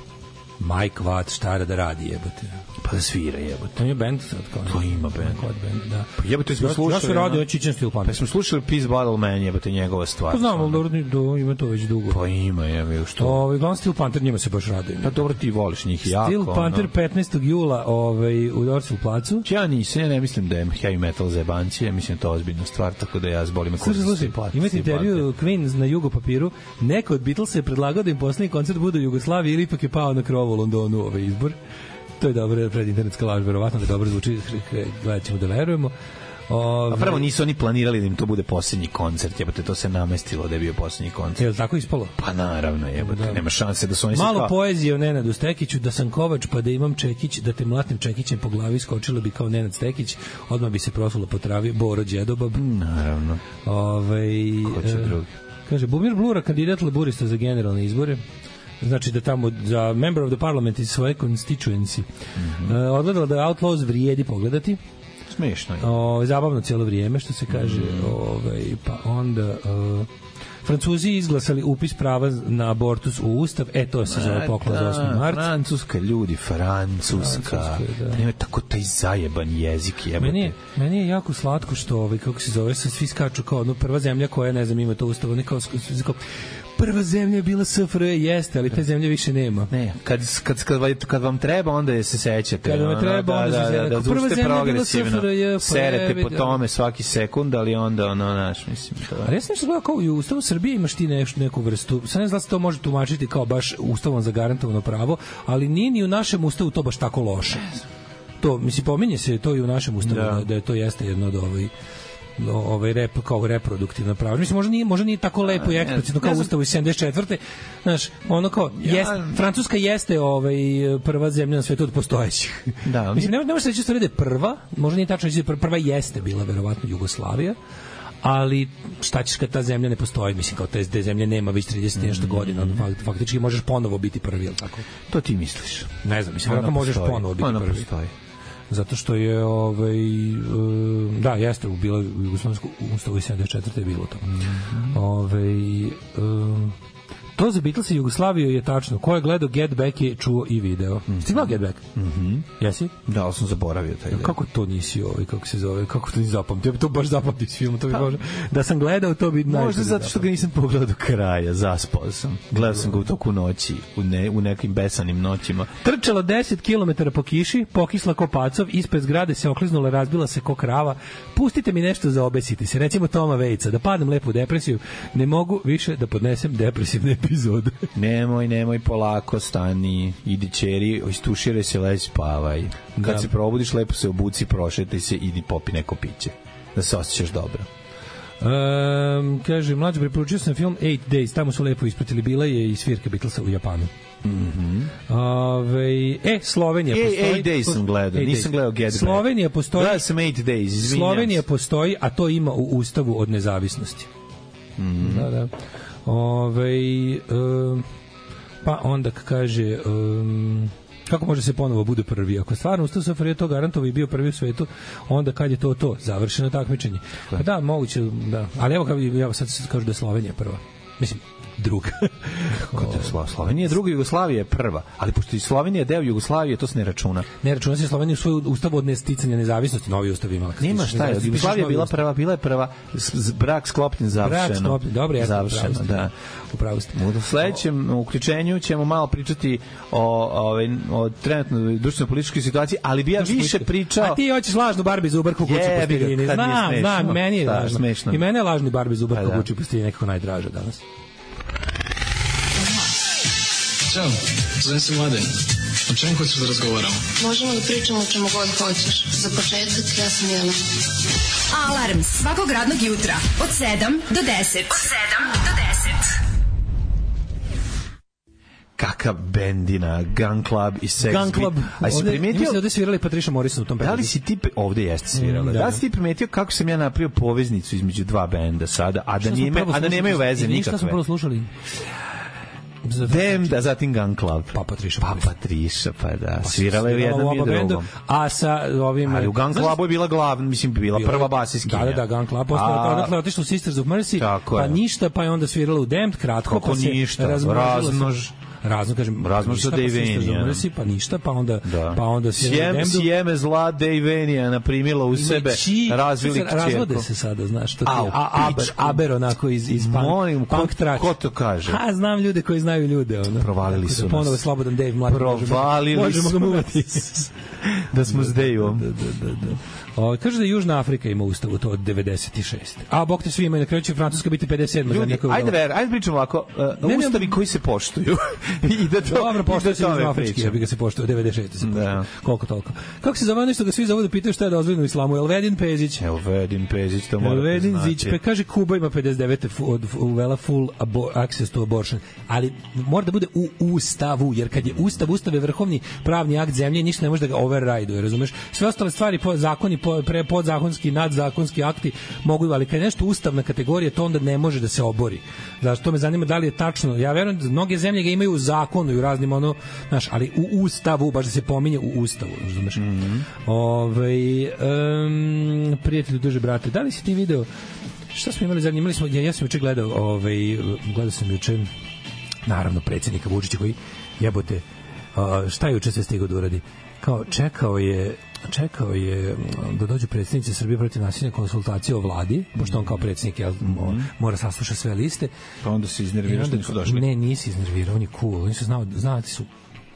Mike Watt, šta da radi, jebote. Pa da svira, jebote. To je band sad kao. To ima band. band, da. Pa jebote, smo slušali. Ja se radi o Čičan Steel Panther. Pa smo slušali Peace Battle Man, jebote, njegova stvar. Pa znam, ali dobro, do, ima to već dugo. Pa ima, jebote, što. Ovaj glavni Steel Panther njima se baš raduje. Pa dobro, ti voliš njih jako. Steel Panther no. petnaestog jula ovaj, u Dorču placu. Ja nisam, ja ne mislim da je heavy metal za jebancije, mislim da je to ozbiljna stvar, tako da ja zbolim me kursi. Slušaj, imate intervju Queen na Jugo papiru, neko od Beatlesa je predlagao da im poslednji koncert bude u Jugoslaviji ili ipak je pao na krovu u Londonu ovaj izbor. To je dobro, pred internetska laž, verovatno da dobro zvuči, gledat ćemo da verujemo. Ove... A prvo nisu oni planirali da im to bude posljednji koncert, jebote, to se namestilo da je bio posljednji koncert. Je li tako ispalo? Pa naravno, jebote, da. Nema šanse da su oni... Malo kao... poezije o Nenadu Stekiću, da sam kovač pa da imam čekić, da te mlatnim čekićem po glavi skočilo bi kao Nenad Stekić, odmah bi se prosulo po travi Boro Đedobab. Naravno. Ove... Ko će drugi? Kaže, Bumir Blura, kandidat laburista za generalne izbore. Znači da tamo za member of the parliament iz svoje constituency mm-hmm. uh, odgledala da Outlaws vrijedi pogledati. Smešno je. O, zabavno cijelo vrijeme, što se kaže. Mm. Ovaj, pa onda... Uh, Francuzi izglasali upis prava na abortus u Ustav. E, to se zove poklon za osmi mart. Francuska, ljudi, Francuska. Francuska da. Nema tako taj zajeban jezik. Jebate. Meni je, meni je jako slatko što, ovaj, kako se zove, svi skaču kao ono, prva zemlja koja, ne znam, ima to Ustav. Ono kao, kao prva zemlja je bila S F R, jeste, ali te zemlje više nema. Ne, kad, kad, kad, kad vam treba, onda je se sećate. Kad vam treba, onda se sećate. Da, da, prva zemlja je bila S F R, je, serete po tome svaki sekund, ali onda, ono, naš, mislim, to je. Ali ja sam nešto gledao kao u Ustavu Srbije imaš ti neš, neku vrstu, sad ne znam da se to može tumačiti kao baš Ustavom zagarantovano pravo, ali nije ni u našem Ustavu to baš tako loše. To, mislim, pominje se to i u našem Ustavu, da, da, da je to jeste jedno od ovaj ovaj rep kao reproduktivna prava. Mislim možda nije možda nije tako lepo i eksplicitno kao Ustav iz sedamdeset četvrte. Znaš, ono kao jest, Francuska jeste ovaj prva zemlja na svetu od postojećih. Da, mislim ne, ne može se reći da je prva, možda nije tačno reći prva jeste bila verovatno Jugoslavija. Ali šta ćeš kad ta zemlja ne postoji, mislim kao te, te zemlje nema već trideset nešto godina, fakt, faktički možeš ponovo biti prvi, je li tako? To ti misliš? Ne znam, mislim da možeš ponovo biti ona prvi. Postoji. Zato što je ovaj uh, da jeste bilo u jugoslovenskom ustavu iz sedamdeset četvrte je bilo to. Mm-hmm. Ovaj uh, to za Beatlesa i Jugoslaviju je tačno. Ko je gledao Get Back je čuo i video. Mm-hmm. Ti gledao Get Back? Mhm. Jesi? Da, ali sam zaboravio taj. Ja, kako to nisi ovaj kako se zove? Kako to nisi zapamtio? Ja bi to baš zapamtio s filmom, to bi može. Da sam gledao to bi najbolje. Možda zato što ga nisam pogledao do kraja, zaspao sam. Gledao sam ga u toku noći, u ne u nekim besanim noćima. Trčalo deset kilometara po kiši, pokisla ko pacov, ispred zgrade se okliznula, razbila se ko krava. Pustite mi nešto za obesiti se, recimo Toma Vejca, da padnem lepo u depresiju. Ne mogu više da podnesem depresivne epizode. Nemoj, nemoj, polako, stani, idi ćeri, istuširaj se, lezi, spavaj. Kad da. se probudiš, lepo se obuci, prošetaj se, idi popi neko piće. Da se osjećaš dobro. Um, kaže, mlađe, preporučio sam film Eight Days, tamo su lepo ispratili, bila je i svirka Beatlesa u Japanu. Mhm. Ove, e, Slovenija e, postoji. Eight Days sam gledao, nisam gledao Get Back. Slovenija postoji. Gledao sam Eight Days, izvinjam. Slovenija postoji, a to ima u Ustavu od nezavisnosti. Mhm. Da, da. Ove, um, pa onda kaže um, Kako može se ponovo bude prvi? Ako stvarno Ustav S F R J to garantovao i bio prvi u svetu, onda kad je to to? Završeno takmičenje. Pa da, moguće, da. Ali evo, kao, evo sad se kažu da je Slovenija prva. Mislim, druga. Slovenija je druga, Jugoslavija je prva. Ali pošto i Slovenija je deo Jugoslavije, to se ne računa. Ne računa se Slovenija u svoj ustav od nesticanja nezavisnosti, novi ustav imala. Nema šta je, Jugoslavija je bila prva, bila je prva, brak sklopljen, završeno. Brak sklopljen, dobro, jasno, završeno, da. Upravo ste. U sledećem uključenju ćemo malo pričati o, o, o trenutnoj društveno-političkoj situaciji, ali bi ja više pričao... A ti hoćeš lažnu Barbie Zubar kukuću po stirini. Znam, znam, meni je lažno. I mene je lažni Barbie Zubar kukuću po stirini nekako najdraža danas. Ćao, zovem se Mladen. O čemu hoćeš da razgovaramo? Možemo da pričamo o čemu god hoćeš. Za početak, ja sam Jelena. Alarm svakog radnog jutra od sedam do deset. Od sedam do deset. Kakav bendina, Gun Club i Sex Gun Club. A si primetio... Mislim da ovde svirali Patricia Morrison u tom bendu. Da li si ti... Ovde jeste svirala. Mm, da. da li si ti primetio kako sam ja napravio poveznicu između dva benda sada, a da, nije, a da nemaju veze nikakve? Šta smo prvo slušali? Dem, da zatim Gun Club. Pa Patricia. Pa Patricia, pa da. Pa svirala je u jednom i drugom. A sa ovim... Ali u Gun Clubu je bila glavna, mislim, bila prva basiskinja. Da, da, da, Gun Club. Odatle otišla u Sisters of Mercy, pa ništa, pa je onda svirala u Damned, kratko, pa se razmnož. Razno, kažem, razmož za Dejvenija. Pa ništa, pa onda... Da. Pa onda Sjem, sjeme zla Dejvenija naprimila u sebe, razvili kćerko. Razvode se sada, znaš, to ti je. A, aber, aber onako iz, iz punk, Molim, punk trač. Ko to kaže? A, znam ljude koji znaju ljude. Ono. Provalili su nas. Ponovo Slobodan Dave, mladi. Provalili možemo ga muvati. Da smo s Dejvom. Da, da, da, da. O, kaže da Južna Afrika ima ustavu to od devedeset šeste. A bog te svi imaju, na kraju će Francuska biti pedeset sedam. Ljudi, ajde ver, ajde pričamo ovako, uh, ne, ustavi ne, koji se poštuju. I da to, dobro, poštuje se Južno Afrički, ja bi ga se poštuje, devedeset šeste se da. Koliko toliko. Kako se zove nešto ga svi zovu da pitaju šta je dozvoljeno u islamu? Elvedin Pezić. Elvedin Pezić, to mora Elvedin da Zić, pe kaže Kuba ima pedeset devet od uvela full abo, access to abortion, ali mora da bude u ustavu, jer kad je ustav, ustav je vrhovni pravni akt zemlje, ništa ne može da ga override, razumeš? Sve ostale stvari, po, zakoni, po, pre, podzakonski, nadzakonski akti mogu, ali kad je nešto ustavna kategorija, to onda ne može da se obori. Znači, to me zanima da li je tačno. Ja verujem da mnoge zemlje ga imaju u zakonu i u raznim ono, znaš, ali u ustavu, baš da se pominje u ustavu, razumeš? Mm -hmm. Ovaj um, prijatelju duže brate, da li si ti video šta smo imali zadnje? Imali smo, ja, ja sam juče gledao, ovaj, gledao sam juče naravno predsjednika Vučića koji jebote, uh, šta je juče se stigao da uradi? Kao čekao je čekao je da dođu predsjednici Srbije protiv nasilja konsultacije o vladi, pošto on kao predsjednik jel, mora saslušati sve liste. Pa onda se iznervirao što nisu došli. Ne, nisi iznervirao, on je cool. Oni su znao, znati su.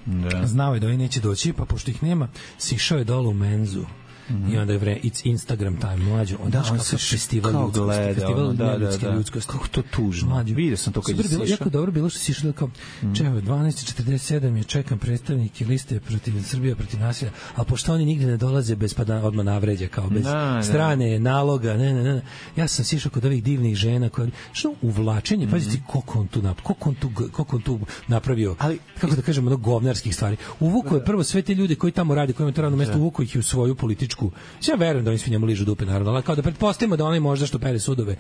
Da. Znao je da oni neće doći, pa pošto ih nema, sišao je dole u menzu. Mm-hmm. I onda je vre, it's Instagram time, mlađo. Onda da, on se festival ljudskosti, gleda, festival ono, da, da, da. ljudskosti. Kako to tužno. Mlađo. Vidio sam to kad je sišao. Jako dobro bilo što si išao kao, mm. čevo, dvanaest četrdeset sedam je čekam predstavnike liste protiv Srbije, protiv nasilja, ali pošto oni nigde ne dolaze bez pa da odmah navređa, kao bez da, strane, da. naloga, ne, ne, ne. Ja sam sišao kod ovih divnih žena, koje, što uvlačenje, mm-hmm. pazite, koliko on tu, nap, koliko on tu, koliko on tu napravio, ali, kako da kažemo, ono govnarskih stvari. Uvuko je prvo sve te ljude koji tamo rade, koji imaju to radno mesto, uvuko ih u svoju političku. Ja verujem da oni svi njemu ližu dupe, naravno, ali kao da pretpostavimo da onaj možda što pere sudove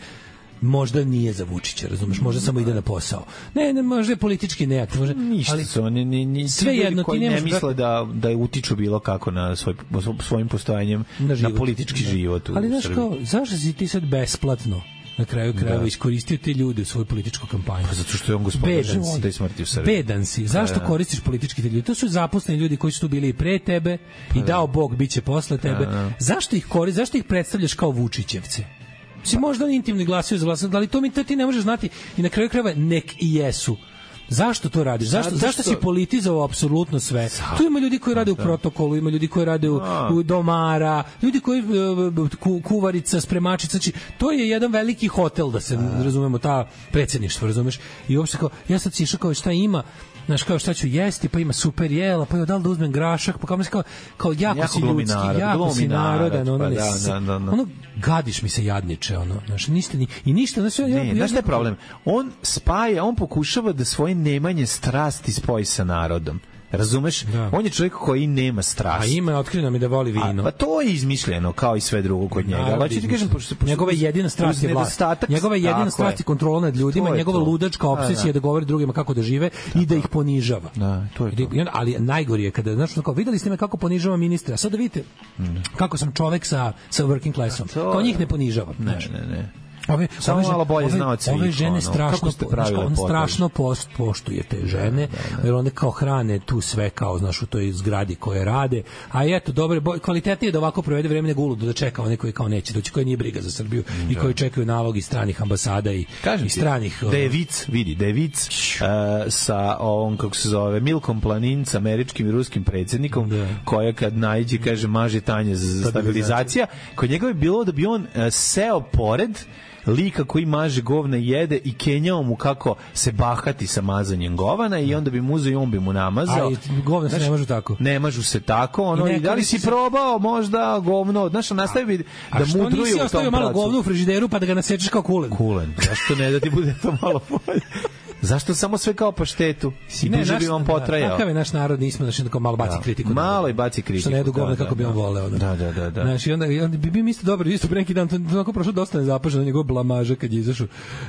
možda nije za Vučića, razumeš, možda samo ide na posao. Ne, ne, možda je politički neaktiv, možda, ništa ali su oni ni ni sve jedno ti ne misle da da je utiču bilo kako na svoj svojim postojanjem na, na politički da. život u ali znaš kao, zašto si ti sad besplatno na kraju krajeva iskoristio te ljude u svoju političku kampanju. Pa zato što je on gospodin života i smrti u Srbiji. Bedan si. Zašto da, koristiš politički te ljudi? To su zaposleni ljudi koji su tu bili i pre tebe pa i dao Bog biće posle tebe. Da, zašto ih koristiš? Zašto ih predstavljaš kao Vučićevce? Si možda oni intimni glasaju za vlast, ali to mi to ti ne možeš znati i na kraju krajeva nek i jesu. Zašto to radiš? Zašto, Zato zašto si politizovao apsolutno sve? Zato. Tu ima ljudi koji rade u protokolu, ima ljudi koji rade u, u domara, ljudi koji ku, kuvarica, spremačica, znači to je jedan veliki hotel da se A. razumemo, ta predsjedništvo, razumeš? I uopšte kao, ja sad si išao kao šta ima, znaš, kao šta ću jesti, pa ima super jela, pa je da li da uzmem grašak, pa kao, kao, kao jako, jako si ljudski, narod, jako si narodan, ono, pa, ne, da, da, da, da. ono, gadiš mi se jadniče, ono, znaš, ništa, ni, i ništa, znaš, ja, ne, ja, znaš šta je problem? On spaja, on pokušava da svoje nemanje strasti spoji sa narodom. Razumeš? Da. On je čovjek koji nema strast. A ima, otkrilo mi da voli vino. A, pa to je izmišljeno, kao i sve drugo kod njega. Naravno, Hoću ti kažem, pošto, pošto, njegova jedina strast je vlast. Njegova jedina strast je kontrola nad ljudima, njegova to. ludačka obsesija da, da. da govori drugima kako da žive tako. I da ih ponižava. Da, to je to. Ali najgori je kada, znaš, kao, videli ste me kako ponižava ministra, a sad da vidite mm. kako sam čovek sa, sa working classom. Kao njih ne ponižava. Ne, ne, ne. Ove, samo ove, malo bolje znao ove, ove žene ono, strašno, on strašno post, poštuje te žene, da, da, da. Jer one kao hrane tu sve kao, znaš, u toj zgradi koje rade, a eto, dobro, kvalitetnije je da ovako provede vreme nego uludo da čeka one koji kao neće doći, koji nije briga za Srbiju da. I koji čekaju nalog iz stranih ambasada i, i stranih... Da je vic, vidi, da je vic uh, sa ovom, kako se zove, Milkom Planinc, američkim i ruskim predsjednikom, da. Koja kad naiđe, kaže, maže tanje za stabilizacija, kod njega je bilo da bi on uh, seo pored lika koji maže govna i jede i kenjao mu kako se bahati sa mazanjem govana i onda bi mu uzeo i on bi mu namazao. Ali govna se ne mažu tako. Ne mažu se tako. Ono, i, i da li si se... probao možda govno? Znaš, nastavi bi da mudruju u tom pracu. A što nisi ostavio malo govna u frižideru pa da ga nasečeš kao kulen? Kulen. Zašto ne da ti bude to malo bolje? Zašto samo sve kao paštetu? I ne, duže naš, bi on potrajao. Takav je naš narod, nismo znači tako malo baci da. kritiku. Malo i baci kritiku. Što ne jedu govna da, kako da, bi on voleo. Da, da, da. da. Znači, onda, onda bi bio isto dobro, isto pre neki dan, to onako prošlo dosta nezapaženo, njegov blamaža kad je izašao.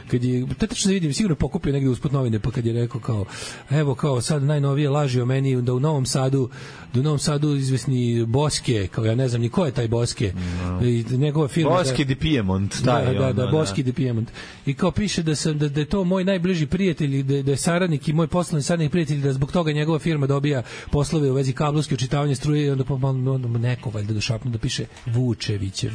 Kad je, to tačno se vidim, sigurno pokupio negdje usput novine, pa kad je rekao kao, evo kao sad najnovije laži o meni, da u Novom Sadu, da u Novom Sadu izvesni Boske, kao ja ne znam ni ko je taj Boske. No. I njegova firma. Boske di Piemont, taj da, da, da, Boske di Piemont. I kao piše da sam da, da je to moj najbliži prijatelj, da, da je saradnik i moj poslovni saradnik prijatelj, da zbog toga njegova firma dobija poslove u vezi kablovske očitavanja struje i onda pa onda neko valjda došapnu da piše Vučevićev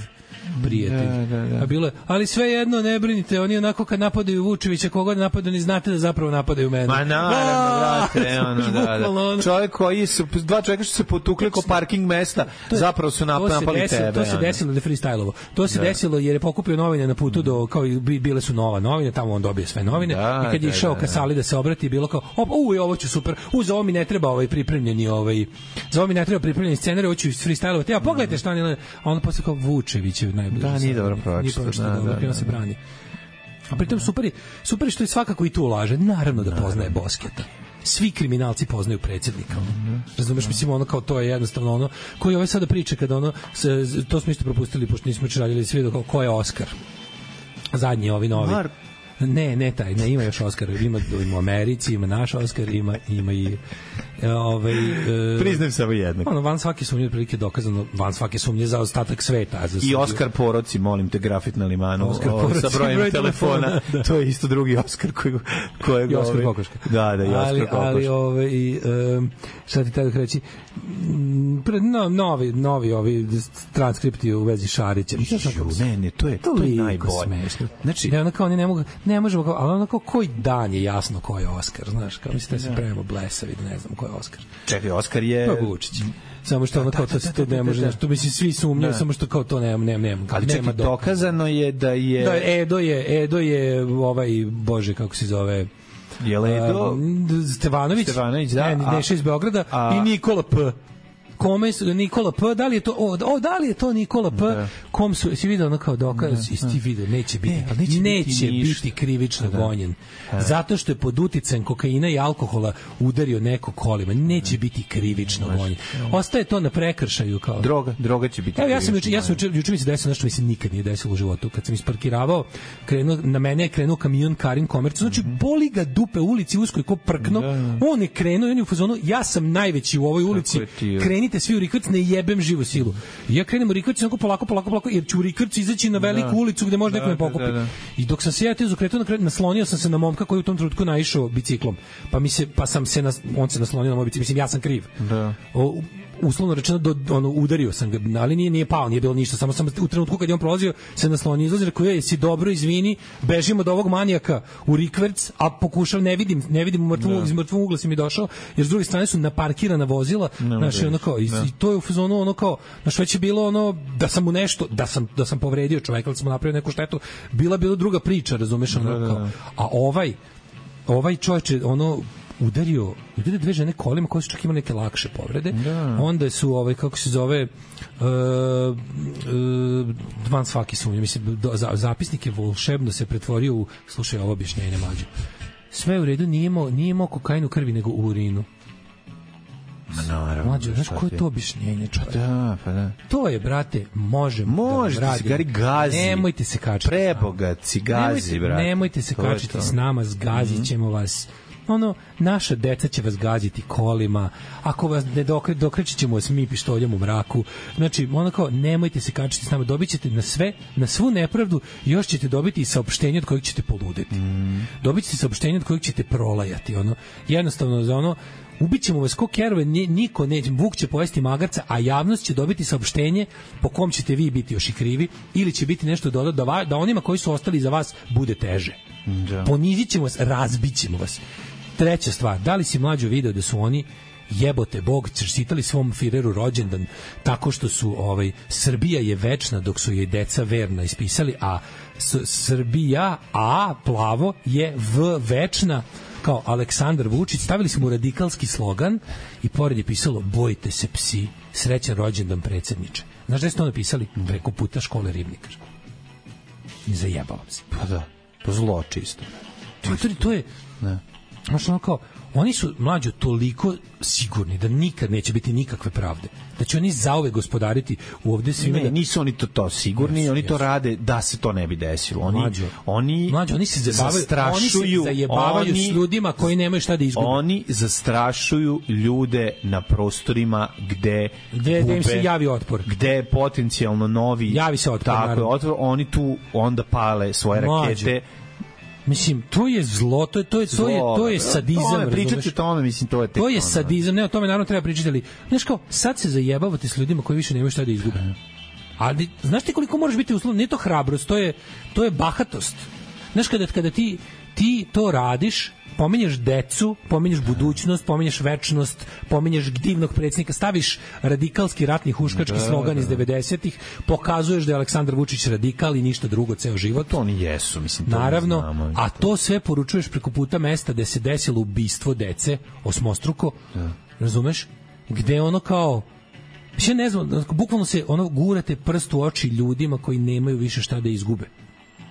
prijatelj. Da, da, da. A bilo je, ali sve jedno ne brinite, oni onako kad napadaju Vučevića, koga napadaju, ni znate da zapravo napadaju mene. Ma naravno, brate, ono, da, da. Čovjek koji su, dva čovjeka što se potukli ko parking mesta, zapravo su napali desilo, tebe. To se desilo da freestylovo. To se da. desilo jer je pokupio novine na putu do, kao i bile su nova novine, tamo on dobije sve novine da, i kad je išao da, da, ka sali da se obrati, bilo kao, op, uj, ovo ću super, u, za ovo mi ne treba ovaj pripremljeni, ovaj, za ovo mi ne treba pripremljeni scenarij, ovo ću freestylovati, a pogledajte šta on je, a on posle kao Vučevićev najbliži. Da, nije dobro pročito. Da, da, da, da. se brani. A pritom super, super što je svakako i tu ulaže. Naravno da poznaje Bosketa. Svi kriminalci poznaju predsjednika. Mm-hmm. Razumeš, mm-hmm. mislim, ono kao to je jednostavno ono, koji ovaj sada priča kada ono, se, to smo isto propustili, pošto nismo još radili svi, kao ko je Oskar. Zadnji ovi novi. Mar... Ne, ne taj, ne, ima još Oskar, ima, ima u Americi, ima naš Oskar, ima, ima i ovaj e, priznajem samo jednog. Ono van svake sumnje prilike dokazano, van svake sumnje za ostatak sveta, za i Oskar Poroci, molim te, grafit na limanu, Oskar o, Poroci, sa brojem broj telefona, telefona da. To je isto drugi Oskar koji koji je Oskar Kokoška. Da, da, i Oskar ali, Kokoška. Ali ovaj um, šta ti tako reći, no, novi novi ovi transkripti u vezi Šarića. Ne, ne, to je to, to je najbolje. Znači, ne, onako oni ne mogu, ne možemo, ali onako koji dan je jasno ko je Oskar, znaš, kao mislite da se pravimo blesavi, da ne znam ko je Oskar. Čekaj, Oskar je... To je Vučić. Samo što ono kao to se to ne može, znaš, to mislim svi sumnjaju, samo što kao to nema, nema, nema. Ali čekaj, dokazano je da je... Da, Edo je, Edo je ovaj, bože, kako se zove... Je li Edo? Stevanović, Stevanović, da. Ne, Neša iz Beograda a, i Nikola P. Kome su, Nikola P, da li je to, o, o da li je to Nikola P, da. Kom su, si vidio ono kao dokaz, da, ti video, neće biti, ne, neće, neće biti, biti krivično da. gonjen, da. Zato što je pod uticajem kokaina i alkohola udario neko kolima, neće da. biti krivično da. gonjen. Ostaje to na prekršaju kao. Droga, droga će biti. Evo, ja sam juče, ja sam juče, juče mi se desilo nešto mi se nikad nije desilo u životu. Kad sam isparkiravao, krenuo, na mene je krenuo kamion Karin Komercu, znači boli ga dupe u ulici uskoj ko prkno, da. on je krenuo i on je u fazonu, ja sam najveći u ovoj ulici, kreni svi u Rikvrc, ne jebem živu silu. I ja krenem u Rikvrc, onako polako, polako, polako, jer ću u Rikvrc izaći na veliku da. ulicu gde može da, neko me pokupi. Da, da. I dok sam se ja teo zakretao, naslonio sam se na momka koji u tom trenutku naišao biciklom. Pa mi se, pa sam se, nas, on se naslonio na moj bicikl. Mislim, ja sam kriv. Da. O, uslovno rečeno, do, ono, udario sam ga, ali nije, nije pao, nije bilo ništa, samo sam u trenutku kad je on prolazio se naslonio, izlazi, rekao, je, si dobro, izvini, bežimo od ovog manijaka u Rikverc, a pokušao, ne vidim, ne vidim, u mrtvom, iz mrtvog ugla si mi došao, jer s druge strane su naparkirana vozila, no, znaš, ono kao, i, i to je u fazonu, ono kao, znaš, već je bilo ono, da sam mu nešto, da sam, da sam povredio čoveka, da sam mu napravio neku štetu, bila bila druga priča, razumeš, ono kao, a ovaj, ovaj čovječe, ono, udario, udario dve žene kolima koje su čak imali neke lakše povrede. Da. Onda su, ovaj, kako se zove, uh, uh, van svaki sumnje. Mislim, do, za, zapisnik je volšebno se pretvorio u, slušaj, ovo objašnjenje mlađe. Sve u redu, nije imao, nije imao kokain u krvi, nego u urinu. Naravno. Mlađe, znaš koje je to objašnjenje, čovječe? Da, pa da. To je, brate, možemo Možete da vam se radimo. gari gazi. Nemojte se kačiti. Prebogat si gazi, nemojte, brate. nemojte se To je kačiti to. s nama, zgazit ćemo vas. Ono, naša deca će vas gaziti kolima, ako vas ne dokre, dokrećit ćemo vas mi pištoljem u mraku. Znači, ono kao, nemojte se kačiti s nama, dobit ćete na sve, na svu nepravdu, još ćete dobiti i saopštenje od kojeg ćete poludeti. Mm. Dobit ćete saopštenje od kojeg ćete prolajati. Ono, jednostavno, za ono, ubićemo vas ko kerove, niko neće, Vuk će pojesti magarca, a javnost će dobiti saopštenje po kom ćete vi biti još i krivi, ili će biti nešto dodat da, va, da onima koji su ostali za vas bude teže. Da. Ponizit ćemo vas, razbit ćemo vas. Treća stvar, da li si mlađo video da su oni jebote Bog čestitali svom Fireru rođendan tako što su ovaj Srbija je večna dok su jej deca verna ispisali, a S Srbija A plavo je V večna kao Aleksandar Vučić, stavili smo radikalski slogan i pored je pisalo bojte se psi, srećan rođendan predsjedniče. Znaš da je to napisali preko puta škole Ribnikar? Ne zajebavam se. Pa da, to zlo čisto. To, to, to je... Ne. Znaš, ono kao, oni su mlađo toliko sigurni da nikad neće biti nikakve pravde. Da će oni zauvek gospodariti u ovde svime. Ne, da... nisu oni to, to sigurni, yes, oni yes. to rade da se to ne bi desilo. Oni, mlađo, oni, mlađo, oni se zastrašuju, oni se zajebavaju oni, s ljudima koji nemaju šta da izgube. Oni zastrašuju ljude na prostorima gde gde, gde im se javi otpor. Gde je potencijalno novi javi se otpor. Tako je, otpor, oni tu onda pale svoje mlađo. rakete. Mislim, to je zlo, to je to je to je to je sadizam, tome, pričati o tome, mislim, to je tek to je sadizam, ne, o tome naravno treba pričati, ali znaš kao, sad se zajebavate s ljudima koji više nemaju šta da izgube. Ali znaš ti koliko moraš biti uslovno, nije to hrabrost, to je to je bahatost. Znaš, kada kada ti ti to radiš, pominješ decu, pominješ budućnost, pominješ večnost, pominješ divnog predsjednika, staviš radikalski ratni huškački da, slogan da. iz devedesetih, pokazuješ da je Aleksandar Vučić radikal i ništa drugo ceo život. To oni jesu, mislim. To naravno, znamo, a to sve poručuješ preko puta mesta gde se desilo ubistvo dece, osmostruko, da. razumeš? Gde ono kao, mislim, ne znam, bukvalno se ono gurate prst u oči ljudima koji nemaju više šta da izgube.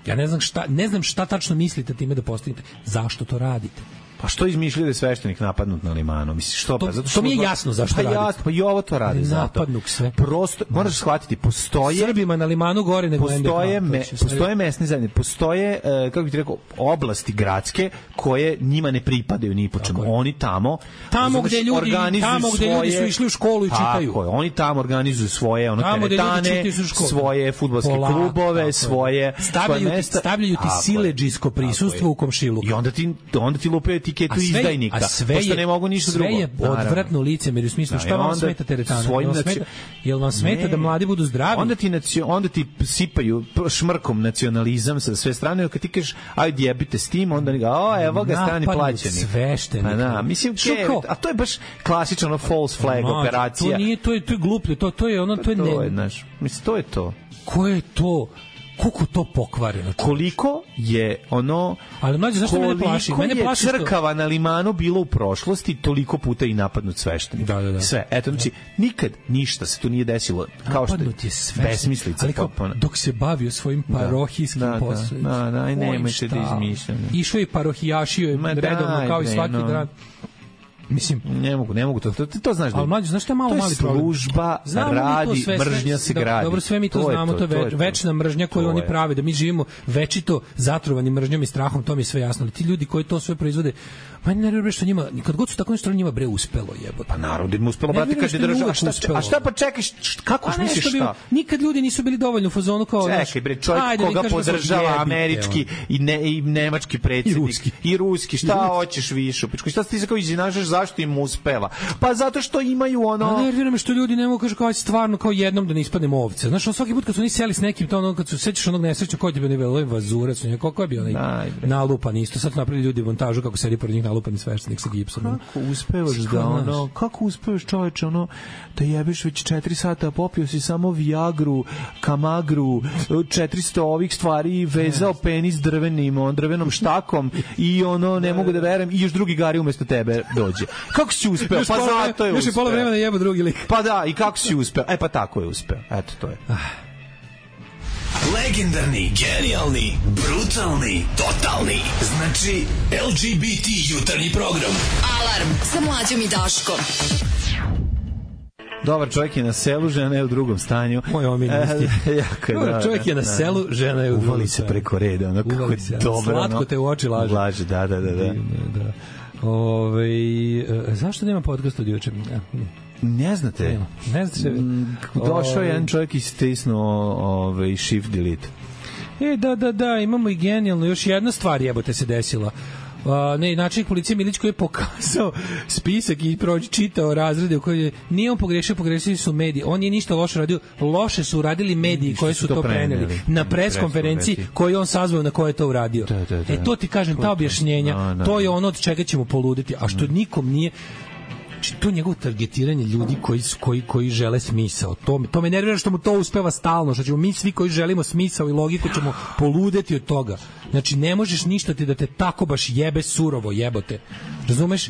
Ja ne znam šta, ne znam šta tačno mislite time da postignete. Zašto to radite? Pa što izmišljaju da je sveštenik napadnut na limanu? Misliš što? To, pa zato što mi je jasno zašto pa radite. Jasno, pa i ovo to radi zato. Napadnuk sve. Prosto, moraš shvatiti, postoje Srbima na limanu gore nego postoje me, postoje mesne zajednice, postoje uh, kako bih ti rekao, oblasti gradske koje njima ne pripadaju ni po čemu. Oni tamo tamo gde ljudi tamo gde ljudi su išli u školu i čitaju. Tako je, oni tamo organizuju svoje ono teretane, svoje fudbalske klubove, svoje stavljaju stavljaju ti siledžijsko prisustvo u komšiluku. I onda ti onda ti lupaju etiketu izdajnika. A sve je, ne mogu ništa sve drugo. je odvratno licemerje u smislu, šta vam smeta teretana? Jel vam smeta, jel vam smeta ne, da mladi budu zdravi? Onda ti, onda ti sipaju šmrkom nacionalizam sa sve strane, kad ti kažeš, ajde jebite s tim, onda ga, o, evo ga strani plaćeni. Sveštenik. A, da, mislim, ke, a to je baš klasično ono false flag no, operacija. To nije, to je, to je gluplje, to, to je ono, to je ne... To je, znaš, mislim, to je to. Ko je to? Koliko to pokvareno? Koliko je ono... Ali mlađe, zašto mene plaši? Mene plaši što... crkava na limanu bilo u prošlosti, toliko puta i napadnut sveštenik. Da, da, da. Sve. Eto, znači, nikad ništa se tu nije desilo. Kao napadnut je sveštenik. Besmislica. Ali kao, dok se bavio svojim parohijskim da, poslom. Da, da, da, aj nemojte da izmišljam. Išao i parohijašio je redovno, kao i svaki no. dan. Mislim, ne mogu, ne mogu to. To, to znaš da. Al mlađe, znaš šta je malo mali problem? Služba radi, sve, mržnja se da, gradi. Dobro, sve mi to, to znamo, to je, to, to je večna mržnja koju oni prave, da mi živimo večito zatrovani mržnjom i strahom, to mi je sve jasno. Ali ti ljudi koji to sve proizvode, pa ne vjerujem što njima, kad god su tako nešto njima bre uspelo, jebote. Pa narod im uspelo, brate, kad je država, šta, a šta pa čekaj, kako a misliš šta? Nikad ljudi nisu bili dovoljno u fazonu kao naš. Čekaj bre, čovjek koga podržava američki i ne i nemački predsjednik i ruski, šta hoćeš više? Šta ti se kao izinašaš, zašto im uspe? Pa zato što imaju ono... A nervira me što ljudi ne mogu kažu kao stvarno kao jednom da ne ispadnemo ovce. Znaš, on svaki put kad su oni seli s nekim, to ono, kad su sećaš onog nesrećnog koji je bio nivel, ovaj vazurac, kako je bio onaj nalupan isto. Sad napravili ljudi montažu kako sedi pored njih nalupani sveštenik sa gipsom. Kako uspevaš da ono, kako uspevaš čoveče, ono, da jebeš već četiri sata, popio si samo Viagru, Kamagru, četiristo ovih stvari, vezao penis drvenim, on drvenom štakom i ono, ne mogu da verujem, i još drugi gari umesto tebe dođe. Kako si uspeo? Pa zato je uspeo. Još je pola vremena jebo drugi lik. Pa da, i kako si uspeo? E pa tako je uspeo. Eto, to je. Legendarni, genijalni, brutalni, totalni. Znači, L G B T jutarnji program. Alarm sa Mlađom i Daškom. Dobar čovjek je na selu, žena je u drugom stanju. Moj omiljenosti. Dobar čovjek je na selu, žena je u drugom stanju. Uvali se preko reda, ono kako je dobro. Slatko te u oči laže. Laže, da, da, da. da. da. Ove, zašto nema podcast od juče? Ne znate. Nema. Ne znate. Mm, došao je jedan čovjek i stisnuo ovaj, shift delete. E, da, da, da, imamo i genijalno. Još jedna stvar jebote se desila. Uh, ne, načelnik policije Milić koji je pokazao spisak i prođi čitao razrede u kojoj je, nije on pogrešio, pogrešili su mediji. On nije ništa loše radio, loše su uradili mediji koji su, su to preneli, preneli na pres konferenciji koju on sazvao na kojoj je to uradio. Da, da, da. E, to ti kažem, ta objašnjenja, no, no, to je ono od čega ćemo poluditi, a što nikom nije. To njegovo targetiranje ljudi koji koji koji žele smisao. To me to me nervira što mu to uspeva stalno, što ćemo mi svi koji želimo smisao i logiku ćemo poludeti od toga. Znači ne možeš ništa ti da te tako baš jebe surovo, jebote. Razumeš?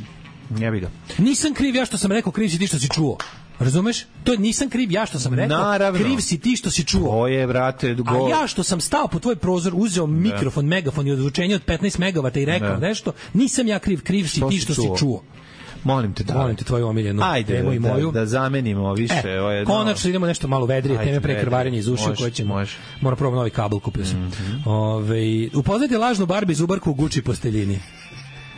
Jebi ga. Nisam kriv ja što sam rekao, kriv si ti što si čuo. Razumeš? To je nisam kriv ja što sam rekao, naravno. Kriv si ti što si čuo. To je, brate, go... A ja što sam stao po tvoj prozor, uzeo mikrofon, ne. megafon i ozvučenje od petnaest megavata i rekao ne. nešto, nisam ja kriv, kriv si to ti što si čuo. Si čuo. Molim te, da. Molim te tvoju omiljenu temu i moju. Da, da zamenimo više. E, ovo je konačno idemo nešto malo vedrije, teme pre krvarenja iz uša koje ćemo. Može. Moram probati novi kabel, kupio sam. Mm-hmm. Ove, upoznajte lažnu Barbie zubarku u Gucci posteljini.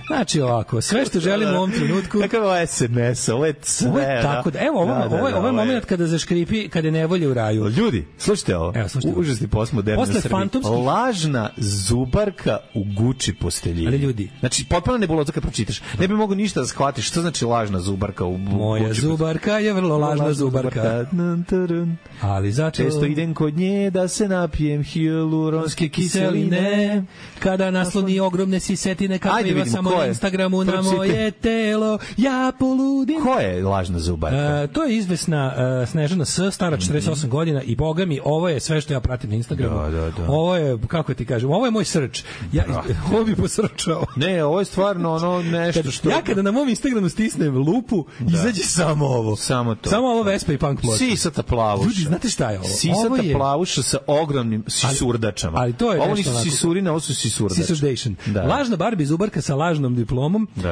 Znači ovako, sve što želimo u ovom trenutku. Kakav je S M S, ovo je sve. Ovo je tako da, evo, ovo, da, da, ovo, ovo je moment kada zaškripi, kada je nevolje u raju. Ljudi, slušajte ovo. Evo, slušajte. Užasni postmodernoj Srbiji. Fantomski... Lažna zubarka u Gucci posteljini. Ali ljudi. Znači, potpuno nebuloza kad pročitaš. Ne bi mogu ništa da shvatiš. Što znači lažna zubarka u Gucci? Moja zubarka je vrlo lažna, lažna zubarka. zubarka. Ali zato... Često idem kod nje da se napijem hialuronske kiseline. Kada nasloni ogromne sisetine, kako ima samo na Instagramu na moje telo, ja poludim. Ko je lažna zubarka? Uh, to je izvesna uh, Snežana S, stara četrdeset osam mm-hmm. godina i boga mi, ovo je sve što ja pratim na Instagramu. Da, da, da. Ovo je, kako ti kažem, ovo je moj srč. Ja, ovo bi posrčao. Ne, ovo je stvarno ono nešto što... Ja kada na mom Instagramu stisnem lupu, da. izađe samo ovo. Samo to. Samo ovo Vespa i punk ploča. Sisata plavuša. Ljudi, znate šta je ovo? Sisata ovo je... plavuša sa ogromnim sisurdačama. Ali, ali to je ovo nisu sisurine, ovo su sisurdače. Sisurdation. Da. Lažna Barbie zubarka sa lažnom diplomom uh, uh,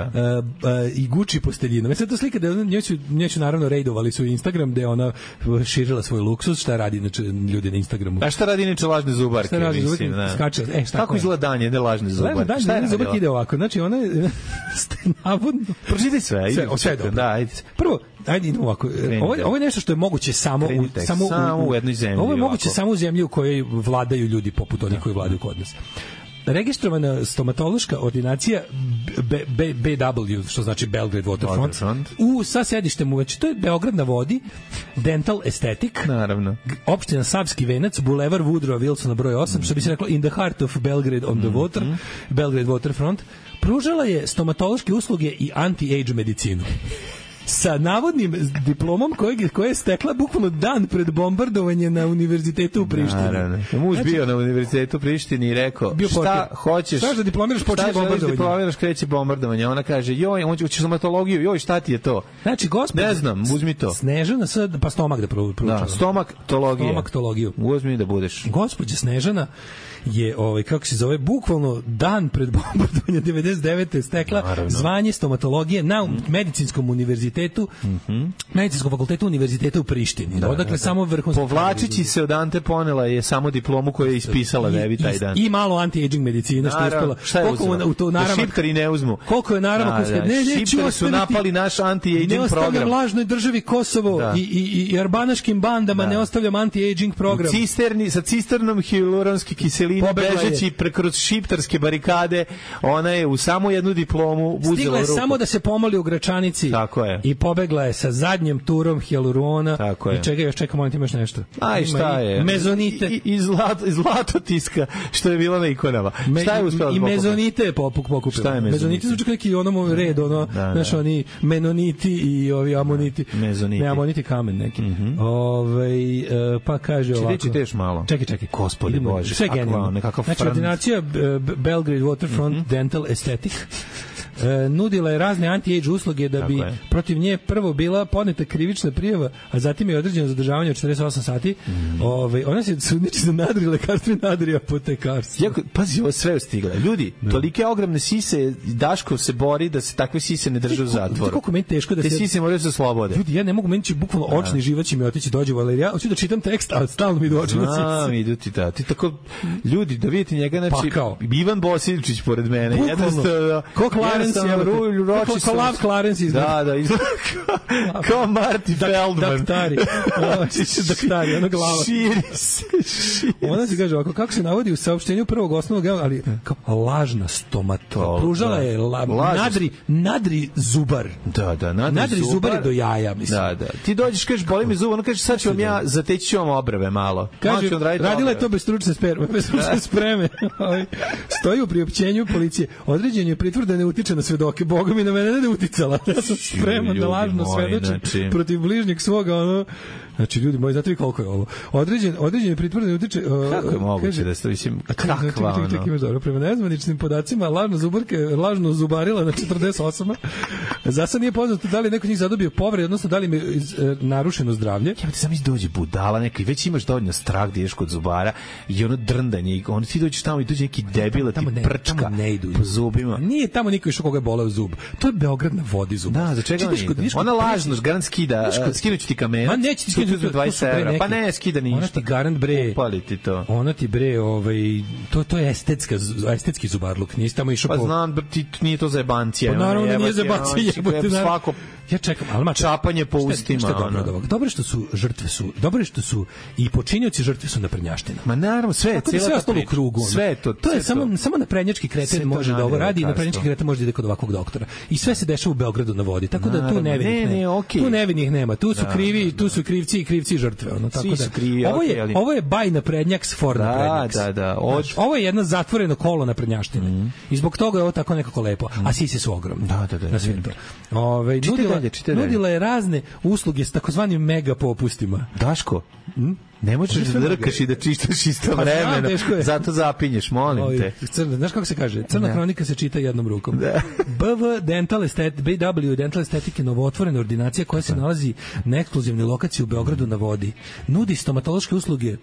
i Gucci posteljinom. Sve to slika da njoj su, njoj su naravno rejdovali su Instagram gde ona širila svoj luksuz, šta radi znači ljudi na Instagramu. A šta radi inače lažne zubarke? Šta radi zubarke? Skače. E, šta kako izgleda dan jedne lažne zubarke? Dan, šta je zubarke ide ovako. Znači ona je navodno... Pročitaj sve. Sve, sve dobro. Da, ajde. Prvo, ajde idemo ovako. Ovo, ovo je nešto što je moguće samo u, samo, samo u, u jednoj zemlji. Ovo je moguće ovako. Samo u zemlji u kojoj vladaju ljudi poput onih koji vladaju kod nas. Registrovana stomatološka ordinacija B, B, B W, što znači Belgrade Waterfront, Waterfront. U, sa sedištem u, znači to je Beograd na vodi, Dental Aesthetic, naravno. Opština Savski venac, Bulevar Woodrow Wilsona broj osam, mm-hmm. što bi se reklo in the heart of Belgrade on the water, mm-hmm. Belgrade Waterfront, pružala je stomatološke usluge i anti-age medicinu. Sa navodnim diplomom koje, koje je stekla bukvalno dan pred bombardovanje na univerzitetu u Prištini. Naravno. Muž znači, bio na univerzitetu u Prištini i rekao, šta portir. hoćeš? Šta da diplomiraš, počinje bombardovanje. Šta diplomiraš, kreće bombardovanje. Ona kaže, joj, on će stomatologiju, joj, šta ti je to? Znači, gospod, ne znam, uzmi to. Snežana sad, pa stomak da proučava. Da, stomaktologija. Stomaktologiju. Uzmi da budeš. Gospođa Snežana je, ovaj, kako se zove, bukvalno dan pred bombardovanje devedeset devete stekla naravno. Zvanje stomatologije na mm. medicinskom univerzitetu, mm-hmm. medicinskom fakultetu univerziteta u Prištini. Da, odakle da, samo vrhunski. Povlačići se od Ante Ponela je samo diplomu koju je ispisala Vevi taj dan. I malo anti-aging medicina što je uspela. Šta je uzela? U to naravno, da šiptari ne uzmu. Koliko je naravno da, da, ne, ne, šiptari su napali naš anti-aging program. Ne ostavljam lažnoj državi Kosovo da. i, i, i arbanaškim bandama, da. ne ostavljam anti-aging program. U cisterni, sa cisternom hialuronske kiseline bežeći kroz šiptarske barikade, ona je u samo jednu diplomu uzela ruku. Stigla je samo da se pomoli u Gračanici. Tako je. I pobegla je sa zadnjim turom hialurona. Tako je. I čega još čekamo, molim ti imaš nešto. Aj, šta je? Mezonite. I, i, zlato, i zlatotiska, što je bila na ikonama. Me, šta je uspela I mezonite je popuk pokupila. Šta je mezonite? Mezonite su čak neki onom red, ono, da, znaš, da. Oni menoniti i ovi amoniti. Mezoniti. Ne, amoniti kamen neki. Mm-hmm. Ove, uh, pa kaže ovako. Či reći malo. Čekaj, čekaj. Gospodi Bože. Sve genijalno. Znači, ordinacija Belgrade Waterfront mm-hmm. Dental Aesthetic E, nudila je razne anti-age usluge da Tako bi je. protiv nje prvo bila podneta krivična prijava, a zatim je određeno zadržavanje od četrdeset osam sati. Mm. Ove, ona se sudniči za nadri lekarstvo i nadri apotekarstvo. Jako, pazi, ovo sve je stigla. Ljudi, da. Tolike ogromne sise, Daško se bori da se takve sise ne drže u zatvoru. Kako meni teško da Te se... sise moraju se slobode. Ljudi, ja ne mogu, meni će bukvalno očni živac će mi otići dođe, ali ja hoću da čitam tekst, a stalno mi idu oči na sise. A, idu ti da. Ti tako, ljudi, da vidite njega, znači, Pakao. Ivan Bosilčić pored mene. Jednostavno, ko Clarence, ko Lav Clarence izgleda. Da, da, izgleda kao Marty Feldman. Daktari. Daktari, ono glava. Širi se, širi se. Ona se kaže ovako, kako se navodi u saopštenju prvog osnovnog, ali kao lažna stomatolog. Pružala je la, nadri, nadri zubar. Da, da, nadri, nadri zubar. zubar je do jaja, mislim. Da, da. Ti dođeš, kažeš, boli mi zub, ono kaže, sad ću vam ja, zateći ću vam obrve malo. Kaže, radila je to bez stručne sperme, bez stručne spreme. Stoji u priopćenju policije. Određen je pritvor da ne utiče na svedoke. Boga mi na mene ne da uticala. Ja sam spreman da lažno svedočim znači... protiv bližnjeg svoga, ono. Znači, ljudi moji, znate vi koliko je ovo? Određen, određen je pritvor da ne utiče... Uh, kako je moguće da ste, mislim, kakva ono? Čekaj, imaš dobro. Prema nezvaničnim podacima, lažna zubarka lažno zubarila na četrdeset osam. Za sad nije poznato da li neko njih zadobio povrede, odnosno da li im je iz, e, narušeno zdravlje. Ja ti sam iz dođe budala neki, već imaš dovoljno strah da ideš kod zubara i ono drndanje, i on ti dođeš tamo i dođe neki debila, ti ne, prčka ne idu po zubima. Nije tamo niko išao koga je boleo zub. To je Beograd na vodi zub. Da, za čega ne ide? Ona lažno, garant skida, skinuću ti kamenac. Ma neće ti skinuti dvadeset evra. Pa ne, skida ništa. Ona ti garant bre. Upali ti to. Ona ti bre, ovaj, to, to je estetska, estetski zubarluk. Nisi tamo išao pa po... Pa znam, ti, nije to za jebancije. Pa naravno da nije za jebancije. Svako... Ja čekam, ali mač, čapanje po ustima. Šta je dobro od ovoga? Dobro što su žrtve su, dobro što su i počinioci žrtve su naprednjaština. Ma naravno, sve je cijela sve ostalo u krugu. Sve je to. To je samo samo naprednjački kreten može da ovo radi i naprednjački kreten može da ide kod ovakvog doktora. I sve se dešava u Beogradu na vodi. Tako da tu nevinih ne, ne, okay. Tu nevinih nema. Tu su krivi, tu su krivci i krivci žrtve, ono tako da. Krivi, ovo je okay, ali... ovo je baj naprednjaks for naprednjaks. Da, da, da. Od... Ovo je jedno zatvoreno kolo naprednjaštine. Mm. I zbog toga je ovo tako nekako lepo. A sise su ogromne. Da, da, da. Na svim to. Ovaj nudila, nudila je razne usluge s takozvanim mega popustima. Daško, hm? Ne možeš da drkaš i da čistaš istovremeno, zato zapinješ, molim Ovi, te. Crna, znaš kako se kaže? Crna ne. Hronika se čita jednom rukom. Da. B W Dental Esthetic, B W Dental Aesthetic je novootvorena ordinacija koja se nalazi na ekskluzivnoj lokaciji u Beogradu na vodi. Nudi stomatološke usluge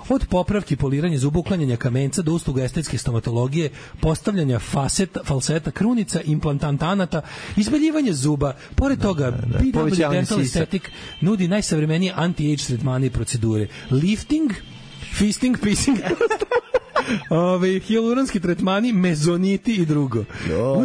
od popravki poliranja zuba, uklanjanja kamenca do usluga estetske stomatologije, postavljanja faseta, falseta, krunica, implantantanata, izbeljivanje zuba. Pored toga, da, da. B W Dental Aesthetic nudi najsavremenije anti-age tretmane i procedure. Lifting, fisting, pissing, Ove, hijaluronski tretmani, mezoniti i drugo.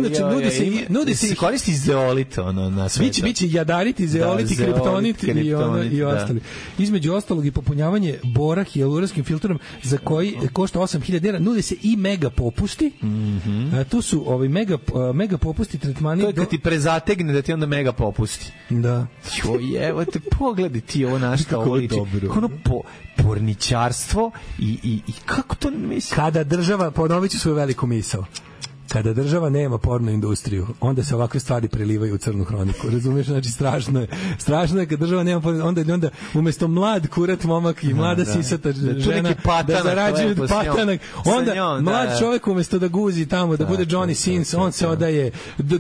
Znači, nudi se, nudi se koristi zeolit, ono, na sve. Biće, biće jadariti, zeoliti, da, kriptonit, kriptonit i, ono, i ostali. Da. Između ostalog i popunjavanje bora hijaluronskim filtrom za koji košta osam hiljada dinara. Nudi se i mega popusti. Mm -hmm. A, tu su ovi mega, mega popusti tretmani. To je kad ti prezategne da ti onda mega popusti. Da. Jo, evo te, pogledaj ti ovo našta, ovo liči. Ono po, porničarstvo i, i, i kako to misli? Kada država, ponovit ću svoju veliku misao, kada država nema porno industriju, onda se ovakve stvari prelivaju u crnu hroniku. Razumiješ? Znači, strašno je. Strašno je kad država nema porno, onda, onda umjesto mlad kurat momak i mlada da, sisata da, žena patanak, da zarađuju patanak, onda njom, mlad da, čovjek umjesto da guzi tamo, da, da bude Johnny Sins, on se odaje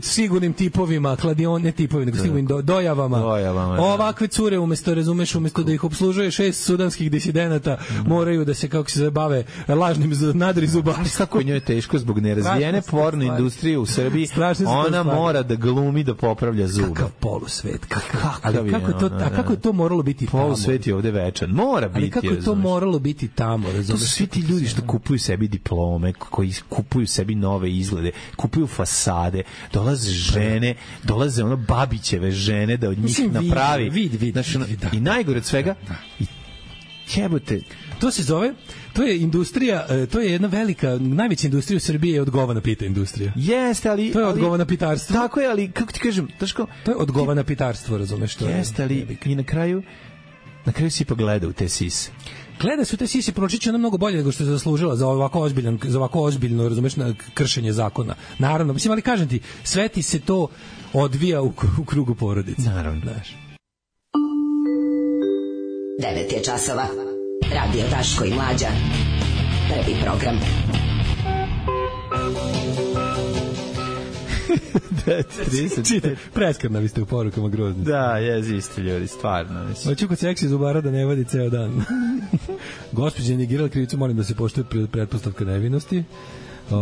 sigurnim tipovima, kladion, ne tipovima, nego sigurnim do, dojavama. dojavama da. Ovakve cure, umjesto, razumeš, umjesto da ih obslužuje šest sudanskih disidenata, mm. moraju da se, kako se zabave, lažnim nadri zubarstvom. Kako je njoj teško zbog nerazvijene porno industrije u Srbiji, ona mora da glumi da popravlja zube. Kakav polusvet, kakav. Ali kako to, a kako je to moralo biti tamo? Polusvet je ovde večan. Mora biti. Ali kako je to moralo biti tamo, razumeš? To su svi ti ljudi što kupuju sebi diplome, koji kupuju sebi nove izglede, kupuju fasade, dolaze žene, dolaze ono babićeve žene da od njih napravi. Vidi, vidi. I najgore od svega, i jebote, to se zove, to je industrija, to je jedna velika, najveća industrija u Srbiji je odgovana pita industrija. Jeste, ali... To je odgovana pitarstvo. Tako je, ali, kako ti kažem, Daško... To je odgovana pitarstvo, razumeš što je. Jeste, ali i na kraju, na kraju si pa gleda u te sise. Gleda se u te sise, pročiće ona mnogo bolje nego što je zaslužila za ovako ozbiljan, za ovako ozbiljno, razumeš, na kršenje zakona. Naravno, mislim, ali kažem ti, sve ti se to odvija u, u krugu porodice. Naravno. Znaš. devet je časova. Radio Daško i Mlađa. Prvi program. Čite, preskarna vi ste u porukama grozni. Da, jezi isti ljudi, stvarno. Hoću kod seksi zubara da ne vadi ceo dan. Gospođa je negirala krivicu, molim da se poštuje pretpostavka nevinosti.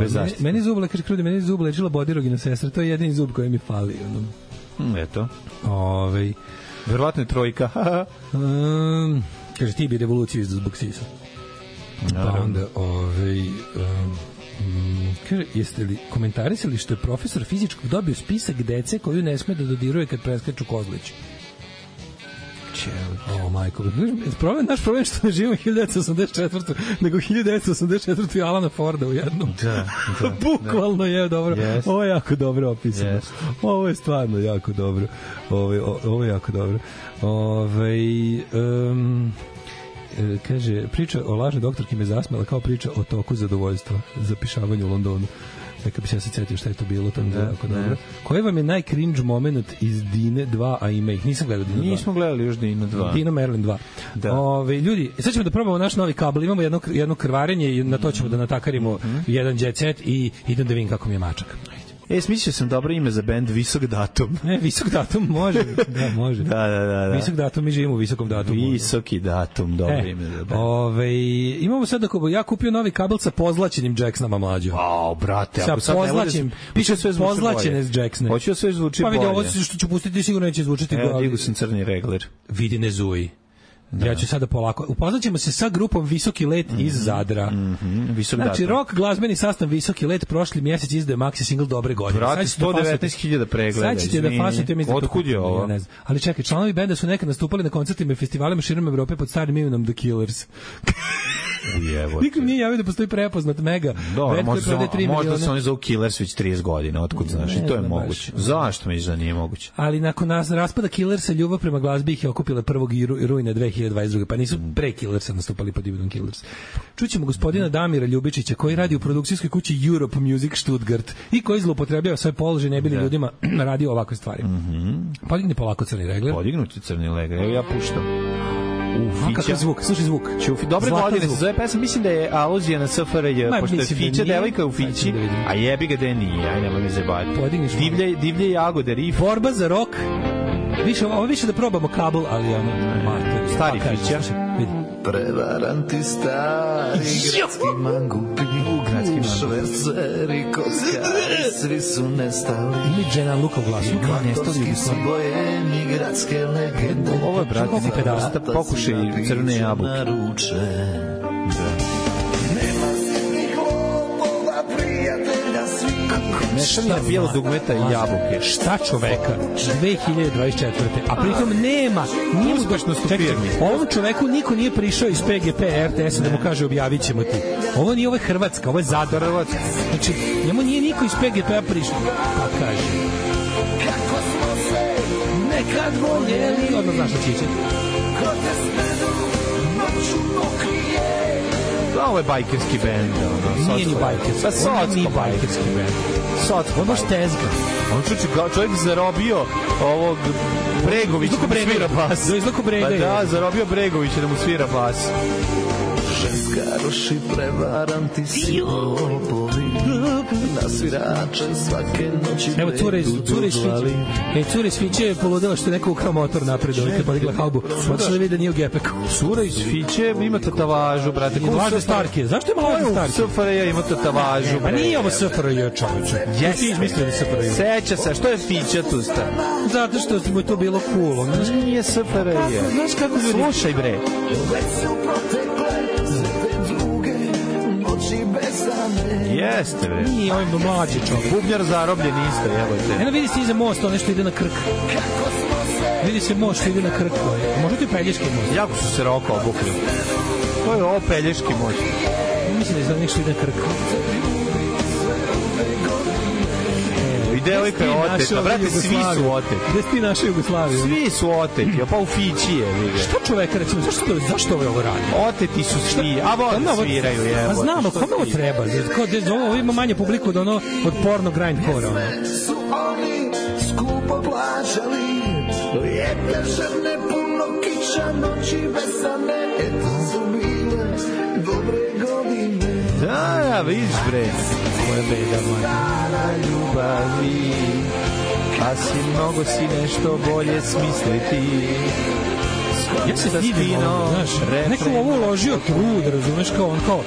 Bez zaštite. Meni zub lekar krudi, meni zub lečila bodirogina sestra, to je jedini zub koji mi fali. Ono. Mm, eto. Ovej. Verovatno je trojka. um, kaže, ti bi revoluciju izda zbog sisa. Pa onda, ovej... Um, Mm, kaže, jeste li komentarisali što je profesor fizičkog dobio spisak dece koju ne sme da dodiruje kad preskaču kozlići? O, oh, majko. Problem, naš problem je što ne živimo hiljadu devetsto osamdeset četvrte nego hiljadu devetsto osamdeset četvrte i Alana Forda u jednom. Da, da. Bukvalno da. Je dobro. Yes. Ovo je jako dobro opisano. Yes. Ovo je stvarno jako dobro. Ovo je, ovo je jako dobro. Ove, um, kaže, priča o lažnoj doktorki me zasmela kao priča o toku zadovoljstva za pišavanje u Londonu. Neka bi se ja se cetio šta je to bilo, to mi je jako dobro. Koji vam je najcringe moment iz Dine dva, a ima ih? Nisam gledao Dine dva. Nismo gledali još Dino dva. Dino Merlin dva. Da. Ove, ljudi, sad ćemo da probamo naš novi kabel. Imamo jedno, jedno krvarenje i na to ćemo da natakarimo mm-hmm. jedan jet set i idem da vidim kako mi je mačak. E, smislio sam dobro ime za bend Visok datum. Ne, Visok datum može. Da, može. da, da, da, da. Visok datum, mi živimo u Visokom datumu. Visoki datum, dobro e, ime za bend. Ove, imamo sad ako ja kupio novi kabel sa pozlačenim Jacksonama mlađo. Ao, brate, ako sad pozlačim, piše sve zvuči pozlačene Jacksone. Hoće sve zvuči bolje. Pa vidi, ovo što ću pustiti sigurno neće zvučiti bolje. Evo, digu sam crni regler. Vidi, ne zuji. Da. Ja ću sada polako. Upoznaćemo se sa grupom Visoki let mm-hmm. iz Zadra. Mm-hmm. Visok znači, datum. rock glazbeni sastav Visoki let prošli mjesec izdaje maxi single Dobre godine. Brate, sto devetnaest hiljada pregleda. Sad ćete da fasujete mi. Otkud je ovo? Ja ne znam. Ali čekaj, članovi benda su nekad nastupali na koncertima i festivalima širom Evrope pod starim imenom The Killers. Ujevo. Nikom nije javio da postoji prepoznat mega. Dobro, možda, možda se oni zovu Killers već trideset godina, otkud znaš, i to je moguće. Baš. Zašto mi da nije moguće? Ali nakon nas raspada Killersa, ljubav prema glazbi ih je okupila prvog rujna dve hiljade dvadeset druge pa nisu pre Killersa nastupali pod imenom Killers. Čućemo gospodina Damira Ljubičića, koji radi u produkcijskoj kući Europe Music Stuttgart i koji zloupotrebljava svoj položaj ne bili da. ljudima radio ovakve stvari. Mm-hmm. Podigni polako crni regler. Podignuti crni regler, evo ja puštam. A kakav zvuk, slušaj zvuk. Čufi, dobre godine se zove pesma, mislim da je aluzija na S F R J, pošto je Fića devojka u Fići, a jebi ga da nije, aj nemoj mi zebati. Divlje, divlje jagode, rif. Borba za rok. Više, ovo više da probamo kabel, ali ono, mater. Stari Fića. Prevaranti stari gradski mangupi, gradski šverceri, kockari, svi su nestali. Ili Džena Luka u glasu. Kvatovski su bojemi, gradske legende. Ovo je, brate, pokušaj crvene jabuke. Mešavina bijelo dugmeta i jabuke. Šta čoveka? dve hiljade dvadeset četvrte A pritom nema ni uspešno stupirni. Ovom čoveku niko nije prišao iz P G P R T S da mu kaže objavit ćemo ti. Ovo nije, ovo je Hrvatska, ovo je Zadar. Znači, njemu nije niko iz P G P A prišao. Pa kaže. Kako smo se nekad voljeli. Odmah znaš da će ići. Ko te smedu, noću pokrije. Ovo je bajkerski band. Ono, nije ni bajkerski. Pa socko nije bajkerski band. Socko. On baš tezga. On čuči, čovjek zarobio ovog Bregovića da mu svira bas. Da izlako Brega. Pa da, zarobio Bregovića da mu svira bas. Ženskaroši prevaranti si lopovi, na svirače svake noći. Evo cure iz Fiće. E, cure iz Fiće je poludela što je neko ukrao motor napred, ovaj kad podigla haubu. Otišla da vidi da nije u gepeku. Cura iz Fiće ima tatavažu, brate. Lažne starke. Zašto ima lažne starke? S F R J ima tatavažu. Pa nije ovo S F R J, čoveče. Jesi izmislio da S F R J. Seća se, što je Fića tu sta? Zato što mu je to bilo cool. Nije S F R J. Znaš kako ljudi... Slušaj, bre. Jeste, bre. Nije, ovo je mlađi čovjek. Bubnjar zarobljen isto, jebote. Eno vidi se iza mosta, ono što ide na Krk. Vidi se most što ide na Krk. Može to je Pelješki most. Jako su se roka obukli. To je ovo Pelješki most. Mislim da je za nešto ide na Krk. I devojka je oteta, brate, svi su oteti. Gde si ti naša Jugoslavija? Svi su oteti, pa u Fići je, vidi. Što čoveka, recimo, zašto, zašto ovo ovo radi? Oteti su svi, a vode sviraju, jebote. Pa znamo, kome ovo treba? Ovo ima manje publiku od ono, od porno grindcore, ono. Su oni skupo plaćali, lijepe žene, puno kiča, noći besane, eto su bile dobre godine. A, ja, vidiš bre. Moja beda moja ljubavi, a si mnogo si nešto bolje smisliti. Ja se divim, znaš, neko ovo uložio trud, razumeš, kao on, kao,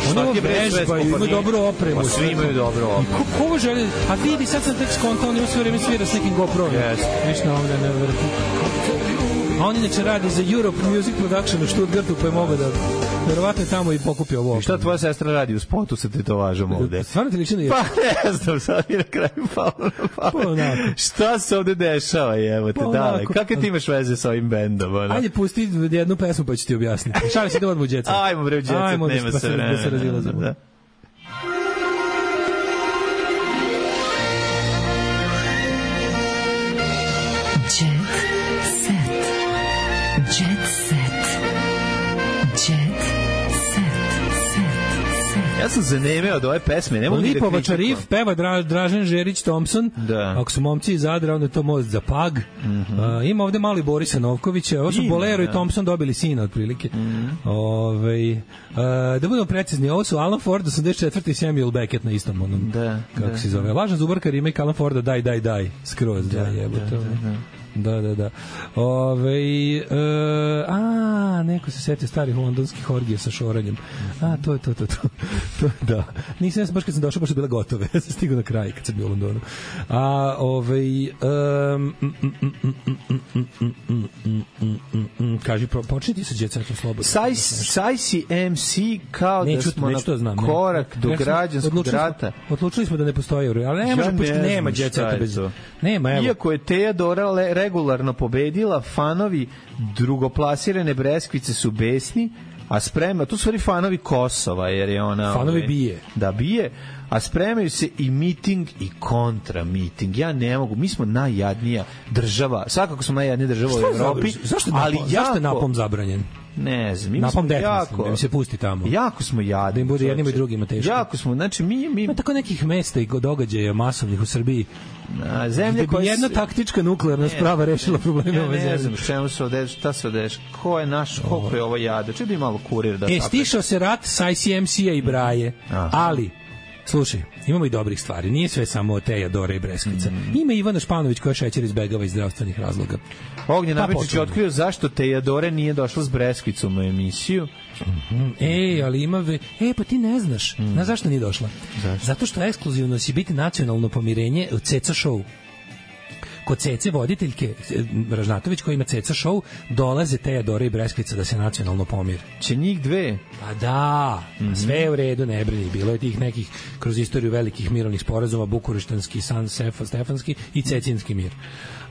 oni ovo vežbaju, imaju dobru opremu. Pa svi imaju dobru opremu. Ko, ko ovo želi, a vidi, sad sam tek skontao, on ima sve vreme svira s nekim GoPro-om. Yes. Viš na ovdje na vrhu. A on inače radi za Europe Music Production u Stuttgartu, pa je mogo da verovatno je tamo i pokupio ovo. I šta tvoja sestra radi u spotu sa tetovažom ovde? Stvarno ti liči na je? Pa ne znam, sad mi na kraju palo na pamet. Šta se ovde dešava, evo te, dale? Kakve ti imaš veze sa ovim bendom? Ono? Ajde, pusti jednu pesmu pa ću ti objasniti. Šalim se da odmah u Jet Set. Ajmo bre u Jet Set, Ajmo, nema da se vremena. Da se razilazimo. Da. Ja sam zanemeo od ove pesme, ne mogu ni da kritiku. Lipovača riff, peva Dra, Dražen Žerić Thompson. Da. Ako su momci iz Zadra, onda je to most za Pag. Mm-hmm. Uh, ima ovde mali Borisa Novkovića. Ovo su ima, Bolero da. I Thompson dobili sina, otprilike. Mm-hmm. Ove, uh, da budemo precizni, ovo su Alan Ford, osamdeset četvrti i Samuel Beckett na istom onom, da, kako da, se zove. Lažan zubarka remake Alan Forda, daj, daj, daj. Skroz, da, da jebote. Da, da, da. Da, da, da. Ove, e, a, neko se setio starih londonskih orgija sa šoranjem. A, to je to, to, to. to da. Nisam, ja sam baš kad sam došao, baš su bile gotove. Ja sam stigao na kraj kad sam bio u Londonu. A, ove, um, mm, mm, mm, mm, mm, mm, mm, mm, kaži, počni ti sa Jet Setom slobodno. Sajsi em si kao neću, da smo neću na znam, korak ne. do građanskog rata. Smo, odlučili smo da ne postoji euro, ali ne možemo, pošto nema Jet Seta bez... Nema, evo. Iako je Teodora regularno pobedila, fanovi drugoplasirane Breskvice su besni, a sprema, tu su stvari fanovi Kosova, jer je ona... Fanovi ove, bije. Da, bije, a spremaju se i miting i kontra miting. Ja ne mogu, mi smo najjadnija država, svakako smo najjadnija država u Evropi, zašto, ali napom, jako... zašto je napom zabranjen? Ne znam, mi napom smo jako... da mi se pusti tamo. Jako smo jadni. Da im bude jednim i drugima teško. Jako smo, znači mi... mi... Ima tako nekih mesta i događaja masovnih u Srbiji. A, zemlje koja jedna s... taktička nuklearna sprava rešila probleme ove zemlje. Ne znam čemu se odeš, šta se odeš, ko je naš, koliko je ovo jade. Če bi malo kurir da... E, stišao se rat sa I C M C-a i Braje, aha. Ali... Slušaj, imamo i dobrih stvari. Nije sve samo Teja, Dora i Breskvica. Mm. Ima Ivana Španović koja šećer izbegava iz zdravstvenih razloga. Ognjen pa Nabečić je otkrio zašto Teja Dore nije došla s Breskvicom u emisiju. Mm-hmm. Ej, ali ima... Ve... Ej, pa ti ne znaš. Mm. Znaš zašto nije došla? Zašto? Zato što ekskluzivno si biti nacionalno pomirenje u Ceca show. Kod Cece voditeljke Ražnatović koja ima Ceca show dolaze Teja, Dora i Breskvica da se nacionalno pomire. Će njih dve? Pa da, mm-hmm. Sve je u redu, ne brini. Bilo je tih nekih kroz istoriju velikih mirovnih sporazuma, Bukureštanski, San Sefa, Stefanski i Cecinski mir.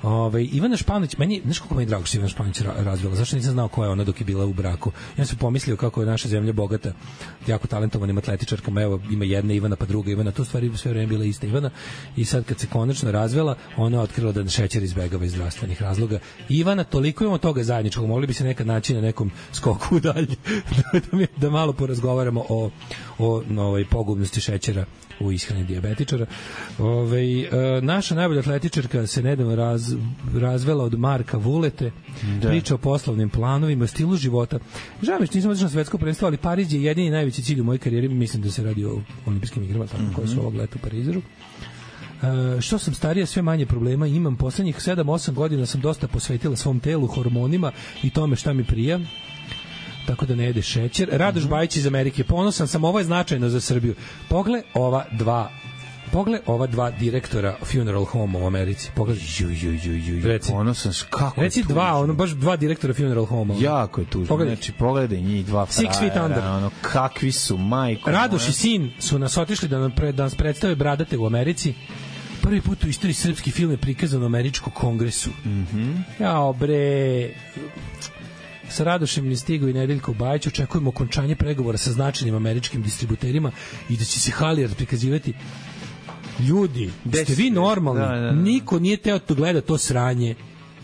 Ove, Ivana Španović, meni, znaš kako mi je drago što Ivana Španović razvila, zašto nisam znao ko je ona dok je bila u braku. Ja sam pomislio kako je naša zemlja bogata, jako talentovanim atletičarkama, evo ima jedna Ivana pa druga Ivana, to stvari sve vreme bila ista Ivana i sad kad se konačno razvela, ona je otkrila da šećer izbegava iz zdravstvenih razloga. Ivana, toliko imamo toga zajedničkog, mogli bi se nekad naći na nekom skoku dalje, da, da, da malo porazgovaramo o, o novoj pogubnosti šećera u ishrani dijabetičara. Ove, e, naša najbolja atletičarka se nedavno raz, razvela od Marka Vulete, da. Priča o poslovnim planovima, stilu života. Žao mi što nisam otišao na svetsko prvenstvo, ali Pariz je jedini najveći cilj u mojoj karijeri, mislim da se radi o olimpijskim igrama, tako mm-hmm. koje su ovog leta u Parizu. Uh, što sam starija, sve manje problema imam. Poslednjih sedam osam godina sam dosta posvetila svom telu, hormonima i tome šta mi prija, tako da ne jede šećer. Radoš mm-hmm. Bajić iz Amerike, ponosan sam, ovo je značajno za Srbiju. Pogle ova dva Pogle ova dva direktora funeral home u Americi. Pogled, ju ju ju ju. Reci, ponosan kako. Reci dva, ono baš dva direktora funeral home. Jako je tužno. Pogledaj. Znači pogledaj njih dva frajera. Six Feet Under. Ono kakvi su, majko. Radoš moja. I sin su nas otišli da nam, pre, da nas predstave bradate u Americi. Prvi put u istoriji srpski film je prikazan u američkom kongresu. Mhm. Jao bre. Sa Radošem Stigo i Nedeljko Bajić očekujemo okončanje pregovora sa značajnim američkim distributerima i da će se Halijer prikazivati. Ljudi, ste vi normalni? Da, da, da. Niko nije teo to gleda to sranje.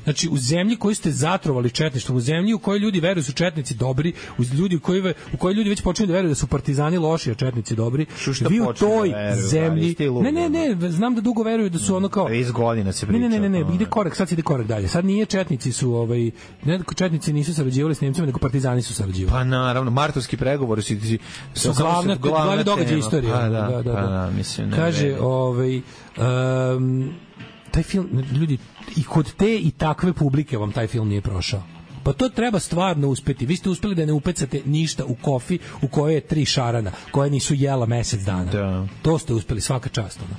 Znači, u zemlji koju ste zatrovali četništvom, u zemlji u kojoj ljudi veruju da su četnici dobri, u ljudi u kojoj, u kojoj ljudi već počinju da veruju da su partizani loši, a četnici dobri, vi u toj veruju, zemlji... Ne, ne, ne, znam da dugo veruju da su ono kao... trideset godina se priča. Ne, ne, ne, ne, ide korak, sad se ide korak dalje. Sad nije četnici su, ovaj, ne, četnici nisu sarađivali s Nemcima, nego partizani su sarađivali. Pa naravno, martovski pregovori su, su glavne, glavne događaje istorije. Pa da, da, da, pa da. da, mislim, ne kaže, vredi. ovaj, um, taj film, ljudi, i kod te i takve publike vam taj film nije prošao. Pa to treba stvarno uspeti. Vi ste uspeli da ne upecate ništa u kofi u kojoj je tri šarana, koje nisu jela mesec dana. Da. To ste uspeli, svaka čast. Ono.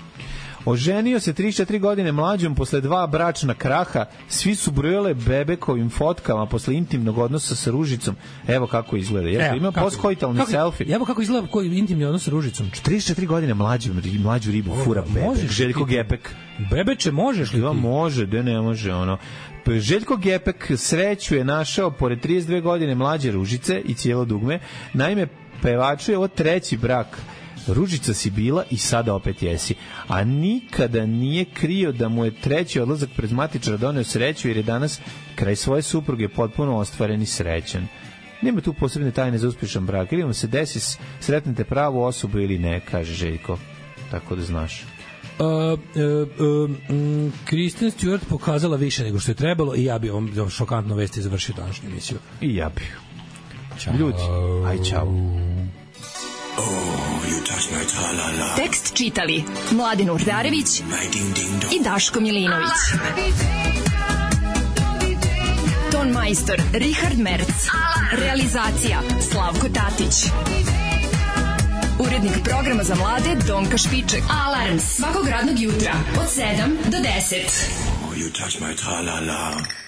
Oženio se trideset četiri godine mlađom posle dva bračna kraha, svi su brojale bebekovim fotkama posle intimnog odnosa sa Ružicom. Evo kako izgleda. Evo, ima postkoitalni selfie. Evo kako izgleda koji intimni odnos sa Ružicom. trideset četiri godine mlađu, mlađu ribu fura bebek. Željko Gepek. Bebeče, možeš li ti? Da, može, da ne može, ono. Željko Gepek sreću je našao pored trideset dve godine mlađe Ružice i cijelo dugme. Naime, pevaču je ovo treći brak. Ružica si bila i sada opet jesi. A nikada nije krio da mu je treći odlazak pred matičara doneo sreću, jer je danas kraj svoje supruge potpuno ostvaren i srećan. Nema tu posebne tajne za uspješan brak. Ili vam se desi, sretnete pravu osobu ili ne, kaže Željko. Tako da znaš. Uh, uh, uh, Kristen Stewart pokazala više nego što je trebalo i ja bi ovom šokantno vesti završio današnju emisiju. I ja bi. Ljudi, aj čao. Oh, you touch my tra-la-la. Tekst čitali Mladin Urdarević i Daško Milinović. Ton majstor Richard Merc. Realizacija Slavko Tatić. Urednik programa za mlade Donka Špiček. Alarms svakog radnog jutra od sedam do deset. Oh, you touch my tra-la-la.